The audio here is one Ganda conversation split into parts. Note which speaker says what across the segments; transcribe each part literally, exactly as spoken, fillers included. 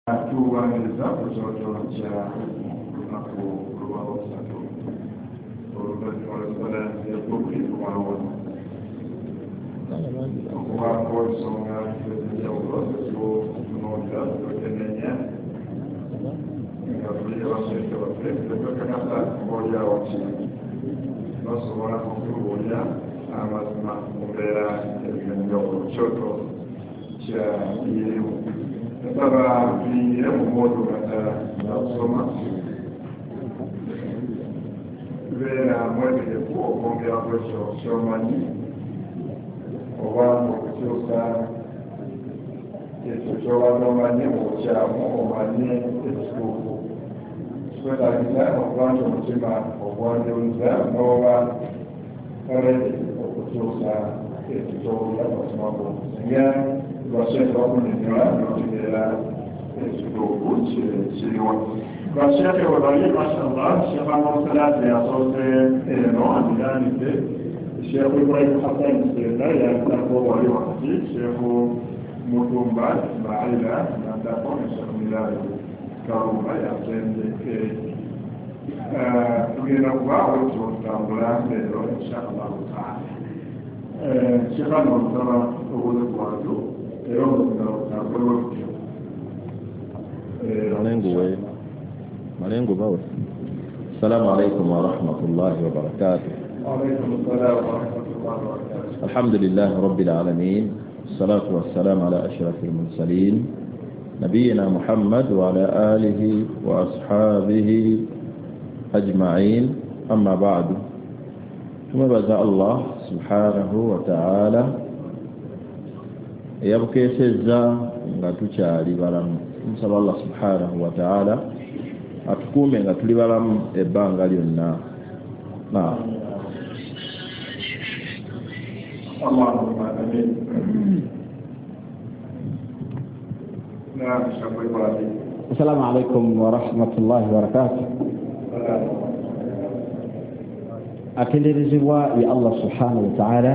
Speaker 1: Tuwaniriza ku kyoto kya lunaku lwakusatu oluvannyuma lw'essala y'ekkumi kumalowono okubaako ensonga ez'enjawulo zetutunuulira twekenneenya nga tuli abasheeke baffe tetwekakasa oboolyawo ki basobola okutubuulira amazima mu mbeera ez'enjawulo. Kyoto kya irimu nsaba tuyingire mu mwoto nga kusoma beera mwetegefu okwongera ku ekyo ky'omanyi oba okukyusa ekyo ky'obadde omanyi mu bukyamu omanye ekituufu. Kikwetaagisa okuba nti omutima ogwanjuluza n'oba ready okukyusa ekyo ky'owulira mu mutima gwo singa basheeke bakunnyonnyola n'otegeera ekituufu kiriwa. Basheeke bwe bali mashallah, Sheekh Amusalati yasoose eno amiranidde Sheekh Ibrahim Hassan Senda yaddako wali wakati, Sheekh Mutumba Ismaila naddako ne Sheekh Milali Kalumba yasembye eri. Tugenda kubaawo tutambula leero insha Allahu taala. Sheekh ano nsaba obuuze ku bantu era omuzima otambule butyo.
Speaker 2: Malengo we malengo bawe. السلام عليكم ورحمة الله وبركاته.
Speaker 1: وعليكم السلام ورحمة الله وبركاته.
Speaker 2: الحمد لله رب العالمين، والصلاة والسلام على أشرف المرسلين نبينا محمد وعلى آله وأصحابه أجمعين، أما بعد. ثم بزاء الله سبحانه وتعالى eyabukeesezza nga tukyali balamu. Nsaba Allah subhanahu wa ta'ala atukuume nga tuli balamu ebbanga lyonna. Naam.
Speaker 1: Allahumma amin. Naam, Sheikh Ibrahim.
Speaker 3: Assalamu alaikum warahmatullahi wabarakatuh. Atenderezebwa ya Allah subhanahu wa ta'ala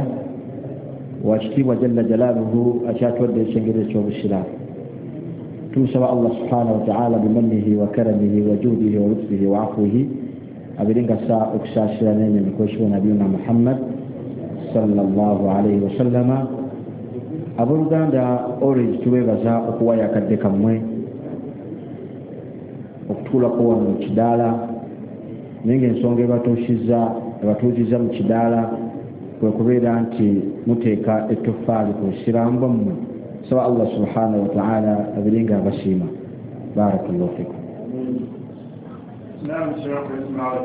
Speaker 3: wakitiibwa jalla jalaaluhu akyatuwadde ekyengero eky'obusiraamu. Tumusaba Allah subhanahu wa ta'ala bimannihi wa karamihi wa juudihi wa lutfihi wa afwihi abiringa saa okusaasira n'emyemikwekiwa nabiyuna Muhammad sallallahu alaihi wasallama. Abooluganda, always tubeebaza okuwaayo akadde kammwe okutuulako wano mu kidaala, naye ng'ensonga ebatuusizza ebatuuzizza mu kidaala kwe kubeera nti muteeka ettoffaali ku busiraamu bwammwe. Saba Allah subhanahu wa ta'ala abiringa abasiima. Barakallahu fikum.
Speaker 1: Naam, Sheikh Ismail.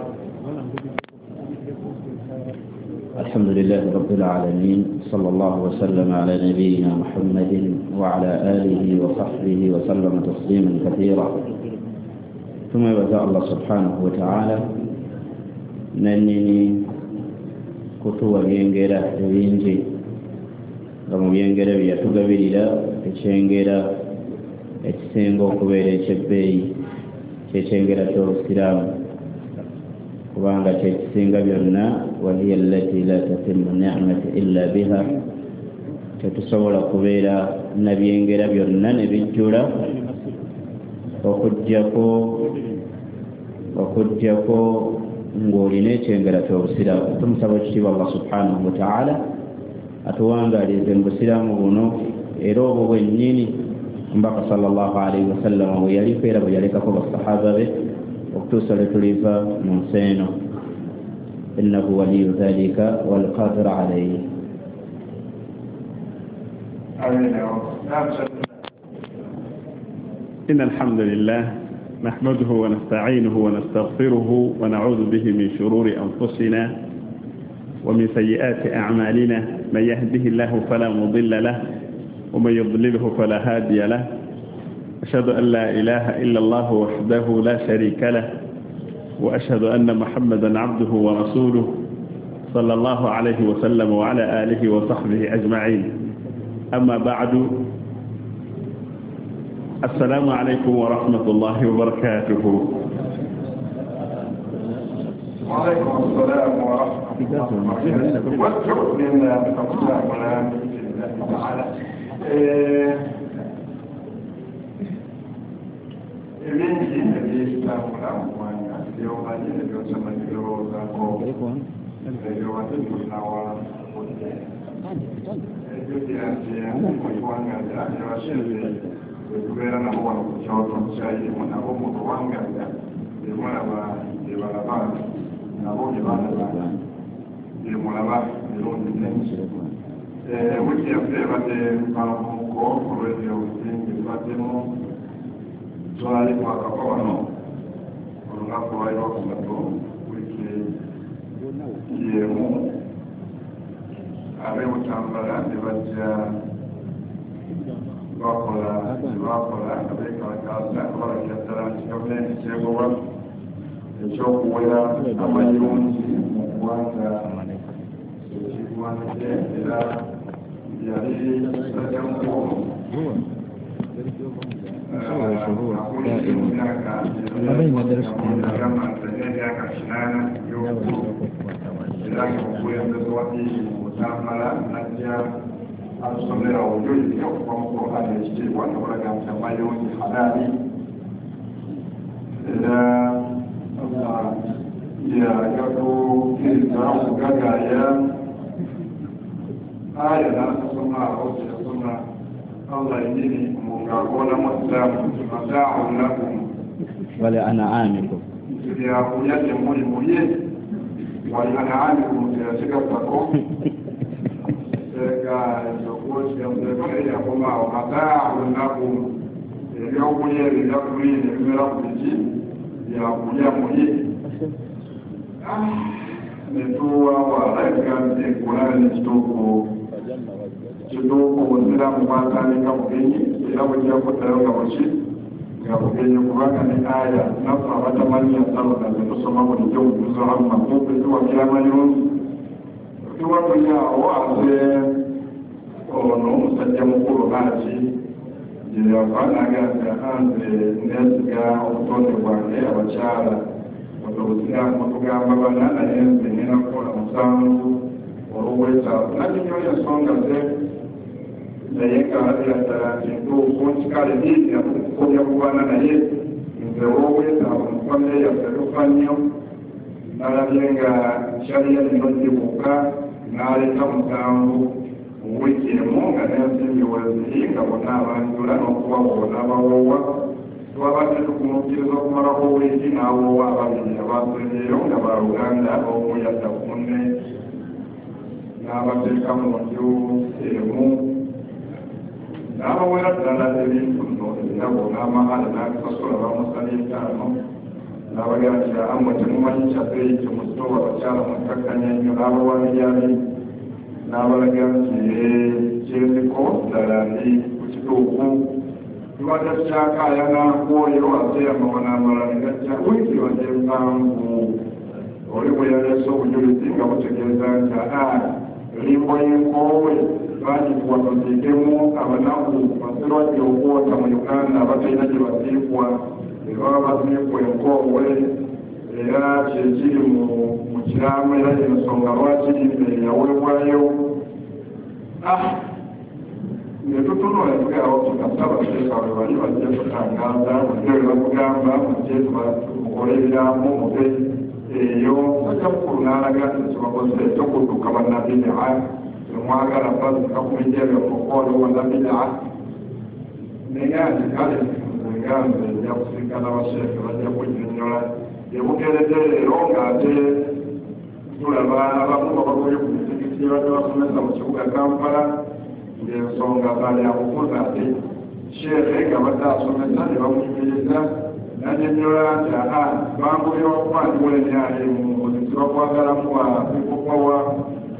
Speaker 4: الحمد لله رب العالمين، صلى الله وسلم على نبينا محمد وعلى آله وصحبه وسلم تسليما كثيرا. ثم يبدأ الله سبحانه وتعالى ننني kutuwa byengera ebingi, nga mu byengera bye yatugabirira ekyengera ekisinga okubeera ekyebbeeyi kyekyengera ky'obusiraamu, kubanga kyekisinga byonna. Wahiya allati la tatimu ni'matu illa biha, tetusobola kubeera na byengera byonna ne bijjula okuggyako okuggyako ng'olina ekyengera ky'obusiraamu. Tumusaba ekitiibwa Allah subhanahu wa ta'ala atuwangaalize mu busiraamu buno era obwo bwennyini Omubaka sallallahu alaihi wasallama bwe yaliko era bwe yalekako basahaba be okutuusa lwe tuliva mu nsi eno. Innahu waliyu dhalika walqadiru alayhi.
Speaker 1: Amin.
Speaker 5: إن الحمد لله نحمده ونستعينه ونستغفره ونعوذ به من شرور أنفسنا ومن سيئات أعمالنا، من يهده الله فلا مضل له ومن يضلله فلا هادي له، أشهد أن لا إله إلا الله وحده لا شريك له، وأشهد أن محمدا عبده ورسوله صلى الله عليه وسلم وعلى آله وصحبه أجمعين. أما بعد، السلام عليكم ورحمة الله وبركاته.
Speaker 1: وعليكم السلام ورحمة الله وبركاته. Ebitambula mu ggwanga by'omanyi ne by'otamanyi birowoozaako ebyowadde tulinawa budde ejjukira nti mu ggwanga lyabashefe bwe tubeera nabo wano ku kyoto kyayirimu nabo mu luwangalya bemulaba byebalaba nabo byebalaba byemulaba birungi mingi. Wiiki yaffe ebadde mpanvuko olw'ebyo bingi bibaddemu. Twali twakava wano olunaku lwali lwakusatu wiiki y'emu, ab'e Butambala ne bajja bakola bakola nga beekalakaasa nga balagira ddala nti gavumenti kyegoba ekyokuwera amayirungi mu ggwanga ekigwanidde, era yali musajja mukulu emyaka kinaana y'obukulu, era nga omukulembeze wa ddiini mu Butambala najja atusomera obujulizi okuva mu Qur'ani ekitiibwa nga bulaga nti amayirungi halaali, era yagatukiriza okugagaaya aya n'atusoma awo kyeyasoma Allah yennyini ng'akoolamu Isiraamu nti mataaun lakum
Speaker 4: wali an'amikum,
Speaker 1: nti byakulya gyemuli mulye, wali an'amikum teyakigattako teeka ekyokukigamzeko naye yakomaawo mataaun lakum, ebyokulya ebyo ebya gurini ebimera ku biki byakulya mulye. Netuwawaala ebigambo Kulaani kituufu kituufu obusiraamu bwatandika bugenyi era bujja kuddayo nga buki nga bugenyi, kubanga ne aya naffe abatamanyi ensalo zaffe tusoma bulijjo bujuzo hamma kumpi tuwagira amayirungi. Tuba tuli awo ate ono omusajja mukulu Haji gye yava n'agamba nze neesiga obutonde bwange abakyala obusiraamu butugamba bana naye nze ngenda kukola musanvu olw'obwetaavu nannyonnyola ensonga ze, naye ng'alabira ddala nti ntuufu nti kale diini yatukukomya ku bana naye nze olw'obwetaavu mu famire yaffe tufa nnyo, nalabye nga shariya lino gibuuka n'aleeta musanvu mu wiiki emu nga n'ensimbi weeziri nga bonna abanjula n'okubawoowa n'abawoowa. Twabadde tukumukkiriza okumalako wiiki n'awoowa ababiri abasembyeyo nga baluganda, omu yadda ku munne n'abateeka mu nju emu n'abawera ddala ebintu nno ebirabo n'amahale n'abisasula bamusala etaano n'abagamba nti ammwe temumanyi kyabbeeyi kyemusitoowa abakyala mwekkakkanya nnyo, n'abawa biyali n'abalaga nti kyenziko ddala ndi ku kituufu. Tubadde tukyakaayana kwoyo ate amawano amalala ne gajja wiiki badde mpanvu oli bwe yaleese obujulizi nga butegeeza nti aa limbo y'enkoowe bagituwa tuziikemu abanaku basirwadde okwota mu Uganda abatalina gye baziikwa, baba baziikwa enkoowe, era kyekiri mu kiraamo era ensonga lwaki limbo yaweebwayo. Ne tutunula tugerawo tukasaba sheeka bwe bali bajje tutangaaza mujje bwe bakugamba mujje mukole ebiraamo muve eyo. Musajja mukulu n'alaga nti kyebakoze ekyokudduka bannabidaa temwagala bazika ku bijja byaffe okuwaliwo bannabidaa, naye nti kale nze nga nze nja kusinkana basheeke bajja kunnyonnyola. Ebukeeredde leero ng'ate tulaba abamu babagobye ku misigiti badde basomesa mu kibuga Kampala ng'ensonga za byabufuzi, ate sheekhe nga badde asomesa ne bamuyimiriza n'annyonnyola nti aa bangobye wakuba ndiwo emyali mu muziki bakwagalamu wa people power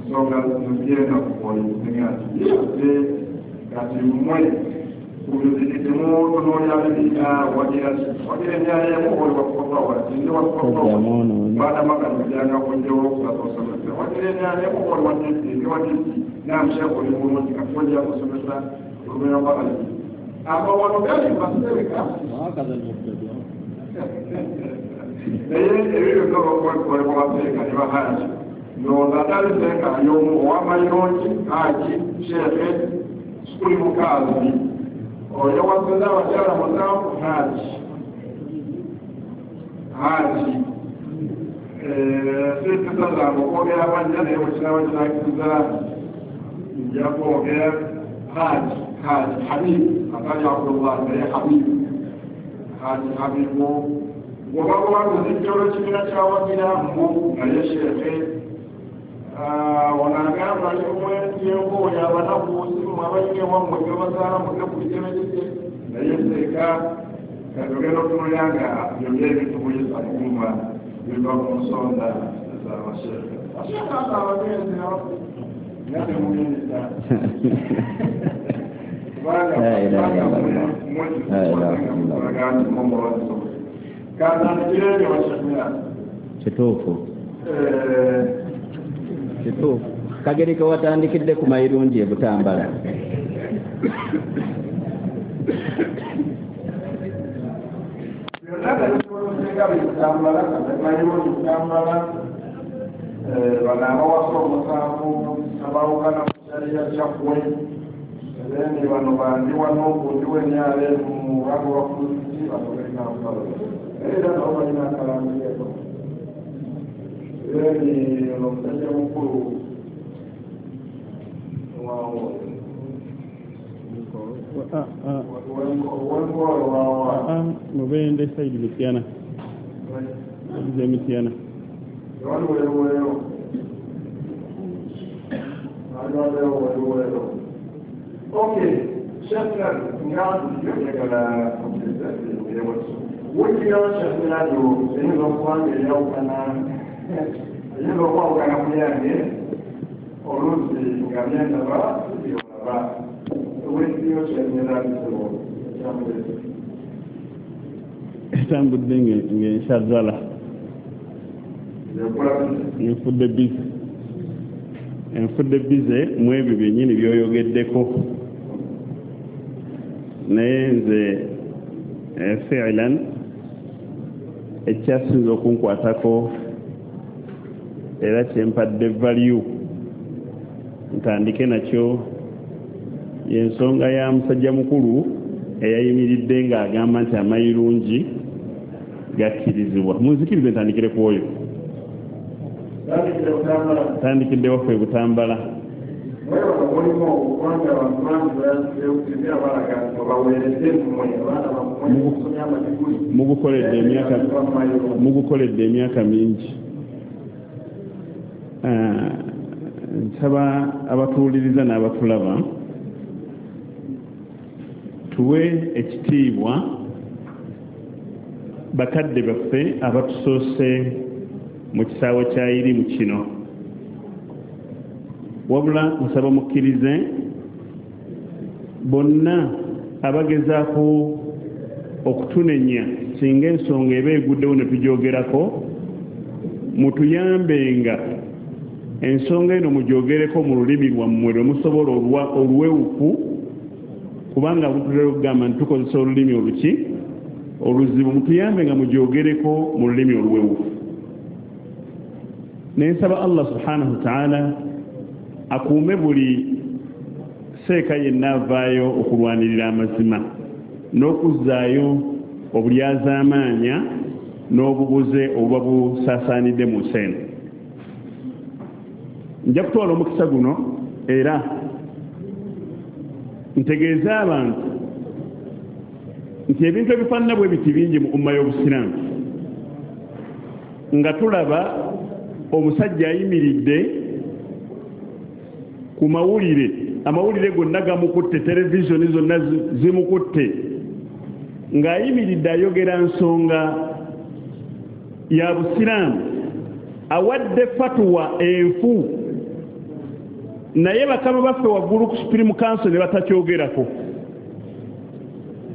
Speaker 1: nsonga zigenda ku poliisi nga nti ate kati mmwe ku mizikiti mutunuulira bibiina wagira wagira emyali emu oli wa people power nti ndi wa people power baadamaganijjanga kujjawo okusatu osomesa wagira emyali emu oli wa D P ndi wa D P namusheeka oli bulungi kati ojja kusomesa olubeera lwa alibi amawano gali masereka naye ebyo byonna olwokukolebwa baseeka ne bahaji ndowooza atali seeka y'omu ow'amayirungi haji sheekhe sukuli mukaazi oyo waseza abakyala musanvu haji Nze okwogera amannya naye bwe kinaaba kinakkiriza nja kwogera Haji Haji Habib atali Abdullah naye Habib Haji Habibu bw'obakubaguza olw'ekibiina kyawagira mbu naye sheekhe ono agamba yenkoya abanaku simu abayinga ewammwe gyebazaala mudde ku bigere naye seeka katugenda okutunulira nga byonna ebitubuyisa muuma biva ku nsonda z'abasheekhe asheekhe ate abagenzi nga temuyinza
Speaker 4: kituufu kituufu kageri ke watandikidde ku mayirungi e Butambala
Speaker 1: byonna tebisinga Butambala mayirungi Butambala bano abawasa omusanvu abawukana ku kyaliya kyaggwe then bano bandi wano gundi w'ennyalo mu bango bafuzi bano b'e Kampala era nabo balina akalambireko then ono omusajja mukulu wenkolo wawa
Speaker 5: mubende saidi Mityana ze Mityana
Speaker 1: wali weruwero wali weruwero. Okay, Sheikh Ngadu njagala wulira Sheikh Ngadu eyinza okuba nga eyawukana eyinza okwawukana ku yange oluusi nga byendaba byolaba wuliriyo Sheikh Ngadu
Speaker 5: etambudde ng'enshazala enfudde bize enfudde bize mu ebyo byennyini by'oyogeddeko naye nze fiilan ekyasinze okunkwatako era kyempadde value ntandike nakyo y'ensonga ya musajja mukulu eyayimiridde ng'agamba nti amayirungi gakkirizibwa. Munzikirize ntandikire ku oyo tandikidde waffe e Butambala. Mugukoledde emyaka mugukoledde emyaka mingi. Nsaba abatuwuliriza n'abatulaba tuwe ekitiibwa bakadde baffe abatusoose mu kisaawe kya irimu kino. Wabula nsaba mukkirize bonna abagezaako okutunenya singa ensonga eba eguddewo ne tugyogerako mutuyambenga ensonga eno mugyogereko mu lulimi lwammwe lwe musobola oluwewufu kubanga butulera okugamba nti tukozesa olulimi oluki oluzibu mutuyambe nga mugyogereko mu lulimi oluwewufu. Nensaba Allah subhanahu wa ta'ala akuume buli seeka yenna avaayo okulwanirira amazima n'okuzzaayo obulyazaamaanya n'obubuze obuba busaasaanidde mu nsi eno. Nja kutwala omukisa guno era ntegeeze abantu nti ebintu ebifaanana bwe biti bingi mu umma y'Obusiraamu nga tulaba omusajja ayimiridde ku mawulire amawulire gonna gamukutte televizoni zonna zimukutte ng'ayimiridde ayogera nsonga ya Busiraamu awadde fatuwa enfu naye bakama baffe waggulu ku Supreme Council ne batakyogerako.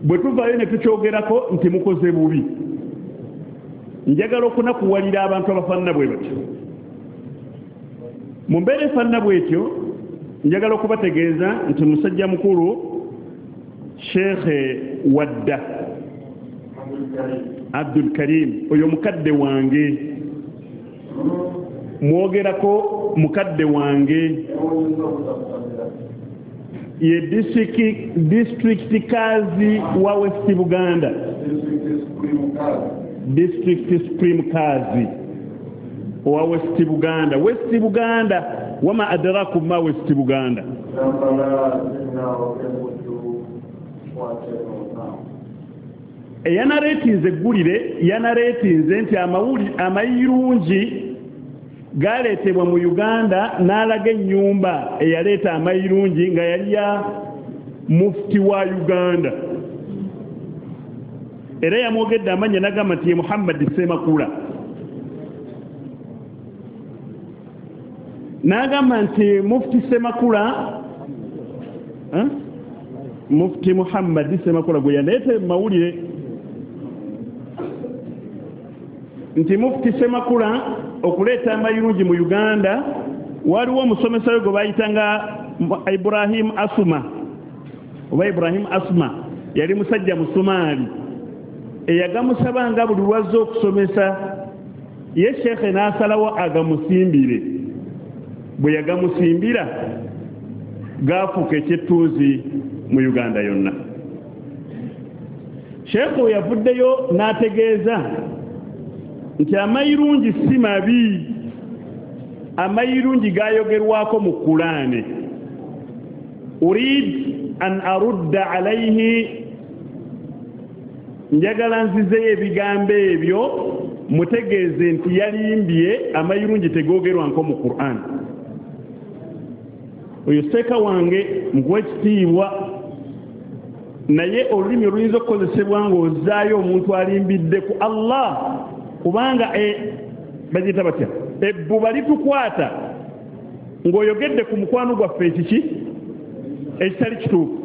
Speaker 5: Bwe tuvaayo ne tukyogerako nti mukoze bubi. Njagala okunakuwalira abantu abafaanana bwe batyo. Mu mbeera efaanana bw'etyo njagala okubategeeza nti musajja mukulu Sheikh Wadda Abdul Karim oyo mukadde wange mwogerako mukadde wange ye district district kazi wa West Buganda district Supreme Kazi Owa West Buganda. West Buganda, wama adrakum ma West Buganda. Eyanareetinze eggulire, yanareetinze nti amayirungi galeetebwa mu Uganda, n'alaga ennyumba eyaleeta amayirungi nga yali ya mufti wa Uganda. Era yamwogedde amannya n'agamba nti ye Muhammad Ssemakula. N'agamba nti mufti Ssemakula, Mufti Muhammad Ssemakula gwe yaleeta mu mawulire nti mufti Ssemakula okuleeta amayirungi mu Uganda, waliwo omusomesa we gwe bayitanga Ibrahim Asuma oba Ibrahim Asuma, yali musajja Musomaali eyagamusabanga buli lwazze okusomesa, ye sheekhe n'asalawo agamusimbire. Bwe yagamusimbira gaafuuka ekyettuuzi mu Uganda yonna. Sheekhe we yavuddeyo n'ategeeza nti amayirungi si mabi, amayirungi gayogerwako mu Kulaane. Urid an arudda alayhi, njagala nzizeyo ebigambo ebyo mutegeeze nti yalimbye, amayirungi tegoogerwanko mu Qur'an. Oyo seeka wange nkuwa ekitiibwa, naye olulimi oluyinza okukozesebwa ng'ozzaayo omuntu alimbidde ku Allah, kubanga bagiyita batya, ebbuba litukwata ng'oyogedde ku mukwano gwaffe ekiki ekitali kituufu.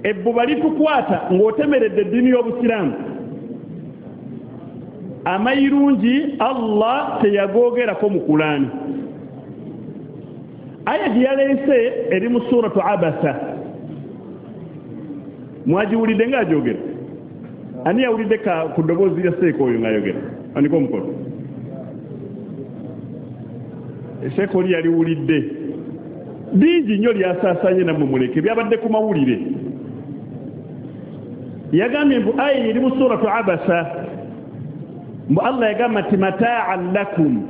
Speaker 5: Ebbuba litukwata ng'otemeredde eddiini y'Obusiraamu. Amayirungi Allah teyagoogerako mu Kulaani. Aya gye yaleese eri mu suratu Abasa. Mwagiwulidde ng'agyogera? Ani yawulidde ku ddoboozi lya seeka oyo ng'ayogera? Andiko omukono. Seeka oli yaliwulidde. Bingi nnyo lyasaasaanye nammwe muleke, byabadde ku mawulire. Yagambye mbu aya eri mu suratu Abasa, mbu Allah yagamba nti mataa'an lakum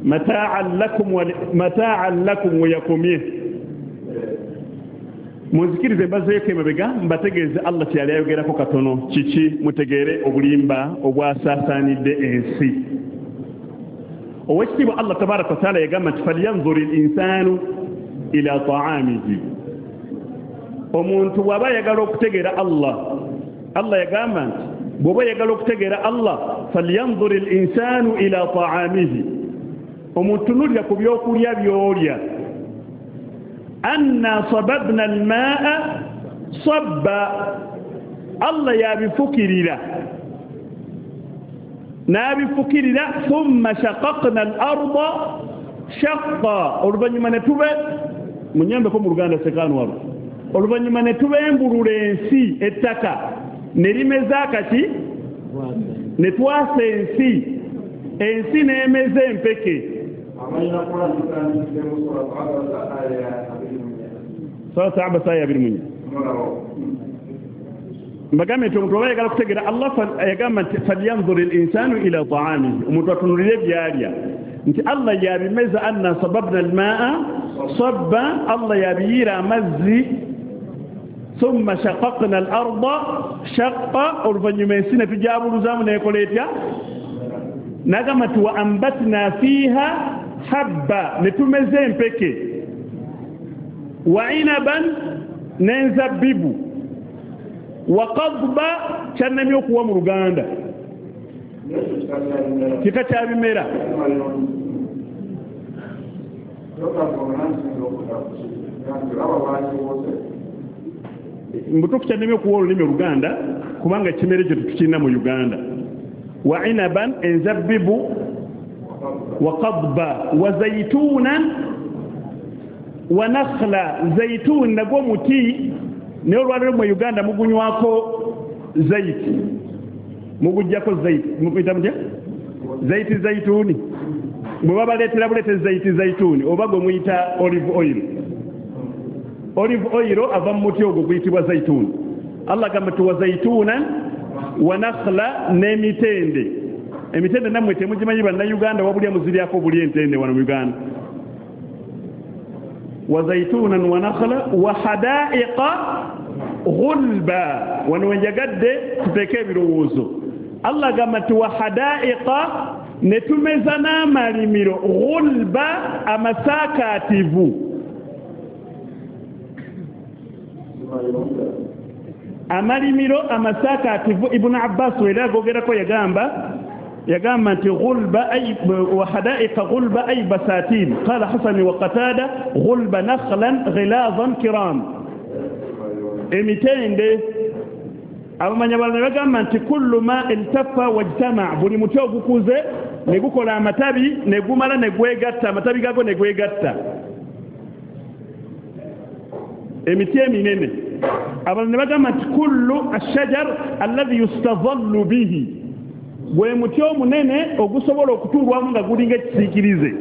Speaker 5: mataa'an lakum wa mataa'an lakum we yakomye. Munzikirize mbazeeko emabega mbategeeze Allah kye yali ayogerako katono kiki, mutegeere obulimba obwasaasaanidde ensi. Oweekitiibwa Allah tabaaraka wa taala yagamba nti falyanzuri l-insaanu ila ta'amihi. Omuntu bw'aba ayagala okutegeera Allah, Allah yagamba nti bw'oba oyagala okutegeera Allah, falyanzuri l-insaanu ila ta'amihi, omuntu tunulira ku byokulya by'olya. Anna sababna al-maa'a sabba, Allah yabifukirira n'abifukirira, thumma shaqaqna al-arda shaqqa, oluvannyuma ne tube munyambeko mu Luganda sekaano walo, oluvannyuma ne tubembulula ensi ettaka ne limeza akaki ne twasa ensi, ensi n'emeza empeke. Suratu Abasa aya abiri mu nnya. Mbagambye nti omuntu oba ayagala okutegeera Allah yagamba nti falyanzuri l-insaanu ila ta'amihi, omuntu atunulire by'alya nti Allah yabimeza. Anna sababna al-maa'a sabba, Allah yabiyiira amazzi. Thumma shaqaqna al-arda shaqqa, oluvannyuma ensi ne tujabuluzaamu n'ekola etya? N'agamba nti wa ambatna fiiha habba, ne tumeza empeke, wa inaban, n'enzabbibu, wa qadba, kyannamye okuwa mu Luganda kika kya bimera. Mbutuufu kyannamye okuwa olulimi Oluganda kubanga ekimera ekyo tetukirina mu Uganda. Wa inaban, enzabbibu, wa qadba, wa zayituunan, wa nakhla. Zayituun nagwo muti, naye olwaleero mu Uganda mugunywako zayiti, muguggyako zayiti, mukuyita mutya? Zayiti zayituuni. Bwe babaleetera buleete zayiti zayituuni oba gwe muyita olive oil. Olive oil ava mu muti ogwo guyitibwa zayituuni. Allah agamba nti wa zayituunan wa nakhla, n'emitende. Emitende nammwe temugimanyi bannayuganda, wabulya muziryako buli entende wano mu Uganda. Wa zaitunan wa nakhla wa hadaiqa ghulba. Wano wenjagadde tuteeke ebirowoozo. Allah agamba nti wa hadaiqa, ne tumeza n'amalimiro, ghulba, amasaakaativu. Amalimiro amasaakaativu. Ibn Abbas wera agogerako yagamba yagamba nti ghulba ay wa hadaiqa ghulba ay basatin. Qala Hasan wa Qatada ghulba nakhlan ghilazan kiram. Emitende abamanya balala bagamba nti kullu ma iltafa wajtama, buli muti ogukuze ne gukola amatabi ne gumala ne gwegatta, amatabi gago ne gwegatta, emiti eminene. Abalala ne bagamba nti kullu ashajar alladhi yustadhallu bihi, gwe muti omunene ogusobola okutuulwamu nga gulinga ekisiikirize.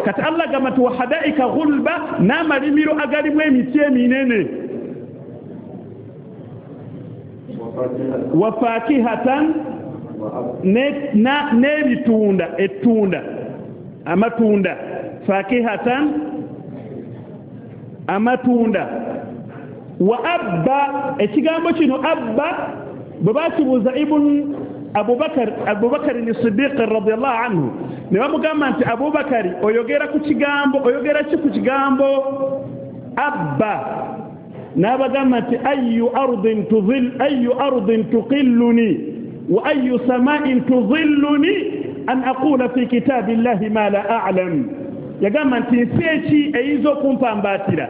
Speaker 5: Kati Allah agamba nti wa hadaika ghulba, n'amalimiro agalimu emiti eminene, wa fakihatan, n'ebitunda, ettunda, amatunda, fakihatan, amatunda. Wa abba, ekigambo kino abba bwe bakibuuza Ibn Abubakar, Abubakar ni-Siddiq radiyallahu anhu, ne bamugamba nti Abubakari oyogera ku kigambo, oyogera ki ku kigambo abba? N'abagamba nti ayu ardin tudhil, ayu ardin tuqilluni wa ayu sama'in tudhilluni an aqula fi kitabillahi ma la a'lam. Yagamba nti nsi eki eyinza okumpambaatira,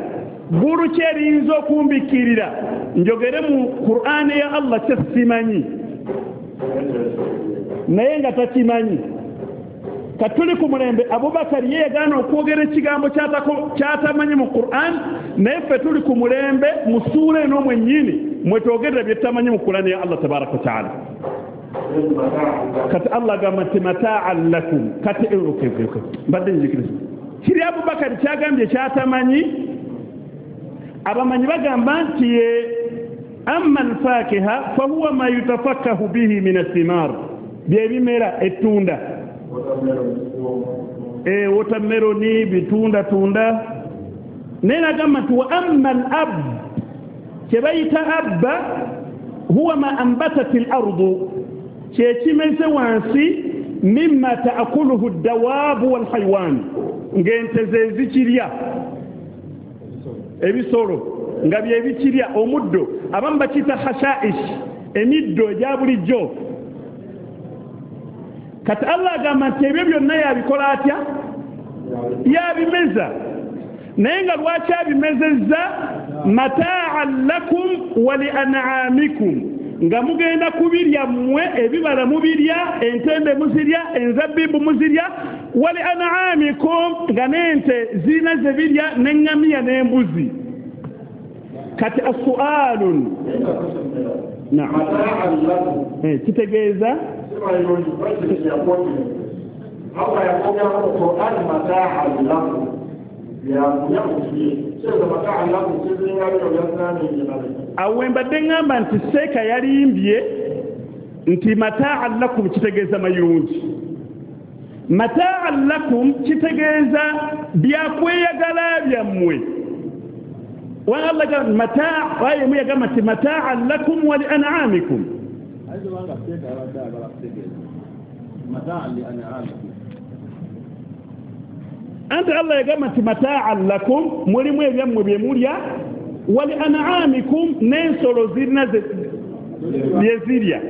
Speaker 5: ggulu ki eriyinza okumbikirira njogere mu Qur'ani ya Allah kye simanyi, naye nga takimanyi. Katuli ku mulembe Abubakari ye yagaana okwogera ekigambo kyatamanyi mu Qur'an, naye ffe tuli ku mulembe mu ssuula eno mwennyini mwe twogerera bye tutamanyi mu Qur'an ya Allah tabaraka wa taala. Kati Allah agamba nti mataan lakum. Kati mbadde nzikiriza kiri Abubakari kyagambye kyatamanyi. Abamanyi bagamba nti ye amma alfakiha fahuwa ma yutafakkahu bihi min athimar, byebimera ettunda, e watermelon, bitunda tunda. Naye nagamba nti wa amma al-ab, kyebayita abba huwa ma ambatat al-ardu, kyekimeze wansi, mimma taakuluhu ad-dawabu wal-haywan, ng'ente ze zikirya, ebisolo nga byebikirya, omuddo. Abamu bakiyita khashaish, emiddo egya bulijjo. Kati Allah agamba nti ebyo byonna yabikola atya? Yabimeza. Naye nga lwaki abimezezza? Mataan lakum wa li an'amikum, nga mugenda kubirya mmwe, ebibala mubirya, entende muzirya, enzabbibu muzirya, wa li an'amikum, nga n'ente zirina ze birya, n'eŋŋamiya n'embuzi. Kati asualun, naam, kitegeeza
Speaker 1: Allah yakogera mu Qur'an mataan lakum,
Speaker 5: Awo mbadde ŋŋamba nti seeka yalimbye nti mataan lakum kitegeeza mayungi. Mataan lakum kitegeeza byakweyagala byammwe. Wa Allah gamba mataa, aya emu yagamba nti mataan lakum wa li an'amikum. Anti Allah yagamba nti mataan lakum, mulimu ebyammwe bye mulya, wa li an'amikum, n'ensolo zirina bye zirya.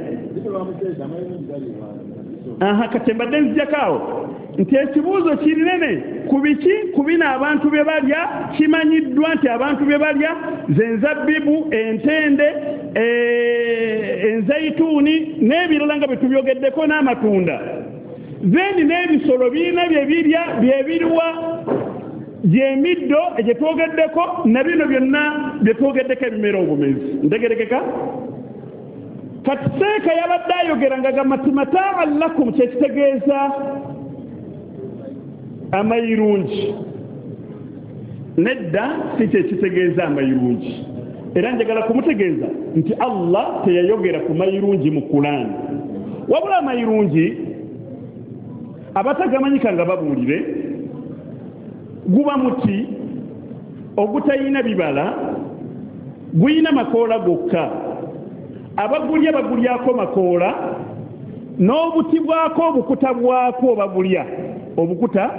Speaker 5: Aha, kati mbadde nzijjako awo nti ekibuuzo kirinene ku biki ku bino abantu bye balya. Kimanyiddwa nti abantu bye balya ze nzabbibu, entende, enzayituuni n'ebirala nga bye tubyogeddeko n'amatunda. Then n'ebisolo birina bye birya, bye biriwa gy'emiddo gye twogeddeko na bino byonna bye twogeddeko ebimera obumezi. Ntegerekeka? Kati seeka yabadde ayogera nga gamba nti mataan lakum kyekitegeeza amayirungi. Nedda si kyekitegeeza amayirungi. Era njagala kumutegeeza nti Allah teyayogera ku mayirungi mu Kulaani, wabula amayirungi Abatagamanyika nga babuulire, guba muti ogutayina bibala, guyina makoola gokka, abagulya bagulyako makoola, n'obuti bwako obukuta bwako bagulya obukuta.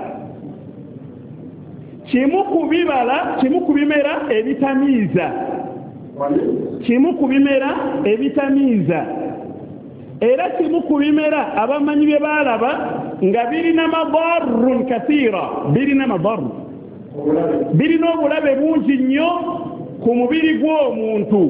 Speaker 5: Kimu ku bibala, kimu ku bimera ebitamiiza, kimu ku bimera ebitamiiza, era kimu ku bimera abamanyi bye baalaba nga birina madarrun kathira, birina madarru, birina obulabe bungi nnyo ku mubiri gw'omuntu.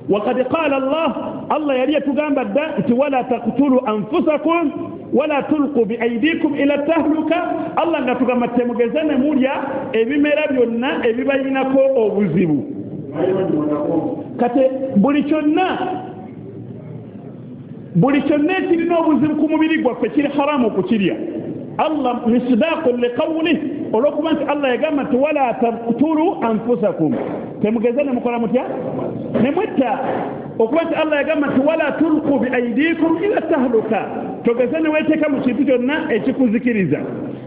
Speaker 5: Wakad qala Allah, Allah yali yatugamba dda nti wala taqtulu anfusakum wala tulqu biaidikum ila tahluka. Allah nga tugamba temugeze ne mulya ebimera byonna ebibayinako obuzibu. Kati buli kyonna, buli kyonna ekirina obuzibu ku mubiri gwaffe kiri haramu okukirya. Allah misdaqun liqawlih, olwokuba nti Allah yagamba nti wala taqtulu anfusakum, temugeze ne mukola mutya, ne mwetta. Okuba nti Allah yagamba nti wala tulqu biaidikum ila tahluka, togeze ne weeteeka mu kintu kyonna ekikuzikiriza.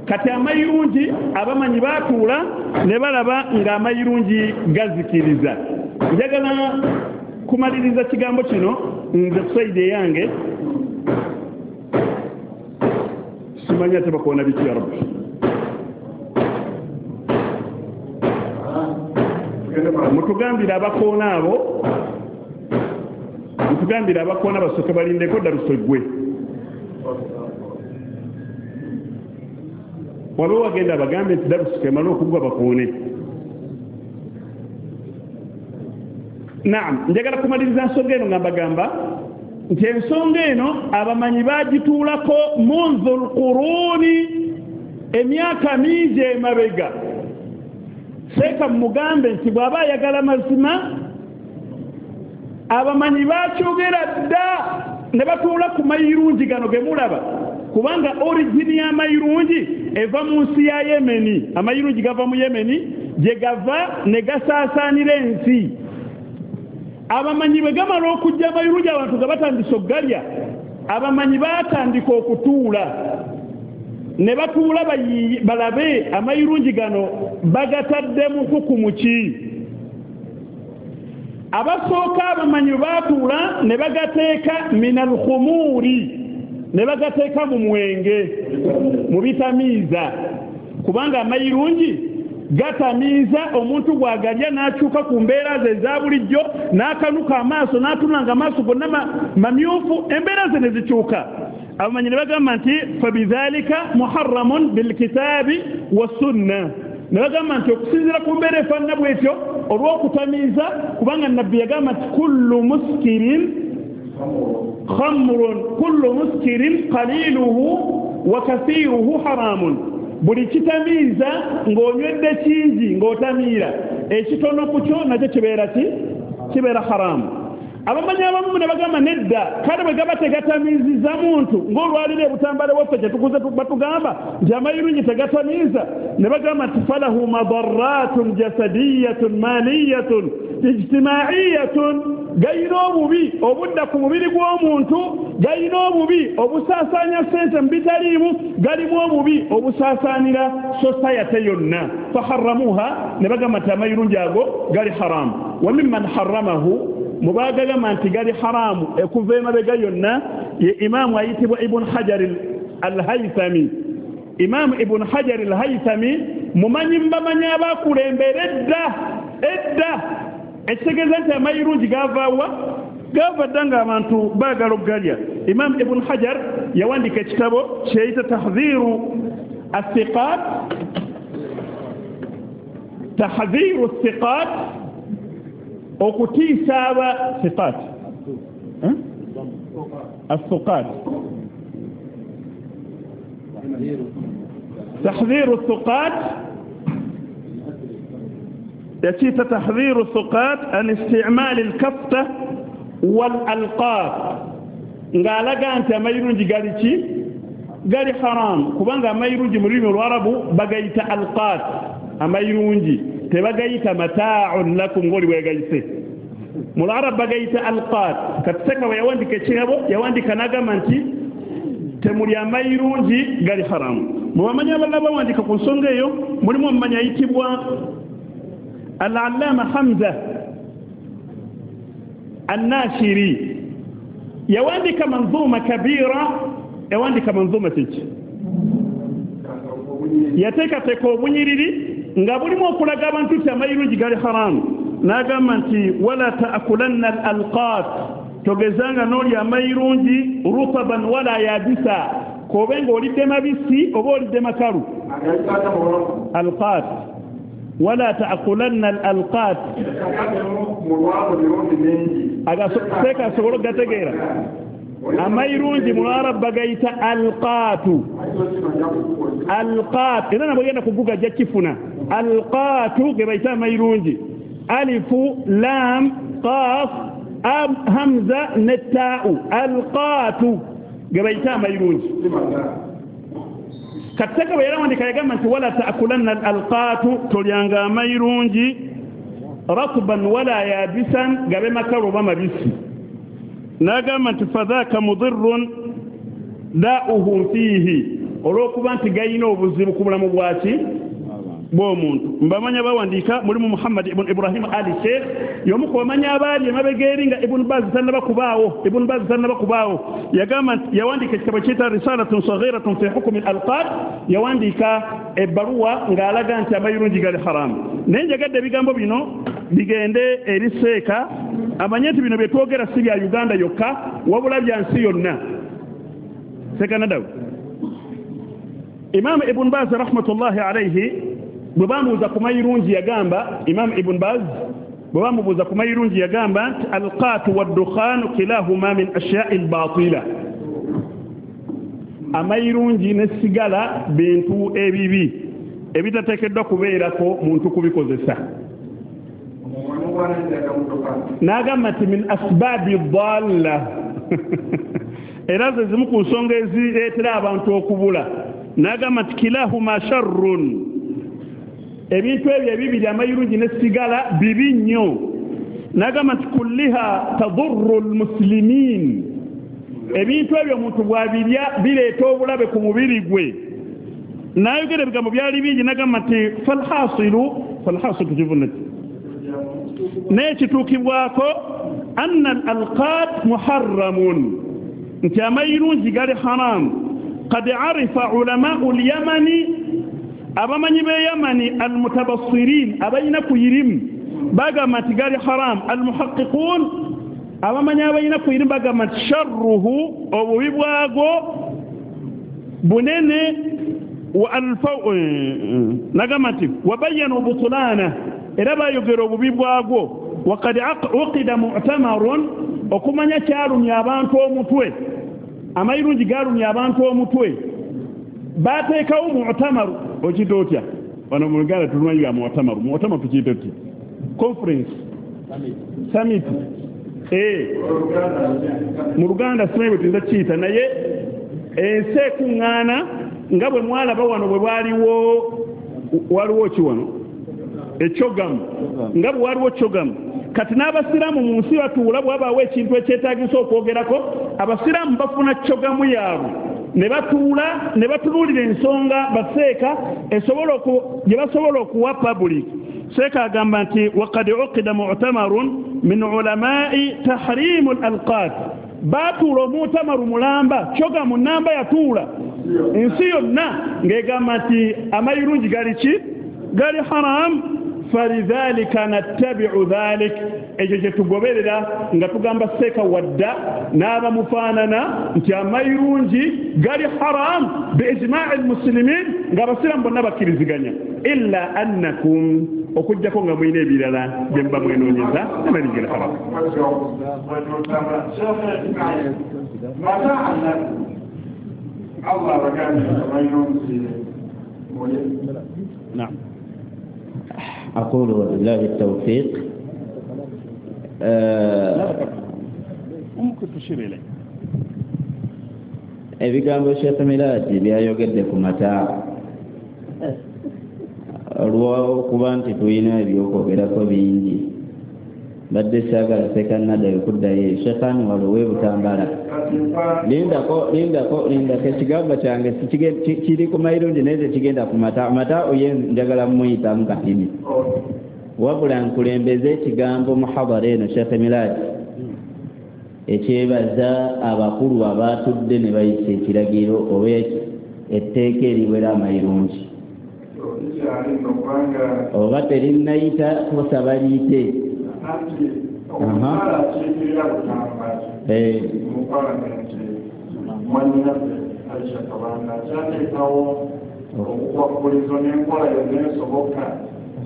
Speaker 5: Kati amayirungi abamanyi baatuula ne balaba ng'amayirungi gazikiriza. Njagala kumaliriza kigambo kino nze ku saidi eyange, simanyi ate bakoona biki ya Rabbi. Mutugambire abakoona abo, mutugambire abakoona basooke balindeko ddaluso eggwe. Waliwo wagenda abagambe nti darusu emale okugwa bakoone. Naam, njagala kumaliriza nsonga eno nga mbagamba nti ensonga eno abamanyi bagituulako munzu lquruni, emyaka mingi emabega. Seeka mugambe nti bw'aba ayagala mazima, abamanyi bakyogera dda ne batuula ku mayirungi gano ge mulaba, kubanga origini y'amayirungi eva mu nsi ya Yemeni. Amayirungi gava mu Yemeni, gye gava ne gasaasaanira ensi. Abamanyi bwe gamala okujja amayirungi abantu nga batandise okugalya, abamanyi baatandika okutuula ne batuula balabe amayirungi gano bagatadde mu hukumu ki. Abasooka abamanyi baatuula ne bagateeka minal khumuri, ne bagateeka mu mwenge, mu bitamiiza, kubanga amayirungi gatamiiza omuntu bw'agalya n'akyuka ku mbeera ze eza bulijjo, n'akanuka amaaso, n'atunula nga amaaso gonna mamyufu, embeera ze ne zikyuka. Abamanyi ne bagamba nti fabidhalika muharramun bilkitaabi wassunna, ne bagamba nti okusinziira ku mbeera efaanana bwetyo olw'okutamiiza, kubanga Nabbi yagamba nti kullu muskirin khamrun, kullu muskirin qaliluhu wa kathiruhu haramun. Buli kitamiiza ng'onywedde kingi ng'otamiira, ekitono ku kyo nakyo kibeera ki? Kibeera haramu. Abamanyi abamu ne bagamba nedda, kale bwe gaba tegatamiiziza muntu ng'olwaliro ebutambala waffe kye tukuze batugamba nti amayirungi tegatamiiza, ne bagamba nti falahu madarratun jasadiyatun maliyatun ijtimaiyatun, gayina obubi obudda ku mubiri gw'omuntu, gayina obubi obusaasaanya ssente mu bitaliimu, galimu obubi obusaasaanira society yonna. Faharramuha, ne bagamba nti amayirungi ago gali haramu. Wa mimman harramahu, mubagagamba nti gali haramu ekuva emabega yonna, ye imaamu ayitibwa Ibn Hajar al-Haythami. Imaamu Ibn Hajar al-Haythami mumanyi mbamanyi abakulembera edda edda, ekitegeeza nti amayirungi gavaawa, gava dda ng'abantu baagala okugalya. Imaamu Ibn Hajar yawandiika ekitabo kyeyita Tahdhiru athiqat, Tahdhiru thiqat, okutiisa aba thiqat, athuqat, Tahdhiru thiqat, yakiyita Tahdhiru thiqat an isti'mal al-kafta wal alqat, ng'alaga nti amayirungi gali ki? Gali haramu, kubanga amayirungi mu lulimi olwarabu bagayita alqat, amayirungi tebagayita mata'un lakum ng'oli bwegayise. Mu lwarabu bagayita alqat. Kati Seka bwe yawandika ekirabo yawandika n'agamba nti Temulya amayirungi gali haramu. Mubamanyi abalala bawandiika ku nsonga eyo mulimu omumanyi ayitibwa Al-Allama Hamza An-Nashiri, yawandiika manzuma kabira, yawandiika manzuma kiki, yateekateeka obunyiriri nga bulimu okulaga abantu nti amayirungi gali haramu. N'agamba nti wala ta'kulanna al-alqat, togezanga n'olya amayirungi rutaban wala yabisa, kobe ng'olidde mabisi oba olidde makalu. Alqat wala ta'kulanna al-alqat, seeka asobole okugategeera. Amayirungi mu Luarabu bagayita alqatu, alqat, era nabwe genda kuguga ajja kifuna. Alqatu ge bayita amayirungi, alifu lam qaf hamza ne taa'u, alqatu ge bayita amayirungi. Kateka bwe yawandiika yagamba nti wala ta'kulanna alqatu, tolyanga amayirungi ratban wala yabisan, gabe makalu oba mabisi. N'agamba nti fadhaka mudirrun da'uhum fiihi, olw'okuba nti gayina obuzibu ku bulamu bwaki bw'omuntu. Mbamanya bawandiika mulimu Muhammad ibn Ibrahim Ali Sheikh, y'omu ku bamanyi abaali emabega eri nga Ibn Baz tannaba kubaawo, Ibn Baz tannaba kubaawo. Yagamba nti yawandiika ekitabo kiyita Risalatun Saghiratun fi Hukmi al-Alqat, yawandiika ebbaluwa ng'alaga nti amayirungi gali haramu. Naye njagadde ebigambo bino bigende eri seeka amanye nti bino bye twogera si bya Uganda yokka wabula bya nsi yonna. Seeka Nadawi, Imam Ibn Baz rahmatullahi alayhi bwe bamubuuza ku mayirungi yagamba, Imam Ibn Baz bwe bamubuuza ku mayirungi yagamba nti alqatu waddukhaanu kilahuma min ashyai lbatila, amayirungi ne sigala bintu ebibi ebitateekeddwa kubeerako muntu kubikozesa. N'agamba nti min asbaabi dalla, era ze zimu ku nsonga ezireetera abantu okubula. N'agamba nti kilahuma sharrun, ebintu ebyo ebibiri amayirungi ne sigala bibi nnyo. N'agamba nti kulliha tadurru lmuslimin, ebintu ebyo omuntu bw'abirya bireeta obulabe ku mubiri gwe. N'ayogera ebigambo byali bingi, n'agamba nti falhasilu, falhasilu tukivunaki naye kituukibwako anna al alqat muharramun, nti amayirungi gali haramu. Qad arifa ulamau lyamani, abamanyi b'e Yamani almutabassirin, abalina ku irimu bagamba nti gali haramu. Almuhaqiqun, abamanyi abalina ku irimu bagamba nti sharruhu, obubi bwago bunene. Nagamba nti wabayanu butulana, era bayogera obubi bwagwo. Wakad uqida mu'tamarun, okumanya kyalumya abantu omutwe, amayirungi galumya abantu omutwe, bateekawo mu'tamaru. Okiyita otya wano mu Luganda? Tulumanyi bya mu'tamaru. Mu'tamaru tukiyita otya? Conference, summit. Mu Luganda simanyi bwe tuyinza kukiyita, naye ensi ekuŋŋaana nga bwe mwalaba wano bwe bwaliwo, waliwo ki wano ekyogamu, nga bwe waliwo kyogamu. Kati n'abasiraamu mu nsi batuula, bwabaawo ekintu ekyetaagisa okwogerako, abasiraamu bafuna kyogamu yaabwe ne batuula ne batunuulira ensonga baseeka esobola gye basobola okuwa public. Seeka agamba nti waqad uqida mu'tamarun min ulamai tahrimu al-alqat, baatuula omutamaru mulamba, kyogamu namba yatuula ensi yonna ng'egamba nti amayirungi gali ki? Gali haramu. Falidhalika nattabi'u dhalik, ekyo kye tugoberera nga tugamba seeka wadda n'abamufaanana nti amayirungi gali haramu biijma'i lmuslimin, ng'abasiraamu bonna bakkiriziganya. Illa annakum, okuggyako nga mulina ebirala bye muba mwenoonyeza, amayirungi gali haramu. Naam.
Speaker 4: أقول وبالله التوفيق.
Speaker 5: ممكن تشير إليه.
Speaker 4: Ebigambo Sheikh Miladi byayogedde ku mata, olw'okuba nti tulina ebyokwogerako bingi, Badde saagala sekanadayo kuddayo Shekhani walo w'ebutambala. Lindako lindako lindako ekigambo kyange kiri ku mayirungi naye tekigenda ku mata mata oye njagala muyitamu katini. Wabula nkulembeze ekigambo muhadara eno Sheikh Milad ekyebaza abakulu abatudde ne bayisa ekiragiro oba etteeka eriwera amayirungi oba terinnayita tusaba liyite.
Speaker 1: Omukyala akiikirira Butambala mu palamenti mwannyinaffe Aisha Kabanda akyateekawo obukwakkulizo n'enkola yonna esoboka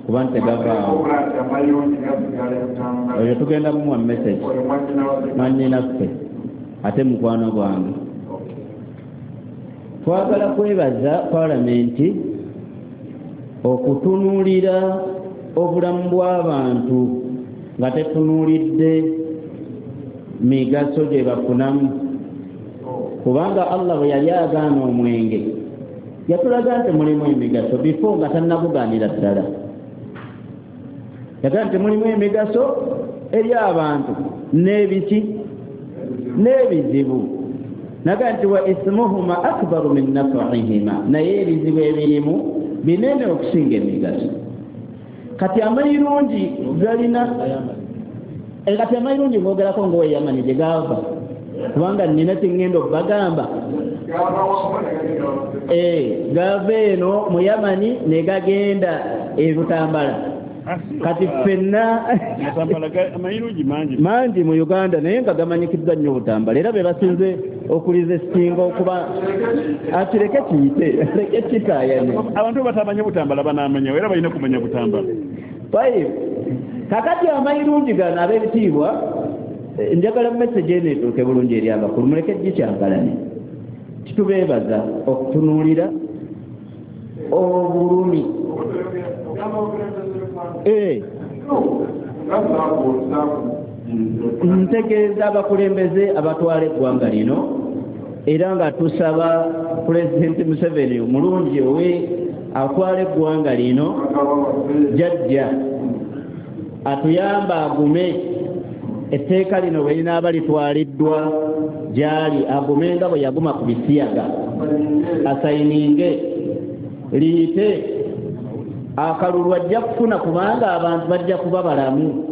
Speaker 4: kuba nti tegavaawo. Oyo tugenda kumuwa message mwannyinaffe ate mukwano gwange. Twagala kwebaza palamenti okutunuulira obulamu bw'abantu nga tetunuulidde migaso gye bafunamu, kubanga Allah bwe yali agaana omwenge yatulaga nti mulimu emigaso before nga tannagugaanira ddala. Yagamba nti mulimu emigaso eri abantu n'ebiki n'ebizibu. Naga nti wa ismuhuma akbaru min naf'ihima, naye ebizibu ebirimu binene okusinga emigaso. Kati amayirungi galina kati amayirungi ngoogerako ng'oweyamani gye gava, kubanga nnina kye ŋŋenda okubagamba. Gava eno mu Yamani ne gagenda e Butambala. Kati ffenna mangi mu Uganda naye nga gamanyikiddwa nnyo Butambala, era be basinze okuliza esinga okuba akireke kiyite leke kitaayane.
Speaker 5: Abantu batamanya Butambala banaamanya era balina kumanya Butambala.
Speaker 4: Tayib, kakati amayirungi gano ab'ebitiibwa, njagala message eno etuuke bulungi eri abakulu, muleke gikyankalane. Titubeebaza okutunuulira obulumi. Eh, ntegeeza abakulembeze abatwala eggwanga lino, era nga tusaba Pulezidenti Museveni omulungi owe atwala eggwanga lino jjajja atuyamba agume etteeka lino bwe linaaba litwaliddwa gy'ali, agume nga bwe yaguma ku bisiyaga, asayininge liyite akalulu ajja kufuna, kubanga abantu bajja kuba balamu.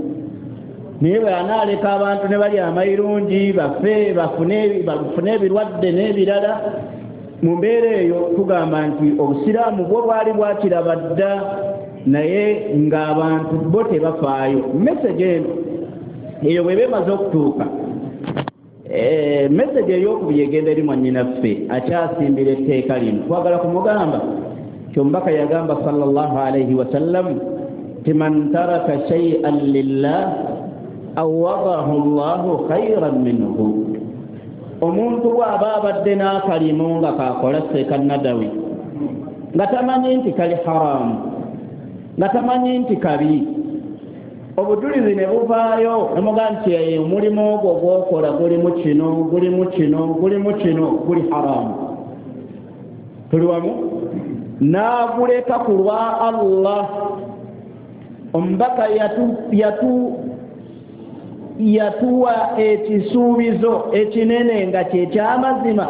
Speaker 4: Naye bwe anaaleka abantu ne bali amayirungi bafe bafune bafune ebirwadde n'ebirala mu mbeera eyo, tugamba nti obusiraamu bwo bwali bwakiraba dda, naye ng'abantu bo tebafaayo. Message eno eyo bw'eba emaze okutuuka, message ey'okubiri egenda eri mwannyinaffe akyasimbira etteeka lino. Twagala kumugamba kyomubaka yagamba sallallahu alaihi wasallam ti man taraka shay'an lillah awadahu llahu khairan minhu. Omuntu bw'aba abadde n'akalimu nga kakola seeka nadawi nga tamanyi nti kali haramu, nga tamanyi nti kabi, obujulizi ne buvaayo nemuga nti omulimu ogwo gwokola gulimu kino gulimu kino gulimu kino guli haramu, tuli wamu, n'aguleka ku lwa Allah. Omubaka yatu yatu yatuwa ekisuubizo ekinene nga kyekyamazima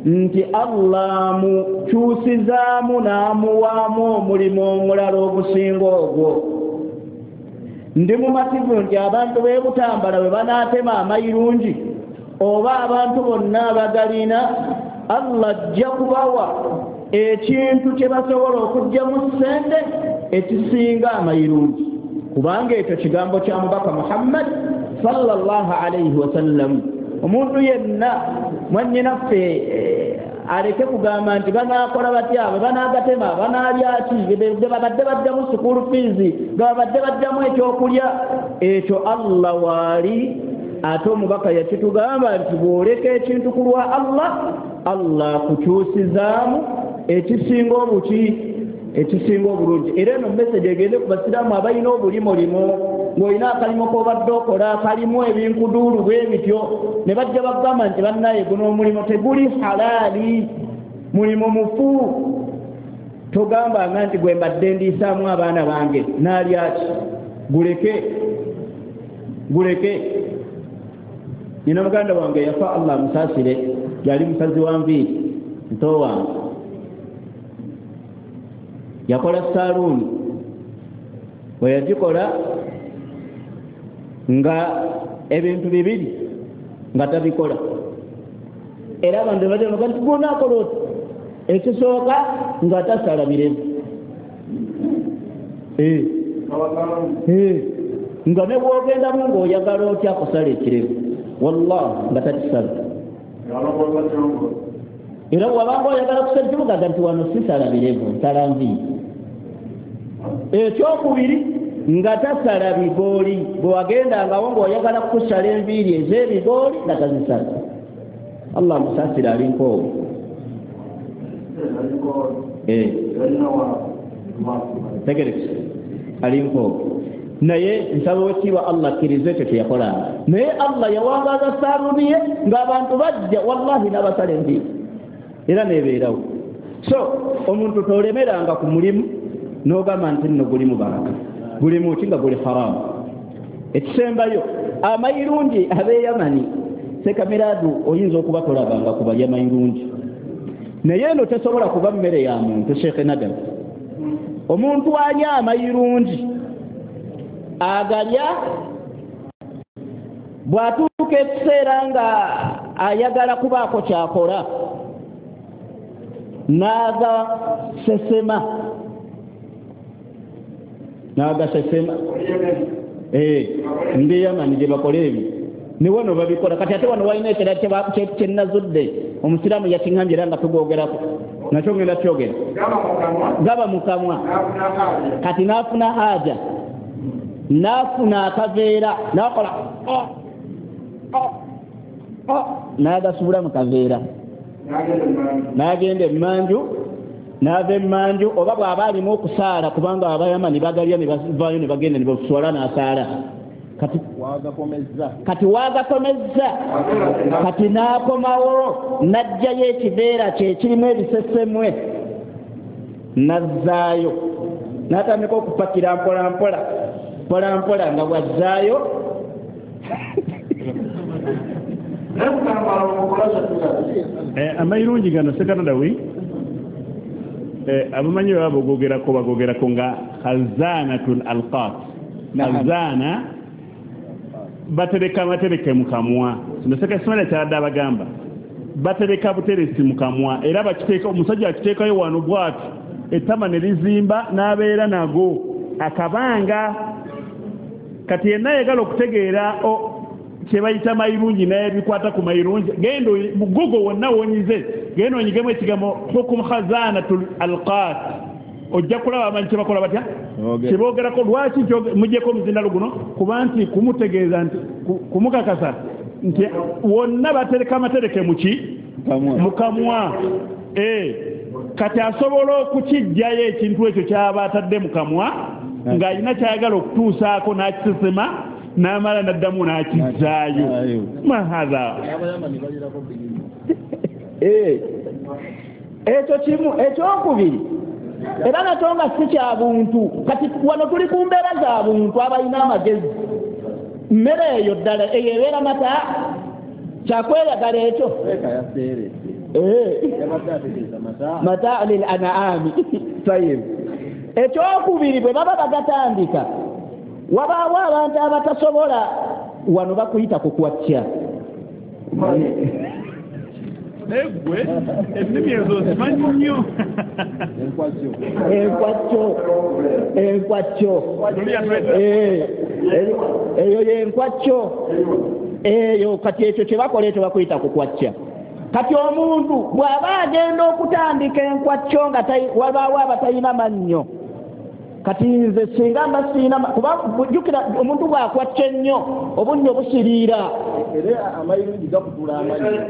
Speaker 4: nti Allah amukyusizaamu n'amuwaamu omulimu omulala ogusinga ogwo. Ndi mumativu nti abantu b'e Butambala bwe banaatema amayirungi oba abantu bonna abagalina, Allah ajja kubawa ekintu kye basobola okuggyamu ssente ekisinga amayirungi, kubanga ekyo kigambo kya mubaka Muhammad sallallahu alaihi wasallam. Omuntu yenna mwannyinaffe aleke kugamba nti banaakola batya, abo banaagatema banaalya ki, babadde baddamu school fees, babadde baddamu ekyokulya. Ekyo Allah waali, ate omubaka yakitugamba nti bw'oleka ekintu ku lwa Allah, Allah akukyusizaamu ekisinga obuki ekisinga obulungi. Era eno message egende ku basiraamu abalina obulimolimu, ng'olina akalimu k'obadde okola kalimu ebinkuduulu bwe bityo, ne bajja bagamba nti bannaye guno omulimu teguli halaali, mulimu mufu. Togambanga nti gwe mbadde ndiisaamu abaana bange naalyaki, guleke. Guleke. Nina muganda wange yafa, Allah amusaasire, yali musazi wa nviiri, muto wange yakola saluuni. Bwe yagikola nga ebintu bibiri nga tabikola, era abantu bajamuga nti gunaakola oti. Ekisooka nga tasala birevu, nga ne bw'ogendamu ng'oyagala otya kusala ekirevu, wallahi nga takisala. Era bw'abanga oyagala kusala kimugaga nti wano sisala birevu, nsala nviiri. Ekyokubiri nga tasala bigooli, bwe wagendangawo ng'oyagala kusala enviiri ez'ebigooli nga tazisala. Allah musaasire, ali nkoowu. Tegerekese, ali nkoowu. Naye nsaba owekitiibwa Allah akkirize ekyo kye yakolanga. Naye Allah yawangaaza saaluuni ye ng'abantu bajja, wallahi n'abasala enviiri era nebeerawo. So omuntu tolemeranga ku mulimu n'ogamba nti nno gulimu baraka, gulimu ki nga guli haramu. Ekisembayo, amayirungi ab'eyamani sekamiradu oyinza okuba tolabanga ku balya mayirungi, naye eno tesobola kuba mmere ya muntu. Sheikh Nadam, omuntu alya amayirungi agalya bw'atuuka ekiseera nga ayagala kubaako kyakola n'agasesema n'agasesema eh ndi Yamani gye bakola ebyo, ne wano babikola. Kati ate wano walina ekirala kye nnazudde, omusiraamu yakiŋŋambye era nga tugoogerako nakyo, ngenda kyogera. Gaba mu kamwa, kati n'afuna haja, n'afuna akaveera, n'akola n'agasuula mu kaveera, n'agenda emmanju, n'ava emmanju, oba bw'aba alimu okusaala, kubanga abayamani bagalya ne bavaayo ne bagenda ne baswala n'asaala. Kati kati waagakomezza, kati n'akomawo n'aggyayo ekiveera kye kirimu ebisesemwe, n'azzaayo, n'atandika okupakira mpola mpola mpola mpola nga bw'azzaayo.
Speaker 5: Amayirungi gano Sekanadawi abamanyi baba bogogerako bagogerako nga khazanatul alqat. Khazana batereka amatereke mu kamwa. Kino Seka Ismaila kyadde abagamba batereka buteresi mu kamwa, era bakiteeka, omusajja akiteekayo wano bw'ati, ettama ne lizimba n'abeera nago akabanga. Kati yenna ayagala okutegeera kye bayita mayirungi n'ebikwata ku mayirungi, genda mu Google wonna wonyize, genda onyigemu ekigambo hukum khazanatul alqat, ojja kulaba amanyi kye bakola batya, kye boogerako. Lwaki muggyeko omuzindalo guno? Kuba nti kumutegeeza nti kumukakasa nti wonna batereka amatereke mu ki? Mu kamwa. Kati asobola okukiggyayo ekintu ekyo ky'aba atadde mu kamwa ng'alina ky'ayagala okutuusaako n'akisesema n'amala n'addamu n'akizzaayo. Mahatha
Speaker 4: ekyo kimu. Ekyokubiri era nakyo nga si kya buntu. Kati wano tuli ku mbeera za buntu abalina amagezi. Mmere eyo ddala eyo ebeera mata, kyakweyagala ekyo mataa lil an'ami. Tayib. Ekyokubiri bwe baba bagatandika, wabaawo abantu abatasobola, wano bakuyita kukwatya.
Speaker 5: Naye ennimi ezo zimanyi nnyo.
Speaker 4: Enkwacyo, enkwacyo eyo yenkwacyo eyo. Kati ekyo kye bakola ekyo bakuyita kukwatya. Kati omuntu bw'aba agenda okutandika enkwacyo nga wabaawo abatalina mannyo. Kati nze singa mba sirina, kuba jjukira omuntu bw'akwacca ennyo obunnyo busiriira.
Speaker 2: Era amayirungi gakutula amannyo.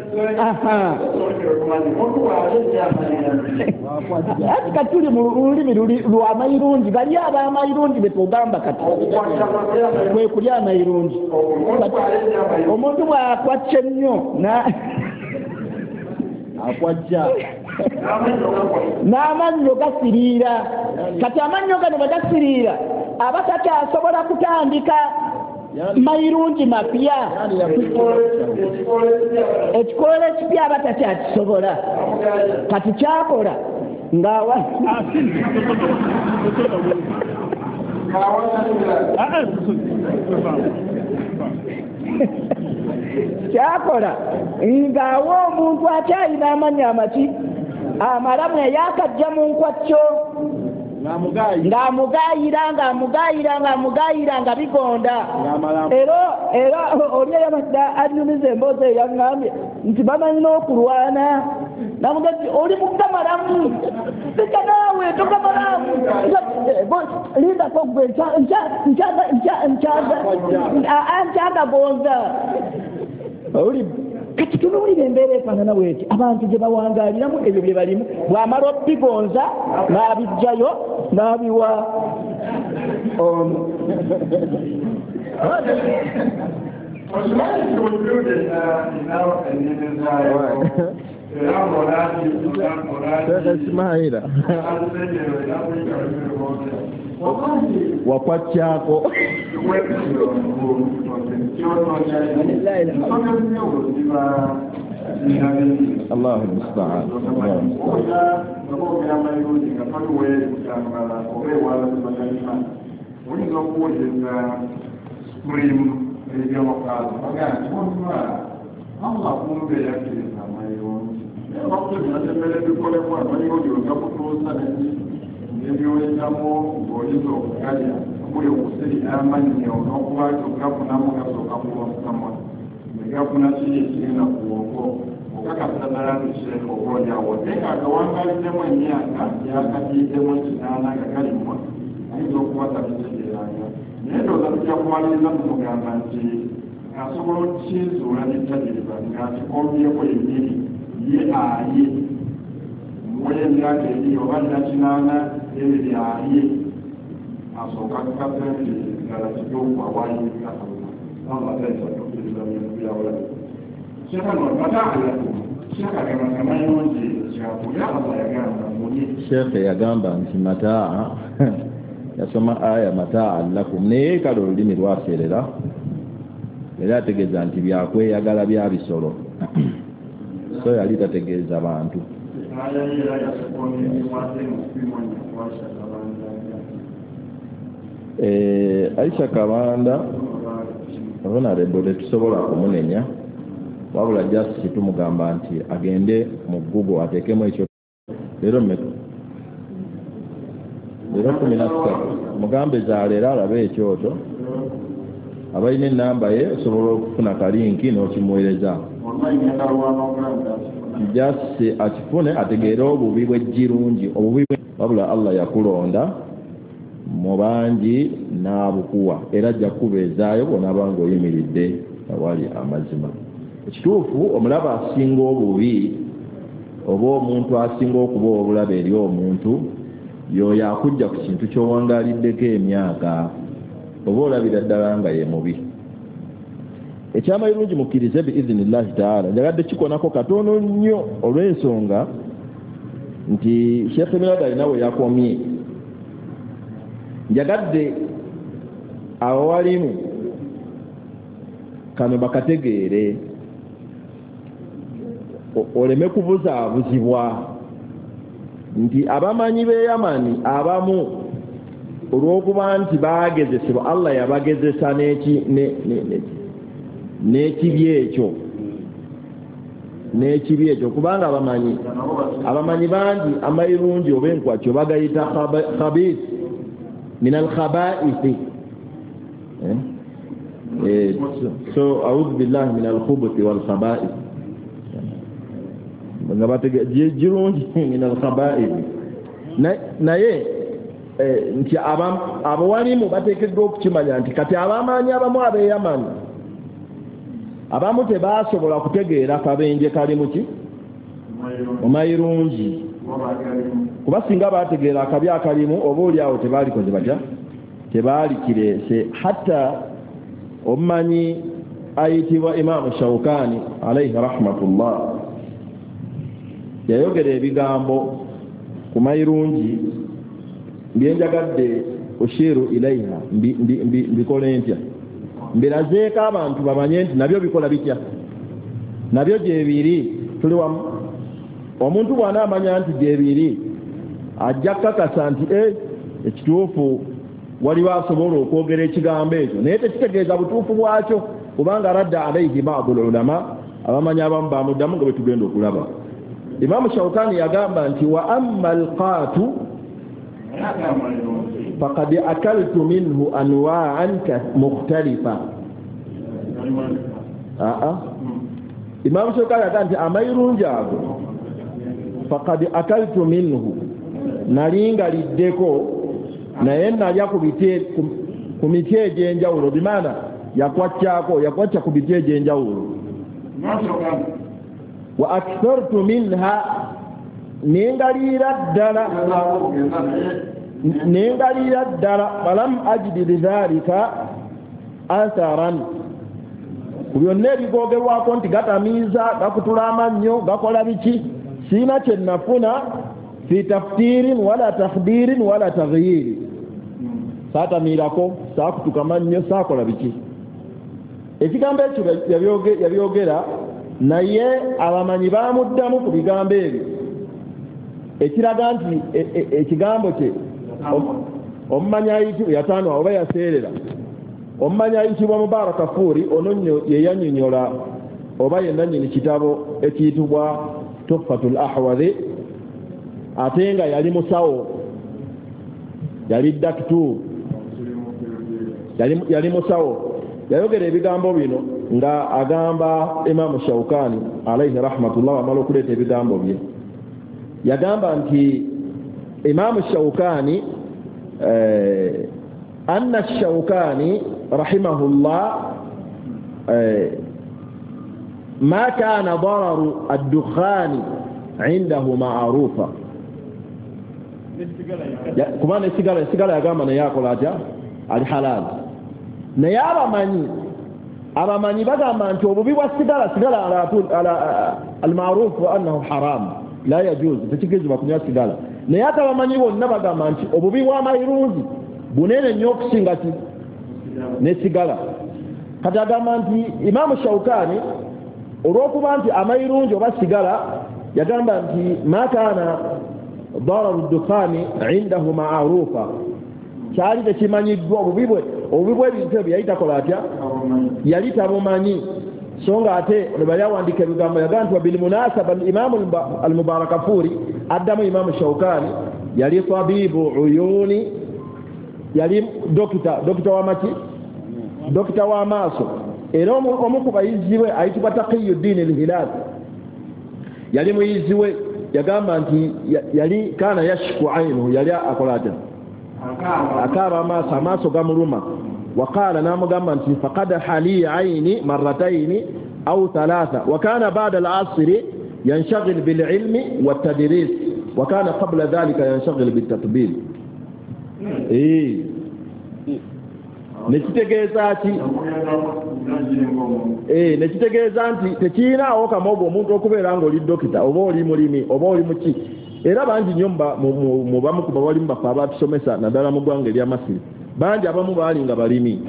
Speaker 4: Ati kati tuli mu lulimi lwa mayirungi, bali ab'amayirungi be tugamba kati kwe kulya amayirungi. Omuntu bw'akwacca ennyo
Speaker 2: akwajja
Speaker 4: n'amannyo gasiriira. Kati amannyo gano bwe gasiriira aba takyasobola kutandika
Speaker 6: Mayirungi mapya, ekikoola ekipya aba takyakisobola. Kati kyakola ng'awa kyakola ng'awa omuntu akyalina amannya amaki amalamu eyakajja mu nkwacyo, ng'amugayira ng'amugayira ng'amugayira nga bigonda. Era era oli eyabadde anyumiza emboozi eyo yaŋŋambye nti bamanyi n'okulwana, namuga nti oli mugamalamu, leka naawe togamalamu, lindako ggwe nkyagagonza. Kati tunuulira embeera efaanana bweti abantu gye bawangaaliramu ebyo bye balimu, bw'amala obigonza n'abiggyayo n'abiwa ono.
Speaker 2: Ismaila wakwakyako Allahu musta'an.
Speaker 1: Ebyoyitamu ng'oyinza okugalya okuli okusirika amannyo n'okuba nti ogafunamu gasooka kuba mukamwa ne gafuna kiri ekigenda ku bwongo okakasa ddala nti sheekh oba oliawo naye ng'agawangaliddemu emyaka yakatiiddemu ekinaana nga galimwa ayinza okuba tabitegeeranga. Naye ndowooza tujja kumaliriza tumugamba nti asobola okukizuula n'ettajiriba ng'akikombyeko yennyini ye alye muwe emyaka eri oba nina kinaana ebiri alye asooka akakase nti ddala kituufu awaayiriza Allah. Allah tayinza kutukkiriza bintu byawulabe. Sheekh no mataalakum, sheekh agamba amayirungi kyakulya Allah yagamba mulye.
Speaker 2: Sheekh yagamba nti mataa, yasoma aya mataa lakum, naye kale olulimi lwaseerera era ategeeza nti byakweyagala bya bisolo, so yali tategeeza bantu. Eh, Aisha Kabanda honorable tetusobola kumunenya, wabula just tumugamba nti agende mu Google ateekemu ekyo leero mmeka leero kumi na ssatu mugambe zaaleero alabe ekyoto, abalina ennamba ye osobola okufuna kalinki n'okimuweereza just akifune ategeere obubi bw'ejjirungi obubi wabula Allah yakulonda mu bangi n'abukuwa era ajja kukubeezaayo bw'onaaba ng'oyimiridde awali amazima. Ekituufu omulaba asinga obubi oba omuntu asinga okuba obulabe eri omuntu y'oyo akujja ku kintu ky'owangaaliddeko emyaka oba olabira ddala nga ye mubi. Ekyamayirungi mukkirize biizinillahi taala, njagadde kikonako katono nnyo olw'ensonga nti Sheikh Mirada alina we yakomye. Njagadde abawalimu kano bakategeere oleme kubuzaabuzibwa nti abamanyi b'e Yamani abamu olw'okuba nti baagezesebwa Allah yabagezesa n'ekibi ekyo n'ekibi ekyo kubanga abamanyi abamanyi bangi amayirungi oba enkwakyo bagayita khabith min alkhabaithi, eh? Eh, so, so a'udhu billahi min alkhubuthi wal khaba'ith nga batege jirungi min alkhaba'ith naye nti abawalimu bateekeddwa okukimanya nti kati abamanyi abamu ab'e Yamani abamu tebasobola kutegeera kabenje kali muki mu mayirungi, kuba singa bategeera akabi akalimu oba oli awo tebaalikoze batya tebaalikireese. Hatta omumanyi ayitibwa Imaamu Shawkani alayhi rahmatullah yayogera ebigambo ku mayirungi byenjagadde oshiru ilaiha mbikole ntya Mbirazeeko abantu bamanye nti nabyo bikola bitya, nabyo gyebiri. Tuli wamu. Omuntu bw'anaamanya nti gyebiri ajja kukakasa nti e ekituufu waliwo asobola okwogera ekigambo ekyo, naye tekitegeeza butuufu bwakyo, kubanga radda alaihi ba'du ulama, abamanyi abamu bamuddamu nga bwe tugenda okulaba. Imamu Shawkani yagamba nti wa amma alqatu faqad akaltu minhu anwa'an mukhtalifa. Aa Imamu Shawkani yagamba nti amayirungi ago faqad akaltu minhu, nalingaliddeko naye nalya ku biti ku miti egy'enjawulo, bimaana yakwatyako yakwatya ku biti egy'enjawulo. Wa akthartu minha, nengaliira ddala nengaliira ddala falam ajidi lidhalika atharan, ku byonna ebigogerwako nti gatamiiza, gakutula amannyo, gakola biki, siina kye nafuna fi taftirin wala takhdirin wala taghyiri, saatamiirako, saakutuka mannyo, saakola biki. Ekigambo ekyo yabyogera, naye abamanyi bamuddamu ku bigambo ebyo, ekiraga nti ekigambo kye omumanyi ayitibwa yataano oba yaseerera, omumanyi ayitibwa Mubaraka Furi ono nno ye yannyonnyola oba ye nannyini kitabo ekiyitibwa Tuhfatul Ahwadhi, ate nga yali musawo, yali dakitu, yali, yali musawo. Yayogera ebigambo bino nga agamba Imamu Shawkani alayhi rahmatullah, amala okuleeta ebigambo bye. Yagamba nti Imamu Shawkani eh, anna Shawkani rahimahullah eh, ma kana dararu ad-dukhani indahu ma'rufa, kuba nesigala esigala yagamba naye akola atya, ali halal. Naye abamanyi abamanyi bagamba nti obubi bwa sigala, sigala almarufu annahu haram la yajuz, tekikirizibwa kunywa sigala. Naye ate abamanyi bonna bagamba nti obubi bw'amayirungi bunene nnyo okusinga ki ne sigala. Kati agamba nti Imamu Shawkani olw'okuba nti amayirungi oba sigala, yagamba nti ma kana dararu dukhani indahu ma'rufa, kyali tekimanyiddwa obubi bwe obubi bw'ebintu ebyo yali takola atya, yali tabumanyi. So nga ate ne bali awandiika ebigambo yagamba nti wabilmunasaba Imamu al-Mubarakafuri addamu Imamu Shawkani yali tabibu uyuni, yali dokita, dokita w'amaki, dokita w'amaaso, era omu ku bayizi be ayitibwa Taqiyuddin al-Hilal yali muyizi we, yagamba nti yali kana yashku aynuhu, yali akola atya, akaaba amaaso, amaaso gamuluma. Waqala, n'amugamba nti faqad hali ayni marrataini au thalatha, wa kana ba'da al-asri yanshagil bil-ilmi wat-tadris, wa kana qabla dhalika yanshagil bit-tatbil. Eh, nekitegeeza ki? Eh, nekitegeeza nti tekirinaawo kamogo omuntu okubeera ng'oli dokita oba oli mulimi oba oli muki. Era bangi nnyo mu bamu ku bawalimu baffe abatusomesa naddala mu ggwanga erya Masiri, bangi abamu baali nga balimi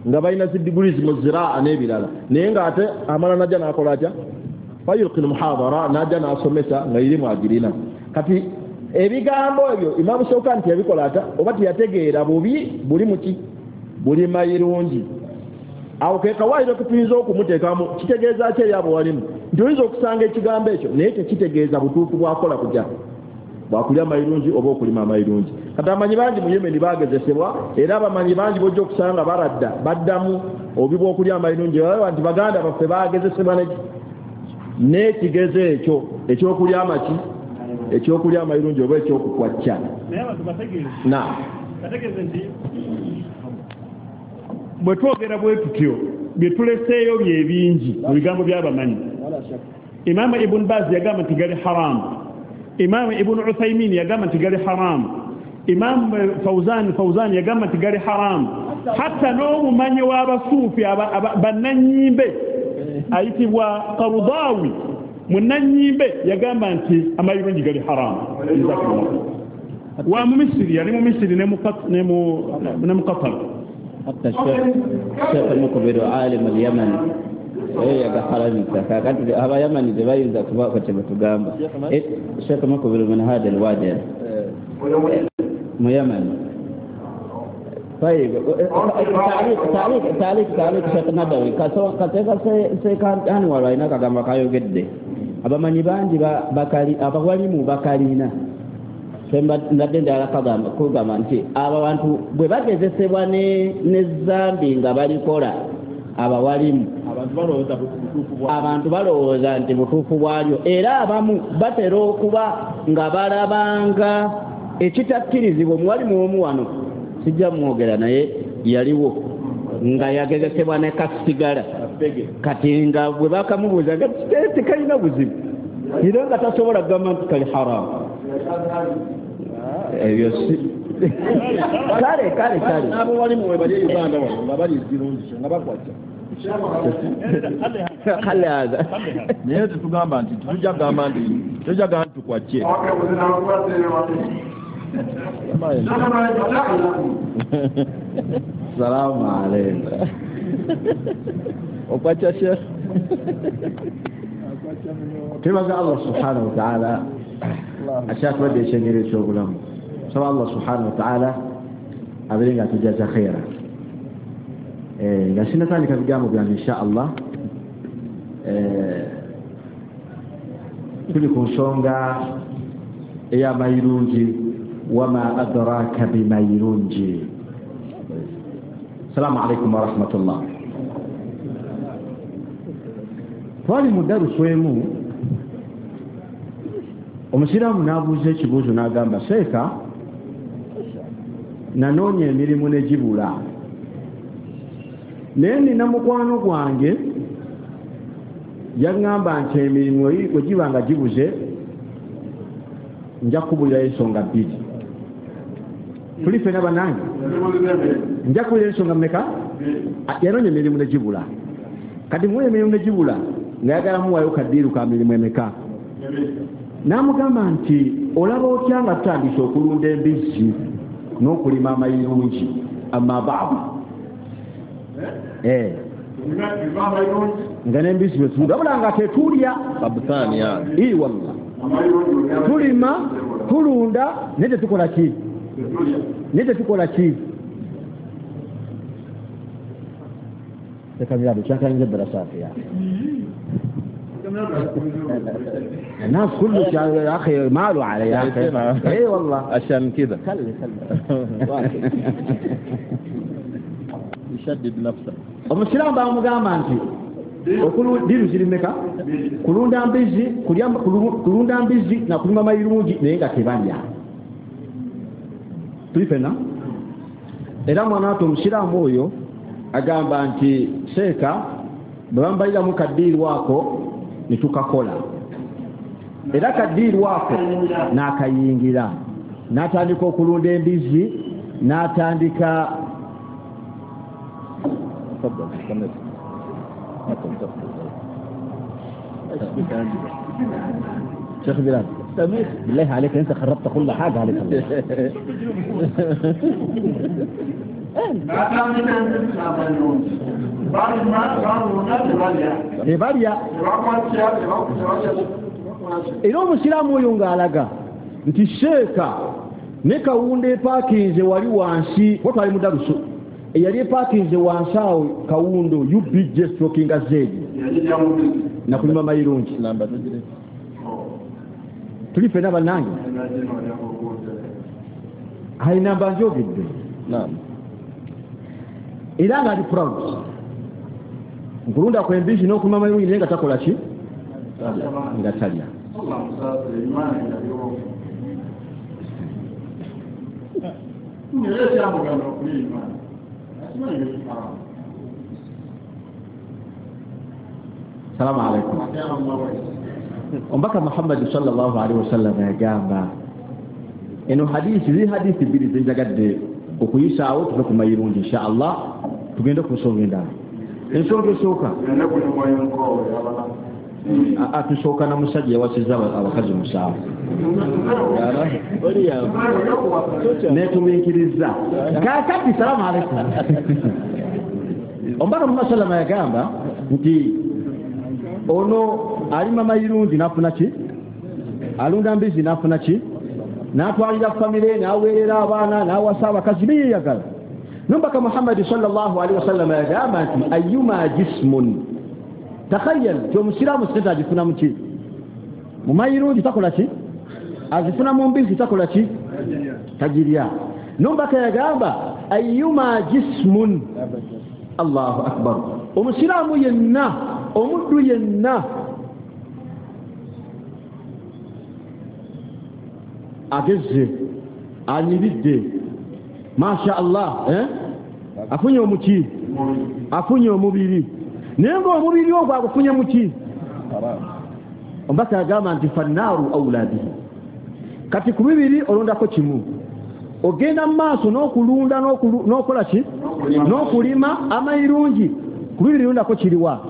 Speaker 2: nga balina zi degrees mu ziraa n'ebirala, naye ng'ate amala najja n'akola atya, fayulqi muhadara, najja n'asomesa nga irimu agirina. Kati ebigambo ebyo Imamu Shawkani teyabikola atya, oba teyategeera bubi buli muki, buli mayirungi. Awo ke kawaayiro ke tuyinza okumuteekamu, kitegeeza ki eri abawalimu nti oyinza okusanga ekigambo ekyo naye tekitegeeza butuufu bwakola kujja bwakulya amayirungi oba okulima amayirungi. Kati abamanyi bangi mu Yemeni bagezesebwa, era abamanyi bangi bojja okusanga baradda baddamu obubi bw'okulya amayirungi, balaba nti baganda baffe bagezesebwa n'ekigezo ekyo ekyokulya amaki, ekyokulya amayirungi oba ekyokukwacca.
Speaker 5: Naye abantu bategeeze
Speaker 2: na
Speaker 5: bategeeze nti bwe twogera bwe tutyo bye tuleseeyo bye bingi mu bigambo by'abamanyi. Imamu Ibn Baz yagamba nti gali haramu, Imamu Ibn Uthaymin yagamba nti gali haramu, Imamu Fawzan Fawzan yagamba nti gali haramu, hatta n'omumanyi w'abasuufi bannannyimbe ayitibwa Qarudawi munnannyimbe yagamba nti amayirungi gali haramu. Wa mu Misiri, yali mu Misiri ne mu ne mu Qatar.
Speaker 4: Hatta Sheikh Mukbiru alim al-Yaman yagaharamisa. Kakati abayamani tebayinza kubaako kye batugamba. Sheikh Mukbiru min hada al-wadi mu Yaman. طيب تعليق تعليق تعليق تعليق Sheikh Nadawi kateeka Anwar alina akagamba kayogedde abamanyi bangi bakali abawalimu bakalina mbadde ndala kagamba kugamba nti abo bantu bwe bagezesebwa ne zambi nga balikola abawalimu abantu balowooza nti butuufu bwalyo era abamu batera okuba nga balabanga ekitakkirizibwa omuwalimu omu wano sijja mwogera naye yaliwo nga yagezesebwa ne kasigala kati nga bwe bakamubuuza nga tekalina buzibu era nga tasobola kugamba nti kali haramu ebyo si kale kale kale
Speaker 2: abawalimu we bali e Uganda wano nga bali zirungi nga bakwatya
Speaker 4: kale haza
Speaker 2: naye tetugamba nti tujja kugamba nti tujja kugamba nti tukwatye.
Speaker 4: Salamu alaykum.
Speaker 2: Okwatya Sheikh.
Speaker 3: Twebaza Allah subhanahu wa ta'ala akyatuwadde ekyengero eky'obulamu. Nsaba Allah subhanahu wa ta'ala abeere nga atujaza khaira. Nga sinnatandika bigambo byange insha Allah, tuli ku nsonga ey'amayirungi wama adraka bimayirungi. Salamu alaykum warahmatullah. Twali mu darusu emu omusiraamu n'abuuza ekibuuzo n'agamba seeka nanoonya emirimu ne gibula naye nina mukwano gwange yaŋŋamba nti emirimu bwe giba nga gibuze nja kukubulirayo ensonga bbiri. Tuli ffenna bannange nja kukubulirayo ensonga mmeka? Yanoonya emirimu ne gibula kati muwa emirimu ne gibula ng'ayagala muwayo kaddiiru ka mirimu emeka n'amugamba nti olaba otya nga tutandise okulunda embizzi n'okulima amayirungi amabaabu nga n'embizzi bwe tulunda wabula nga tetulya ii wallah tulima tulunda naye tetukola ki naye tetukola ki الناس كله يا اخي ماله علي يا اخي اي والله
Speaker 2: عشان كذا
Speaker 3: خلي خلي
Speaker 2: يشدد نفسه
Speaker 3: omusiraamu bamugamba nti diru ziri mmeka kulunda mbizzi kulya kulunda mbizzi na kulima mayirungi naye nga tebalya tuli ffenna era mwana watu omusiraamu oyo agamba nti seeka bwe bambaliramu kaddiiru ako ne tukakola era kaddiiru ako n'akayingira n'atandika okulunda embizzi n'atandika شيخ بلال بالله عليك انت خربت كل حاجه عليك الله tebalya era omusiraamu oyo ng'alaga nti seeka ne kawunda epaakinze wali wansi kuba twali mu darusu eyali epaakinze wansi awo kawundo U B J strokinga Z nakulima mayirungi tuli ffenna bannange ayi namba njogedde era ng'ali proud nkulunda kwembizi n'okulima mayirungi naye nga takola ki nga talya. Salamu alaykum. Omubaka Muhammad sallallahu alaihi wasallam yagamba eno hadisi ziri hadisi bbiri zenjagadde okuyisaawo tuve ku mayirungi insha Allah tugende ku nsonga endala. Ensonga esooka Atusooka na musajja yawasizza abakazi musanvu netumiikiriza. Kaakati salaamu aleikum. Omubaka Muhammad sallama yagamba nti ono alima mayirungi n'afuna ki, alunda mbizi n'afuna ki, n'atwalira famire, n'aweerera abaana, n'awasa abakazi beyeyagala. Nomubaka Muhammadi sallallahu alaihi wasallam yagamba nti ayyuma jismun, takhayyal nti omusiraamu sente agifuna mu ki, mu mayirungi takola ki, azifuna mu mbizi takola ki, tagirya. Nomubaka yagamba ayyuma jismun, Allahu akbar, omusiraamu yenna, omuddu yenna agezze, anyiridde, masha Allah, eh? Afunye omuki, afunye omubiri, naye ng'omubiri ogwo agufunye muki. Omubaka yagamba nti fannaaru aula bihi. Kati ku bibiri olondako kimu, ogenda mu maaso n'okulunda n'okola ki, n'okulima amayirungi. Ku bibiri olondako kiriwa,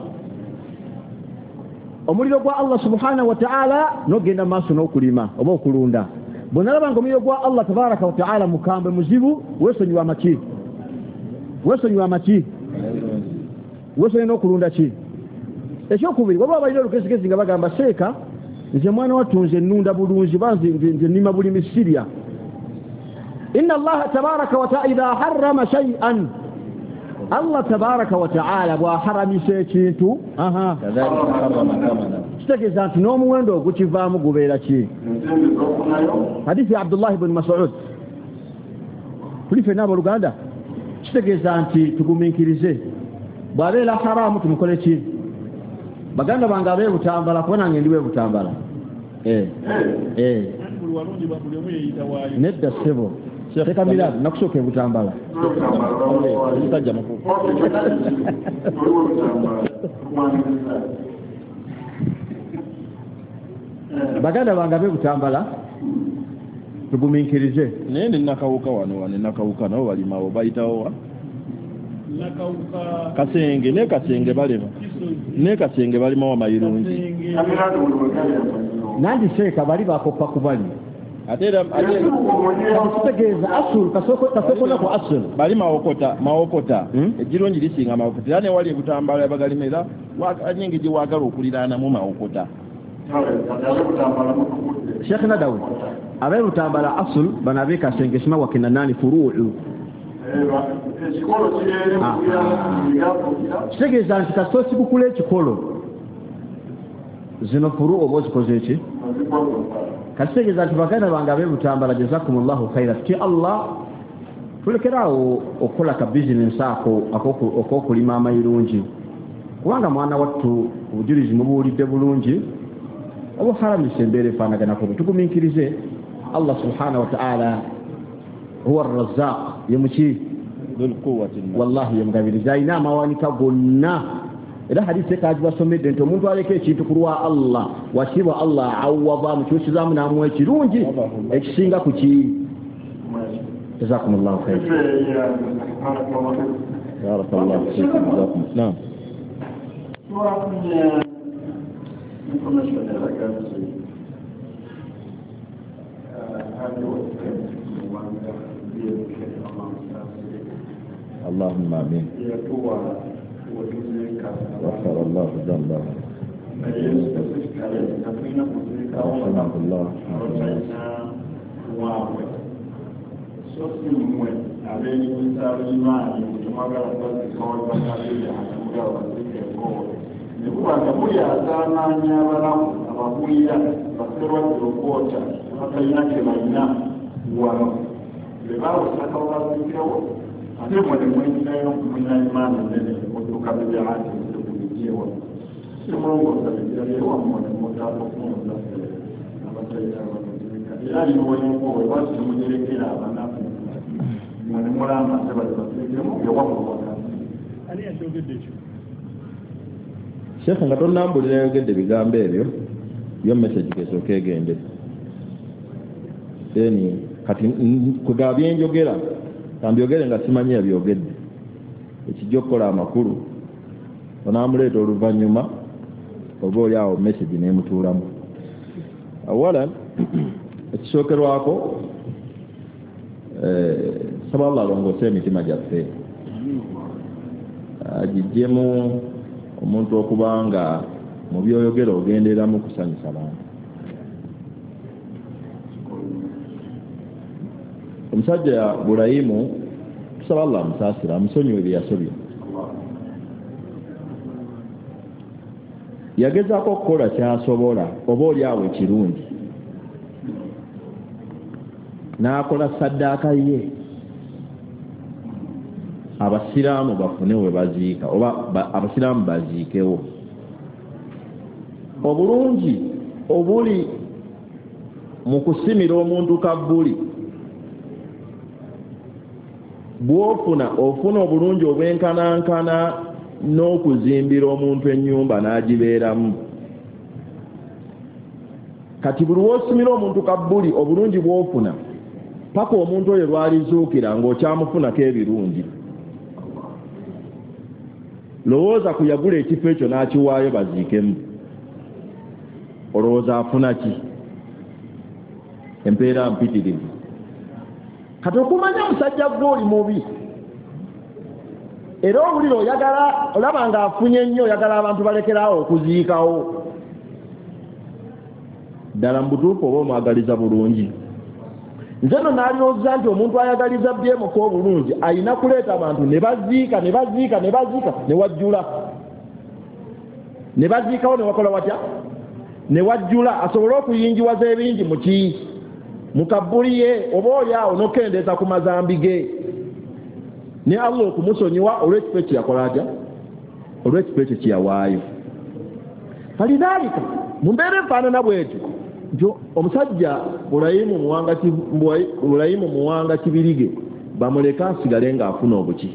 Speaker 3: omuliro gwa Allah subhanahu wa ta'ala n'ogenda mu maaso n'okulima oba okulunda. Bw'onalaba ng'omuliro gwa Allah tabaraka wa ta'ala mukambwe muzibu, weesonyiwa amaki, weesonyiwa amaki, weesonyiwa n'okulunda ki. Ekyokubiri, waliwo abalina olugezigezi nga bagamba seeka nze mwana wattu nze nnunda bulungi, ba nze nnima bulimi sirya. Inna Allaha tabaraka wa ta'ala idha harrama shay'an, Allah tabaraka wa ta'ala bw'aharamisa ekintu, kitegeeza nti n'omuwendo ogukivaamu gubeera ki. Hadithi ya Abdullah ibn Mas'ud, tuli ffenna abooluganda, kitegeeza nti tugumiikirize, bw'abeera haramu tumukole ki. Baganda bange ab'e Butambala, kuba nange ndi w'e Butambala, nedda ssebo teka miraabu nakusooka e Butambala. Baganda bange ab'e Butambala tugumiikirize.
Speaker 2: Naye ne Nakawuka wano wano Nakawuka nabo balimawo bayitawo wa Kasenge, ne Kasenge balima, ne Kasenge balimawo amayirungi.
Speaker 3: Nandi seeka bali bakoppa ku bali.
Speaker 2: Ate era
Speaker 3: kitegeeza asul kasoko kasoko nako asul
Speaker 2: bali mawokota mawokota ejirungi lisinga mawokota, era ne wali e Butambala bagalima era nyingi gye waagala okuliraanamu mawokota.
Speaker 3: Sheikh Nadawi ab'e Butambala asul bano ab'e Kasenge sima wakina nani furuu. Kitegeeza nti kasita osigukula ekikolo zino furu oba ozikoze ki. Kitegeeza nti baganda bange ab'e Butambala jazakumullahu khaira, tuti Allah tulekeraawo okukola ka bizinensi ako ak'okulima amayirungi, kubanga mwana wattu obujulizi mubuwulidde bulungi, obuharamisa embeera efaanaganako. Tugumiikirize, Allah subhanahu wa ta'ala huwa arrazzaq, ye muki wallahi ye mugabirizi, alina amawanika gonna. Era hadithi ekagibasomedde nti omuntu aleka ekintu ku lwa Allah, wakibwa Allah awwaba, amukyusizaamu n'amuwa ekirungi ekisinga ku ki. Jazakumullahu khaira.
Speaker 2: Barakallahu fiikum. Naam. Allahumma amin. غفر الله ذنبه رحمه الله.
Speaker 1: Ate mwe mwinayo mwina imani nene mutuka bibyati mutukulijewa simulongoza bijalewa mwe mutakufunza abatayira abatuzika era niwenkowe lwaki temunyerekera abanaku mwe nemulamba ate bali bateekemu ewammwe.
Speaker 5: Ani yakyogedde ekyo?
Speaker 2: Sheikh nga tonnambulira yayogedde ebigambo ebyo, yo message kesooka egende. Then kati kwegaba byenjogera kambyogere nga simanyi yabyogedde, ekijja okukola amakulu onaamuleeta oluvannyuma Oba oli awo message n'emutuulamu. Awalan, ekisookerwako, nsaba Allah alongoose emitima gyaffe, agiggyemu omuntu okuba nga mu by'oyogera ogendereramu kusanyusa bantu. Omusajja Burayimu, tusaba Allah amusaasire, amusonyiwe bye yasobya. Yagezaako okukola ky'asobola oba oli awo ekirungi, n'akola saddaaka ye abasiraamu bafune we baziika oba abasiraamu baziikewo. Obulungi obuli mu kusimira omuntu kabbuli bw'ofuna, ofuna obulungi obwenkanankana n'okuzimbira omuntu ennyumba n'agibeeramu. Kati buli lw'osimira omuntu kabbuli obulungi bw'ofuna paka omuntu oyo lw'alizuukira ng'okyamufunako ebirungi. Lowooza ku yagula ekifo ekyo n'akiwaayo baziikemu, olowooza afuna ki? Empeera mpitirivu. Kati okumanya musajja gwe oli mubi, era owulira oyagala, olaba ng'afunye nnyo, oyagala abantu balekeraawo okuziikawo. Ddala mu butuufu oba omwagaliza bulungi? Nze nno naalowooza nti omuntu ayagaliza byemuka obulungi alina kuleeta abantu ne baziika ne baziika ne baziika ne wajjula, ne baziikawo ne wakola watya, ne wajjula, asobole okuyingiwaza ebingi mu ki, mu kabbuli ye, oba oli awo n'okukendeeza ku mazambi ge, ne Allah okumusonyiwa olw'ekifo ekyo yakola atya, olw'ekifo ekyo kye yawaayo. Falidhalika mu mbeera efaanana bw'etyo nti omusajja Burayimu Muwanga Burayimu Muwanga Kibirige bamuleke asigale ng'afuna obuki,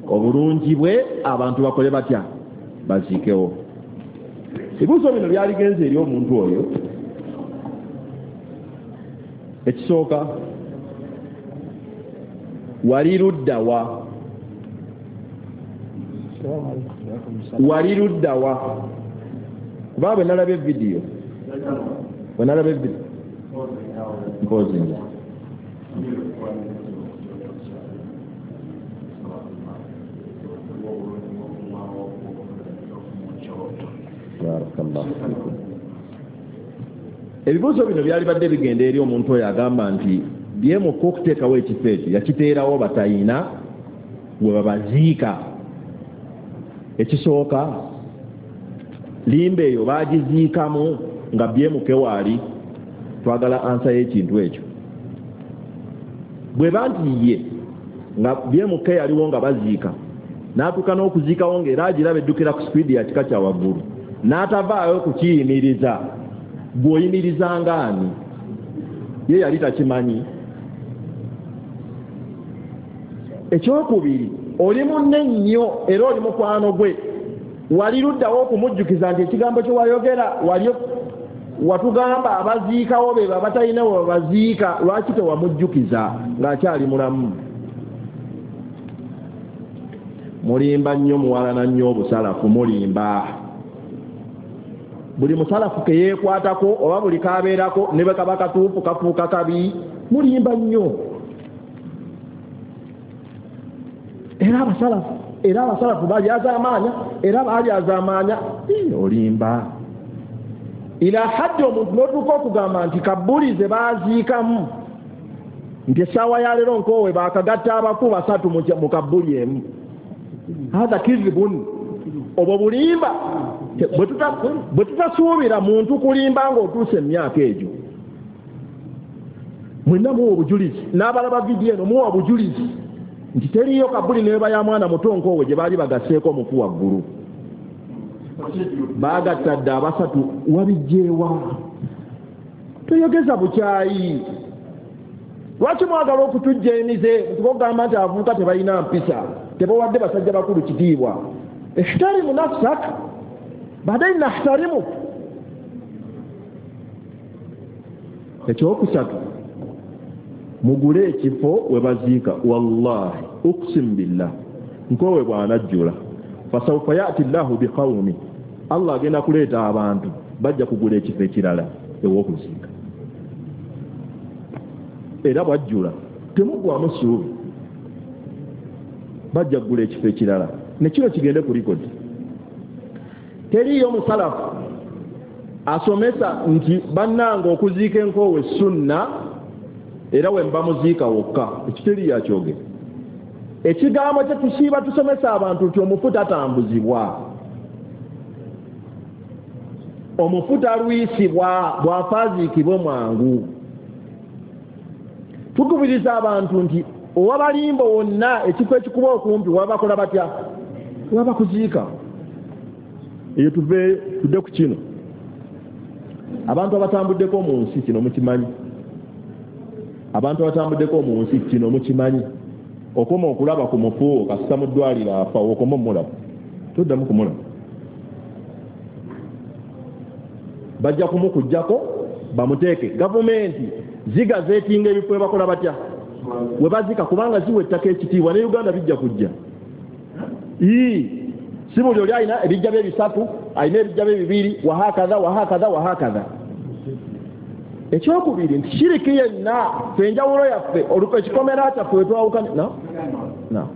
Speaker 2: obulungi bwe, abantu bakole batya, baziikewo. Ebibuuzo bino byaligenze eri omuntu oyo. Ekisooka, wali ludda wa? Wali ludda wa? Kuba bwe nalabye vidiyo, bwe nalabye vidiyo mpozi nze barakallahu fikum. Ebibuuzo bino byalibadde bigenda eri omuntu oyo agamba nti byemuka okuteekawo ekifo ekyo yakiteerawo batayina we babaziika. Ekisooka, limba eyo baagiziikamu nga byemuke waali, twagala ansa y'ekintu ekyo. Bwe ba nti ye nga byemuke yaliwo nga baziika, n'atuuka n'okuziikawo ng'era agiraba eddukira ku sipiidi ya kika kya waggulu, n'atavaayo kukiyimiriza, gw'oyimiriza ng'ani? Ye yali takimanyi. Ekyokubiri, oli munne nnyo era oli mukwano gwe, wali luddawo okumujjukiza nti ekigambo kye wayogera wali watugamba abaziikawo be babatalina we babaziika, lwaki tewamujjukiza ng'akyali mulamu? Mulimba nnyo, muwalana nnyo obusalafu, mulimba. Buli musalafu ke yeekwatako oba buli kabeerako ne bwe kaba katuufu kafuuka kabi, mulimba nnyo. Era abasalafu era abasalafu balyazaamaanya, era baalyazaamaanya, olimba. Ila haddi omuntu n'otuuka okugamba nti kabbuli ze baaziikamu, nti essaawa ya leero nkoowe baakagatta abafu basatu mu kabbuli emu. Hatha kizibun, obwo bulimba. Bwe tutasuubira muntu kulimba ng'otuuse emyaka egyo. Mwenna muwa obujulizi, n'abalaba vidiyo eno muwa obujulizi nti teriiyo kabbuli ne bweba ya mwana muto nkoowe gye baali bagasseeko omufu waggulu. Baagatta dda abasatu, wabijjeewa? Toyogeza bukyayi. Lwaki mwagala okutujja emize nti ogamba nti abavubuka tebalina mpisa, tebawadde basajja bakulu kitiibwa? Ihtarimu nafsak baadaye nahtarimu. Ekyokusatu, mugule ekifo we baziika. Wallahi uqsim billah, nkoowe bw'anajjula fasawfa yati llahu biqawmi Allah agenda kuleeta abantu bajja kugula ekifo ekirala ew'okuziika. Era bwajjula temugwamu ssuubi, bajja kugula ekifo ekirala ne kino kigende ku likodi. Teriiyo musalafu asomesa nti bannange okuziika enkoowe sunna era we mba muziika wokka, ekyo teriiyo akyogera. Ekigambo kye tusiiba tusomesa abantu nti omufu tatambuzibwa, omufu talwisibwa, bw'afa aziikibwe mwangu. Tukubiriza abantu nti owabalimbo wonna ekifo ekikuba okumpi wabakola batya, wabakuziika. Eyo tuve tudde ku kino. Abantu abatambuddeko mu nsi kino mukimanyi, abantu abatambuddeko mu nsi kino mukimanyi, okoma okulaba ku mufu kasita mu ddwaliro afa, okoma omulaba toddamu kumulaba, bajja kumukuggyako bamuteeke. Gavumenti zigazeetinga ebifo bakola batya we bazika, kubanga ziwa ettaka ekitiibwa. Ne Uganda bijja kujja. Ii si buli oli alina ebijja bye bisatu, alina ebijja bye bibiri, wahakadha wahakadha wahakadha. Ekyokubiri nti shiriki yenna ffe enjawulo yaffe oluko ekikomera kyaffe we twawukanye no no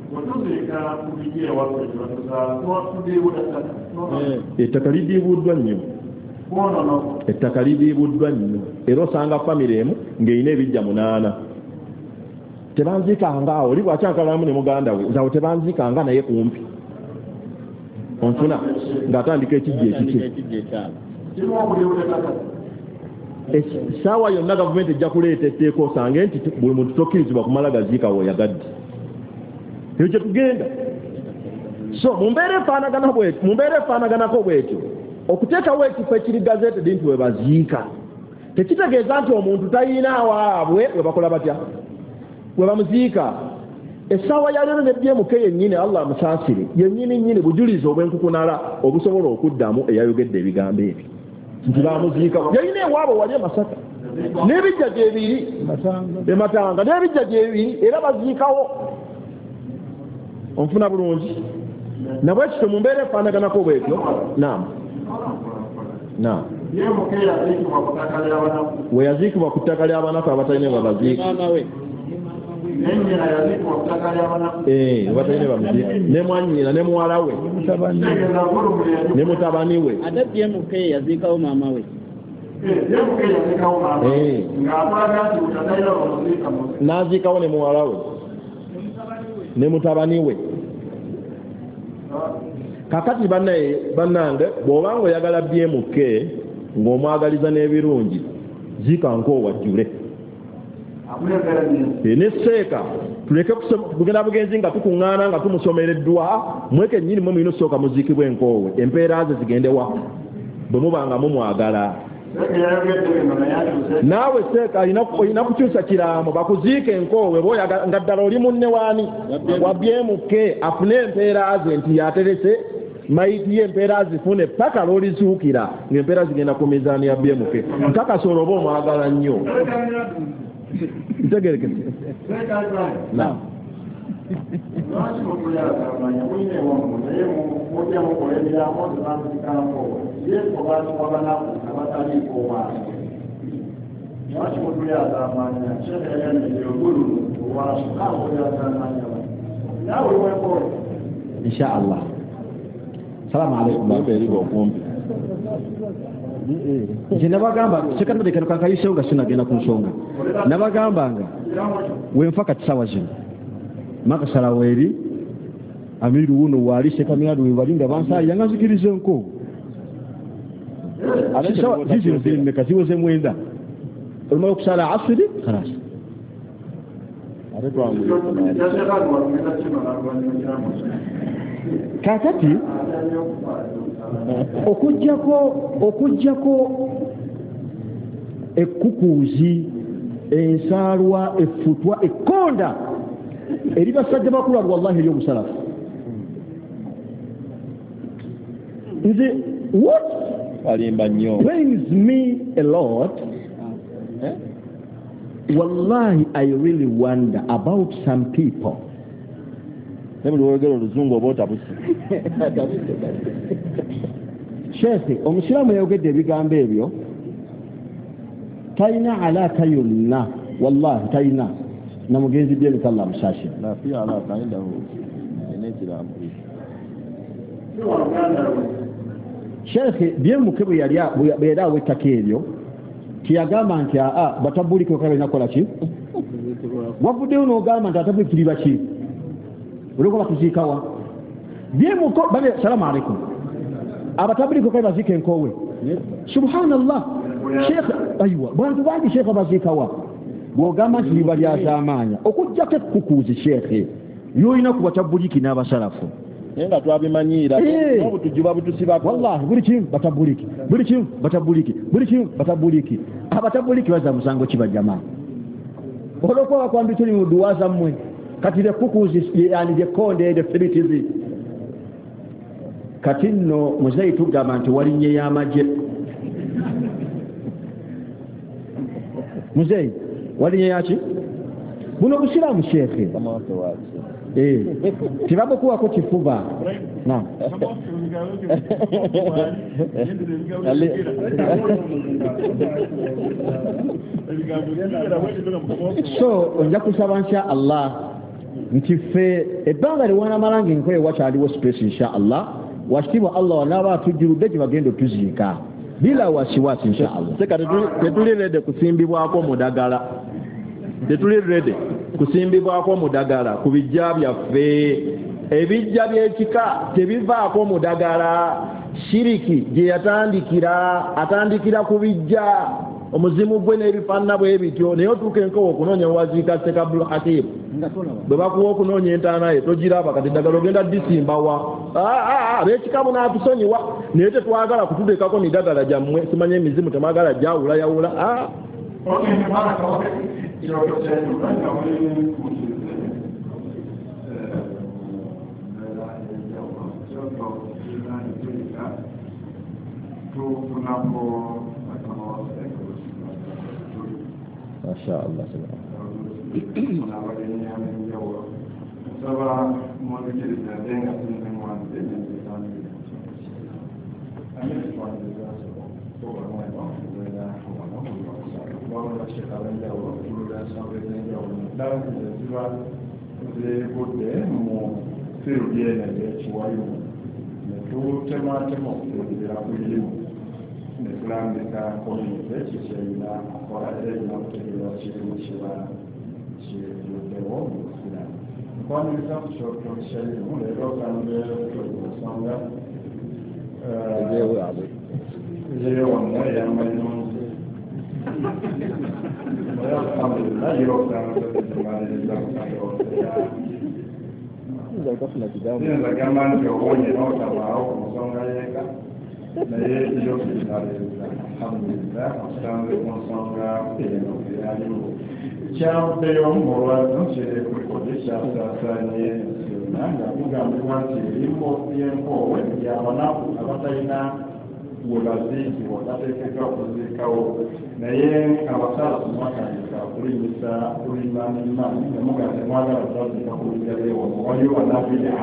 Speaker 2: ettaka lidiibuddwa nnyo, ettaka lidiibuddwa nnyo. Era osanga famire emu ng'erina ebijja munaana, tebanziikanga awo, oli bw'akyankalamu ne muganda we nze awo tebanziikanga naye kumpi, onfuna ng'atandika ekijja ekikye. Essaawa yonna gavumenti ejja kuleeta etteeka osange nti buli muntu tokkirizibwa kumala gaziika w'oyagadde. Eyo gye tugenda. So mu mbeera efaanagana bwetyo, mu mbeera efaanaganako bwetyo, okuteekawo ekifo ekiri gazetted nti we baziika tekitegeeza nti omuntu talina waabwe we bakola batya, we bamuziika. Essaawa ya leero ne B M K yennyini, Allah amusaasire, yennyini nnyini bujulizi obw'enkukunala obusobola okuddamu eyayogedde ebigambo ebyo nti bamuziika. Yalina ewaabwe wali e Masaka n'ebijja gyebiri e Matanga n'ebijja gyebiri era baziikawo. Onfuna bulungi? Nabwekityo mu mbeera efaanaganako bwetyo. Naam, naam. We yaziikibwa ku ttaka ly'abanaku abatalina babaziika, eh abatalina bamuziika, ne mwannyina ne muwala we ne mutabani we.
Speaker 6: Ate B M K yaziikawo maama we.
Speaker 2: Eh, n'aziikawo ne muwala we ne mutabani we. Kakati bannaye bannange, bw'obanga oyagala B M K ng'omwagaliza n'ebirungi, ziika nkoowa jjule. Ne seeka tuleke kugenda bugenzi nga tukuŋŋaana nga tumusomereddwa, mweke nnyini mwe mulina okusooka muziikibwe enkoowe, empeera ze zigende wa bwe muba nga mumwagala. Naawe seeka olina kukyusa kiraamo bakuziike enkoowe bw'oyagala nga ddala oli munne waani wa B M K afune empeera ze nti yaterese mayiti ye empeera zifune paka lw'olizuukira ng'empeera zigenda ku mizaani ya B M K. Nkakasa olwo oba omwagala nnyo. Ntegerekese. Naam.
Speaker 3: Insha Allah. Salamu alaykum. Nze nabagamba sekandade kano kankayiseewo nga sinagenda ku nsonga. Nabagambanga wenfa kati ssaawa zino makasala weeri amiru wuno waali sekamiradu we bali nga bansaalira nga nzikiriza enko zizino ziri mmeka ziweze mwenda olumala okusala asiri khalas. Kakati okujjako okujjako ekkukuuzi ensaalwa effutwa ekkonda eri basajja bakulu wallahi eri omusalafu. Nze what
Speaker 2: alimba nnyo
Speaker 3: pains me a lot eh? Wallahi I really wonder about some people.
Speaker 2: Ne buli lwogera oluzungu oba otabuse.
Speaker 3: Sheekhe omusiraamu yayogedde ebigambo ebyo talina alaaka yonna, wallahi talina na mugenzi B M K Allah amusaasire. Sheekhe B M K bwe yali bwe yali awa ettaka eryo teyagamba nti aa batabuliki bokka balina kukola ki? Wavuddeyo n'ogamba nti abatabuliki tuli baki? Olwokuba batuziikawa. B M K bane salaamu alaikum. Abatabuliki bokka baziika enkoowe. Subhanallah. Sheekh aywa bantu bangi sheekh baziikawa. Bw'ogamba nti liba lyazaamaanya okuggyako ekkukuuzi sheekhe ly'olina ku batabuliki n'abasalafu.
Speaker 2: Naye nga twabimanyiira n'obutujju babutusibako.
Speaker 3: Wallahi buli kimu batabuliki, buli kimu batabuliki, buli kimu batabuliki. Abatabuliki bazza musango ki bajamaa? Olwokuba bakwambi tuli mu dduwa zammwe kati lekkukuuzi yani lyekkonde eryo fibitizi. Kati nno muzeeyi tugamba nti walinnye y'amagye. Muzeeyi walinnye yaki? Buno busiraamu sheekhe. Eh, tebabukuwako kifuba. Naam. So nja kusaba insha Allah nti ffe ebbanga lyewanamala ng'enkola wakyaliwo space insha Allah wakitiibwa Allah wanaaba atujjuludde gye bagenda otuziika bila wasiwasi insha Allah.
Speaker 2: Seka tetuli ready kusimbibwako mudagala, tetuli ready kusimbibwako mudagala ku bijja byaffe. Ebijja by'ekika tebivaako mudagala. Shiriki gye yatandikira atandikira ku bijja omuzimu gwe n'ebifaanana bwe bityo, naye otuuka enkowa okunoonya waziika Sheikh Abdul Hakim bwe bakuwa okunoonya entaana ye togiraba. Kati eddagala ogenda ddisimbawa. Ab'ekika munaatusonyiwa naye tetwagala kututeekako midagala gyammwe, simanya emizimu temwagala gyawulayawula.
Speaker 3: Masha Allah.
Speaker 1: Netulambika komite kikyerina okukola era erina okutegeera kirimu kiba kivuddewo mu busiraamu. Nkwaniriza ku kyoto kyerimu leero osanze tuli ku nsonga eyewonna ey'amayirungi naye alhamdulillah yo osanze tumaliriza siyinza gamba nti owonye n'otabaawo ku nsonga y'eka naye yo tukimaliriza alhamdulillah osanze ku nsonga eno eyaliwo. Kyavuddeyo mu lwatu kiri ku likodi kyasaasaanye ensi yonna nga kugambibwa nti erimbo y'enkoowe y'abanaku abatalina we baziikibwa bateekeddwa okuziikawo, naye abasalafu mwatandika okulinyisa kulimaanimaani ne mugamba temwagala kubaziika ku bijja by'ewano waliwo bannabida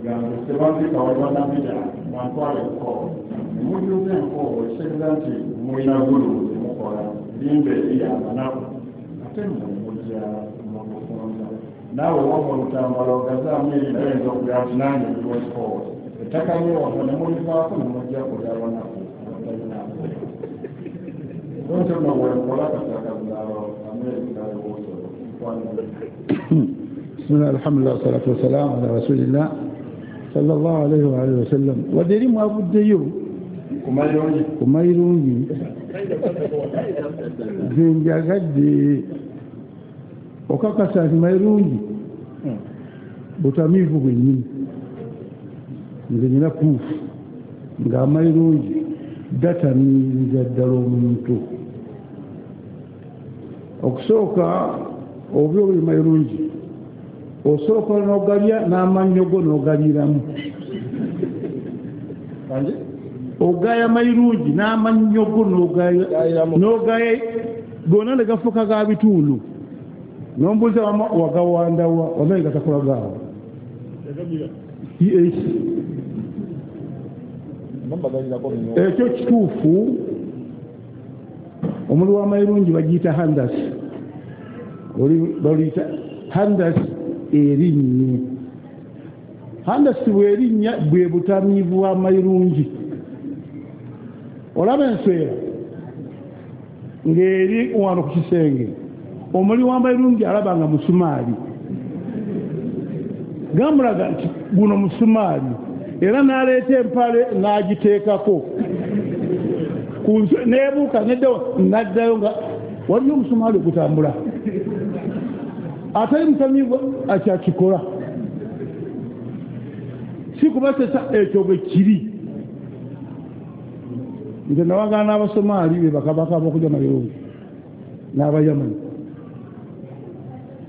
Speaker 1: gambe tebaziika wali bannabida mwantwala enkoowe ne mujjuza enkoowe ekitegeeza nti mulina gulu zemukola limba eri abanaku ate mmwe mujja mubufunza naawe wamma olutambala ogazaamu eri naye oyinza okugamba nti nange ndiwo enkoowe ettaka lyewano ne mulivaako ne mujja kulya abanaku abatalina. Donto nno bwenkola kasakazalo Amerika ewosolo.
Speaker 7: Bismillah, alhamdulillah, wassalatu wassalamu ala rasulillah sallallahu alaihi wa alihi wasallam. Wadde eri mwavuddeyo ku mayirungi nze njagadde okakasa nti mayirungi butamiivu bwennyini. Nze nina puufu ng'amayirungi gatamiiriza ddala omuntu. Okusooka obubi obuli mayirungi osooka n'ogalya n'amannyo go n'ogaliiramu. Ogaya mayirungi n'amannyo go n'ogaya gonna ne gafuuka ga bitundu n'ombuuza wama wagawandawa wamaye gatakola gaawo. Ekyo kituufu. Omuli w'amayirungi bagiyita handas, baluyita handas erinnye. Handas bw'erinnya bwe butamiivu bw'amayirungi. Olaba enswera ng'eri wano ku kisenge, omuli w'amayirungi alaba nga musumaali, gamulaga nti guno musumaali, era n'aleeta empale n'agiteekako nebuuka neddawo n'addayo nga waliyo omusumaali ogutambula. Atali mutamiivu akyakikola, si kubasesa ekyo bwe kiri. Nze nawagana n'Abasomaali be bakabaka b'okulya mayirungi n'Abayamani,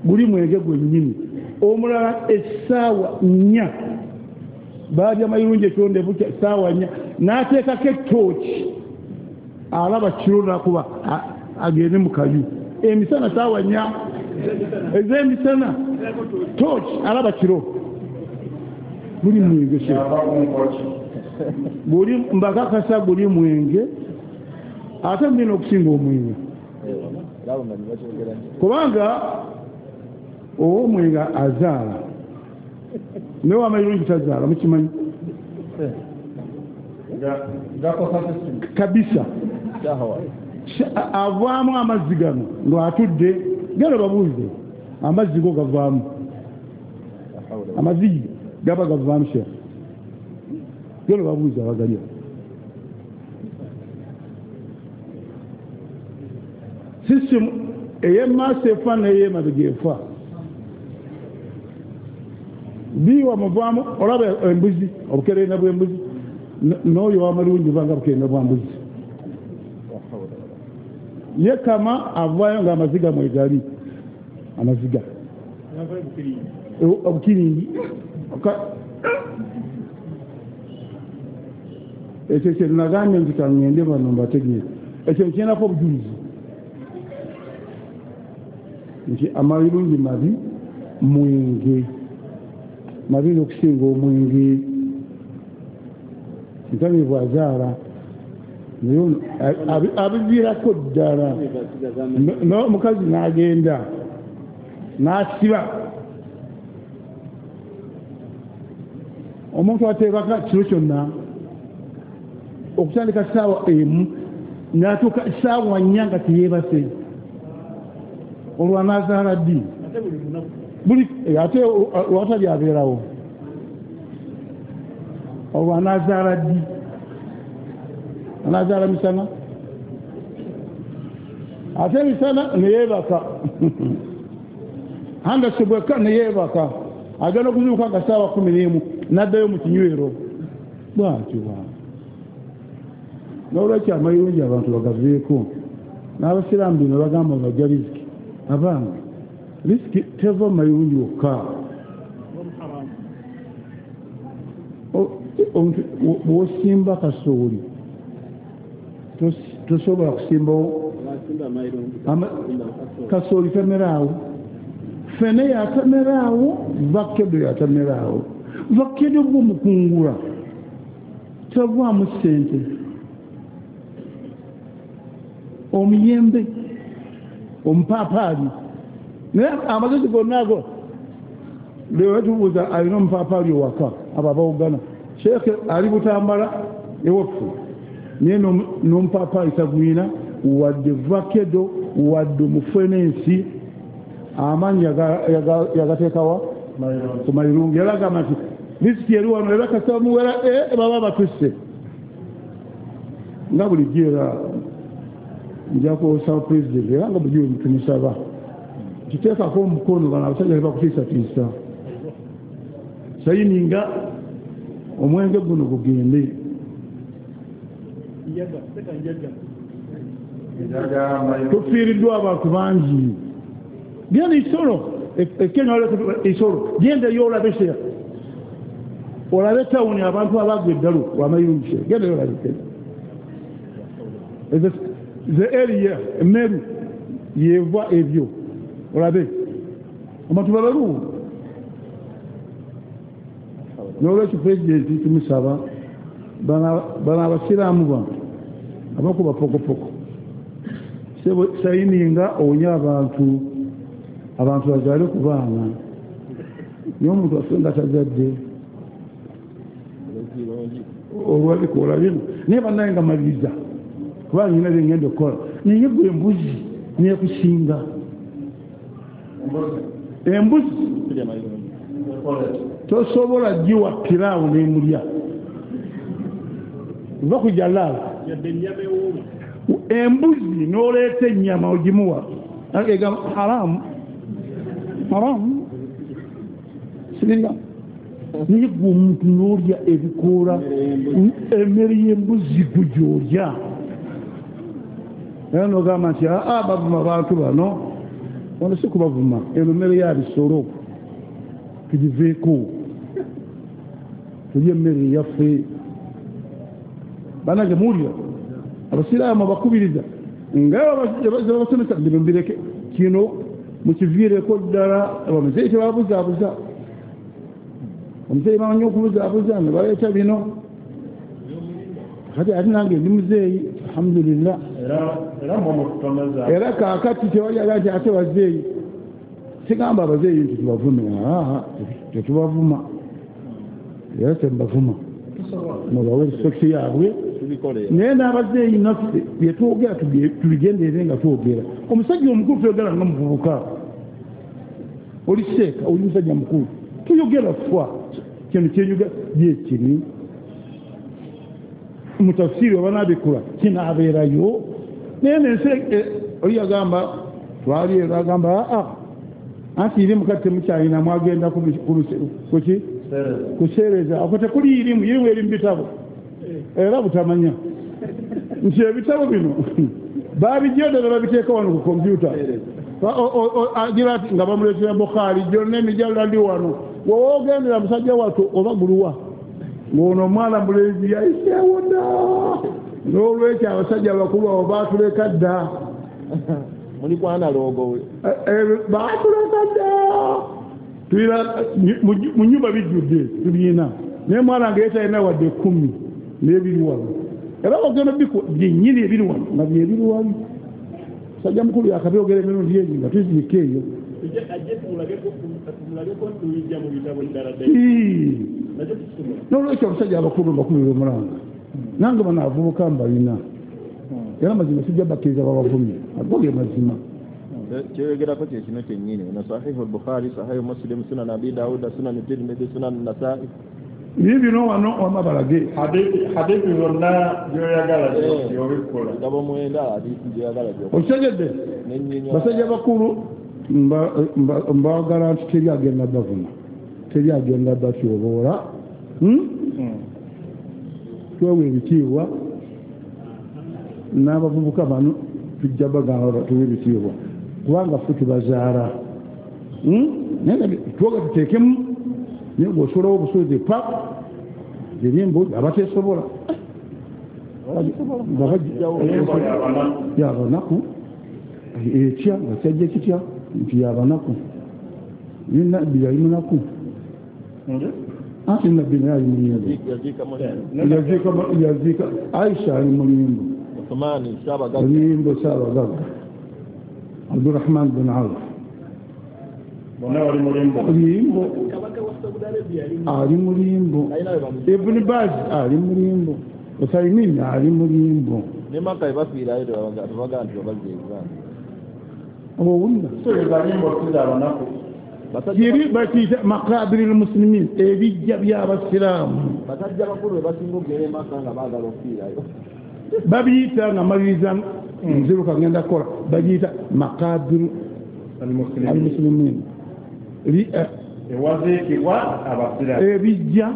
Speaker 7: guli mwenge gwennyini. Omulala essaawa nnya baalya mayirungi ekyonde bukya essaawa nnya, n'ateekako ettooki alaba kiro nakuba agende mu kayu emisana saawa nnya ez'emisana tooki alaba kiro. Guli mwenge se guli mbakakasa guli mwenge ate mbina okusinga omwenge, kubanga ow'omwenge azaala naye w'amayirungi tazaala, mukimanyi kabisa. Avaamu amazzi gano ng'atudde, gano babuuze amazzi go gavaamu, amazzi gaba gavaamu sha, gano babuuze abagalya. Sisimu ey'emaaso efa n'ey'emabega efa. Biwa muvaamu olaba embuzi, obukerenda bw'embuzi n'oyo w'amalungi banga bukerenda bwa mbuzi. Ye kama avaayo ng'amaziga mwegali, amaziga obukiringi. Ekyo kye nagambye nti kaŋŋende bano mbategeere, ekyo nkirinako obujulizi nti amayirungi mabi mwenge, mabi n'okusinga omwenge. Ntamiivu azaala naye abiviirako ddala, n'omukazi n'agenda n'asiba. Omuntu ateebaka kiro kyonna okutandika ssaawa emu n'atuuka ssaawa nnya nga teyeebase, olwo anaazaala ddi? Buli ate lwatali abeerawo, olwo anaazaala ddi? Anaazaala misana, ate misana neyeebaka handasi bwekka neyeebaka, agenda okuzuuka nga ssaawa kumi n'emu n'addayo mu kinywero. Bwatyo bwa n'olwekyo amayirungi abantu bagaveeko. N'abasiraamu bino bagamba bajja riziki, abange risiki teva mu mayirungi wokka. Bw'osimba kasooli tosobola kusimbawo kasooli tameraawo, ffene yatameraawo, vakedo yatameraawo. Vakedo bw'omukungula tavaamu ssente. Omuyembe, omupaapaali, naye amagezi gonna ago leero tubuuza alina omupaapaali owaka, abo abawogana sheeke ali Butambala ewaffe, naye n'omupaapaali tagwina wadde vakedo wadde omufenensi, amaanyi yagateekawa ku mayirungi. Era agamba nti risiki eri wano, era kasita muwera baba batusse nga bulijjo. Era nja kusaba pulezidenti, era nga bulijjo tumusaba kiteekako omukono, bano abasajja tebakutiisatiisa, sayininga omwenge guno gugende. Tufiiriddwa abantu bangi. Genda Isolo, Kenya Isolo, genda yo olabe sheya, olabe tawuni abantu abagwa eddalu lwamayirungi sheya, genda yo olabe Kenya. The area Meru yeva ebyo olabe abantu babalu. N'olwekyo pulezidenti tumusaba Bano abasiraamu bano abakuba pokopoko sayininga owonye abantu abantu bazaale ku baana naye omuntu afe nga tazadde olwabikola bino naye bannaye nga maliriza kubanga nyina bye ngenda okukola naye gwe embuzi nekusinga embuzi tosobola giwa piraawo n'emulya va ku jalaala embuzi n'oleeta ennyama ogimuwa egamba haramu haramu siringa naye gwe omuntu n'olya ebikoola emmere y'embuzi gwe gy'olya era n'ogamba nti aa bavuma bantu bano wano si kubavuma eno mmere ya bisolo tugiveeko tulye emmere eyaffe banange muwulira abasiraamu abakubiriza nga babasomesa bino mbireke kino mukiviireko ddala abamuzeeyi tebabuzaabuza omuzeeyi bamanyi okubuzaabuza ne baleeta bino kati ate nange ndi muzeeyi alhamdulillah era kaakati tewali aga nti ate bazeeyi sigamba abazeeyi nti tubavume aa tetubavuma era tembavuma mubawe respect yaabwe naye n'abazeeyi naffe byetwogera tubigenderere nga twogera omusajja omukulu toyogera nga muvubuka oli seeka oli musajja mukulu toyogera fwa kino kyenyuga yekiri mutafsiri oba nabikula kinaabeerayo naye nensi oli yagamba twali ero agamba aa anti irimu kati temukyalina mwagenda kuki kuseereza ako tekuli irimu irimu eri mu bitabo era butamanya nti ebitabo bino babijja ddala babiteeka wano ku kompyuta agira ati nga bamuleetera Bukhari gyonna emijalala ndi wano wowogendera musajja wattu oba guluwa ng'ono omwana mulenzi yayiseewo dda n'olwekyo abasajja abakulu abo baatuleka dda baatuleka dda tulina mu nyumba bijjudde tubiina naye mwana nga yetalina wadde ekkumi n'ebiri wano era ogenda biku byennyini ebiri wano nga byebiri wano musajja mukulu yakabyogera emirundi egi nga tuziika eyo n'olwekyo abasajja abakulu mbakubira omulanga nange bano abavubuka mbalina era mazima sijja bakkiriza babavumye ago ge mazima
Speaker 2: kyeyogerako kye kino kyennyini ono sahihu Bukhari sahihu Muslim sunan Abi Dawud sunan Tirmidhi sunan Nasa'i
Speaker 7: biri bino wano wama balage
Speaker 1: hadithi zonna gy'oyagala gy'obikola
Speaker 2: bitabo mwenda hadithi gy'oyagala
Speaker 7: okitegedde basajja bakulu mbagala nti teri agenda bavuma teri agenda batyoboola twewa ebitiibwa n'abavubuka bano tujja bagamba batuwe ebitiibwa kubanga ffe tubazaala naye twoga tuteekemu naye bw'osulawo obusozi pa ziri embuzi abateesobola yabanaku etya nga kyajja kitya nti yabanaku naye nabbi yali munaku anti nabbi naye ali mulimbo yaziika Aisha ali mulimbo limbo saabagagga Abdurrahman bin Auf limbo ali mulimbo Ibn Baz ali mulimbo Uthaymin ali mulimbo owulira kiri bakiyita makabiri lmuslimin ebijja by'abasiraamu babiyita nga maliriza nziruka ngenda kukola bagiyita makabiru almuslimin ebijja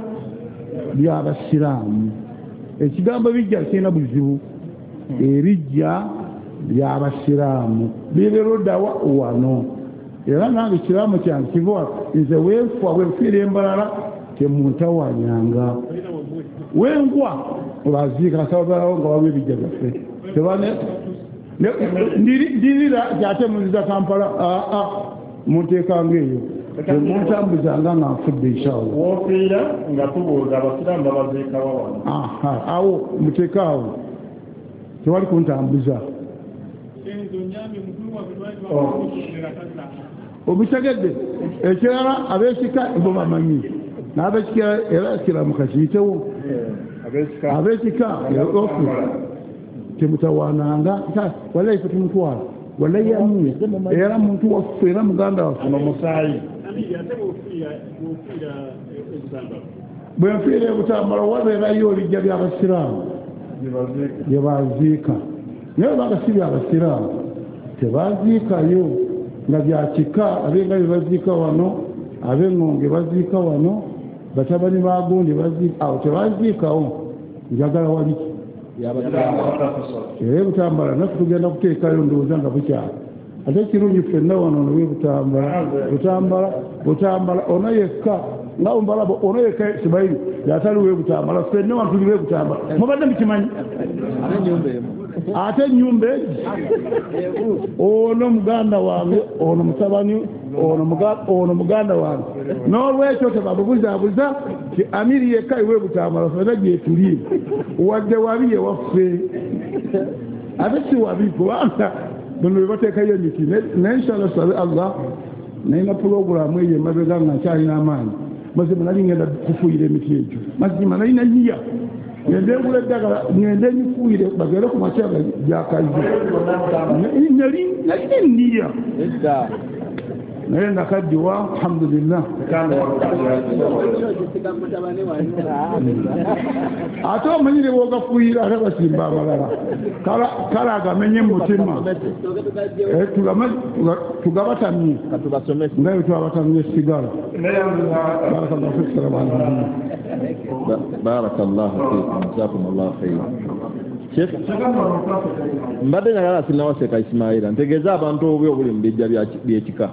Speaker 7: by'abasiraamu ekigambo bijja kirina buzibu ebijja by'abasiraamu biberuddawa wano era nange ekiraamu kyange kiva nze wenfa wenfiira embalala temuntawanyanga wengwa baziika kasababalawo nga waliwo ebijja byaffe ndirira kyate munziza Kampala aa munteekanga eyo Temuntambuzanga nga nfudde inshallah.
Speaker 1: Wofiira nga tubuuza abasiraamu babaziikawa wano.
Speaker 7: Aha, awo muteeke awo, tewali kuntambuza. Obitegedde? Ekirala ab'ekika bo bamanyi, n'ab'ekika era kiramuka kiyitewo. Ab'ekika ofu temutawaananga, wallahi ffe tumutwala, wallahi yamuye era muntu waffe era muganda waffe. Bwe nfiira e Butambala wabeerayo olujja by'abasiraamu bye baziika, naye obanga si byabasiraamu tebaziikayo nga bya kika. Abengabi baziika wano, ab'engonge baziika wano, batabani ba gundi baziika awo, tebaziikawo. Njagala wali era Butambala naffe tugenda kuteekayo ndowooza nga bukyala. Ate kirungi ffenna wano nowe Butambala, Butambala, Butambala ono yekka nga ombalaba ono yekka Sibayiri yataliwo Butambala, ffenna wano tuli Butambala. Mubadde mukimanyi? Ate ennyumba egi ono muganda wange, ono mutabani, ono muganda wange. N'olwekyo tebabubuzaabuza ti Amiri yekka iwe Butambala, ffenna gyetuli, wadde wabi yewaffe. Ate si wabi kubanga bano bwe bateekayo emiti. Naye inshallah sabe Allah, nalina pulogulaamu eyo emabega nga nkyalina amaanyi. Mazima nali ngenda kufuuyira emiti egyo, mazima nalina nyiya ngende ngula eddagala ngende nyifuuyire bagere ku makya gyakaze. Nali nalina enniya naye nakaddiwa, alhamdulillah. Ate omanyire bw'ogafuuyira ate basimba amalala, kale agamenye mu mutima tugabatamye nga bwe twabatamye esigala. Barakallahu fiik. Salamu alaykum.
Speaker 2: Barakallahu fiikum, jazakumullahu khairan. Sheikh, mbadde njagala sinnawaseka Ismaila ntegeeze abantu obubi obuli mu bijja by'ekika,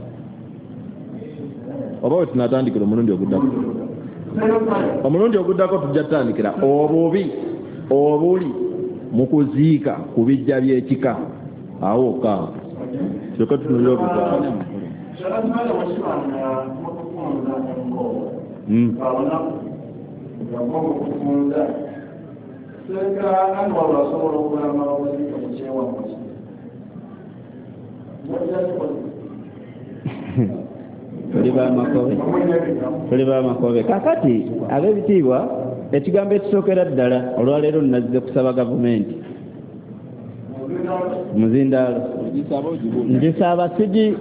Speaker 2: oba we tunatandikira omulundi oguddako. Omulundi oguddako tujja tutandikira obubi obuli mu kuziika ku bijja by'ekika. Awo okaawo kyokka tutunulire obutaawo.
Speaker 4: Tuli bamakobe, tuli bamakobe. Kakati ab'ebitiibwa, ekigambo ekisookera ddala olwaleero nazze kusaba gavumenti muzindaalo ngisaba sigi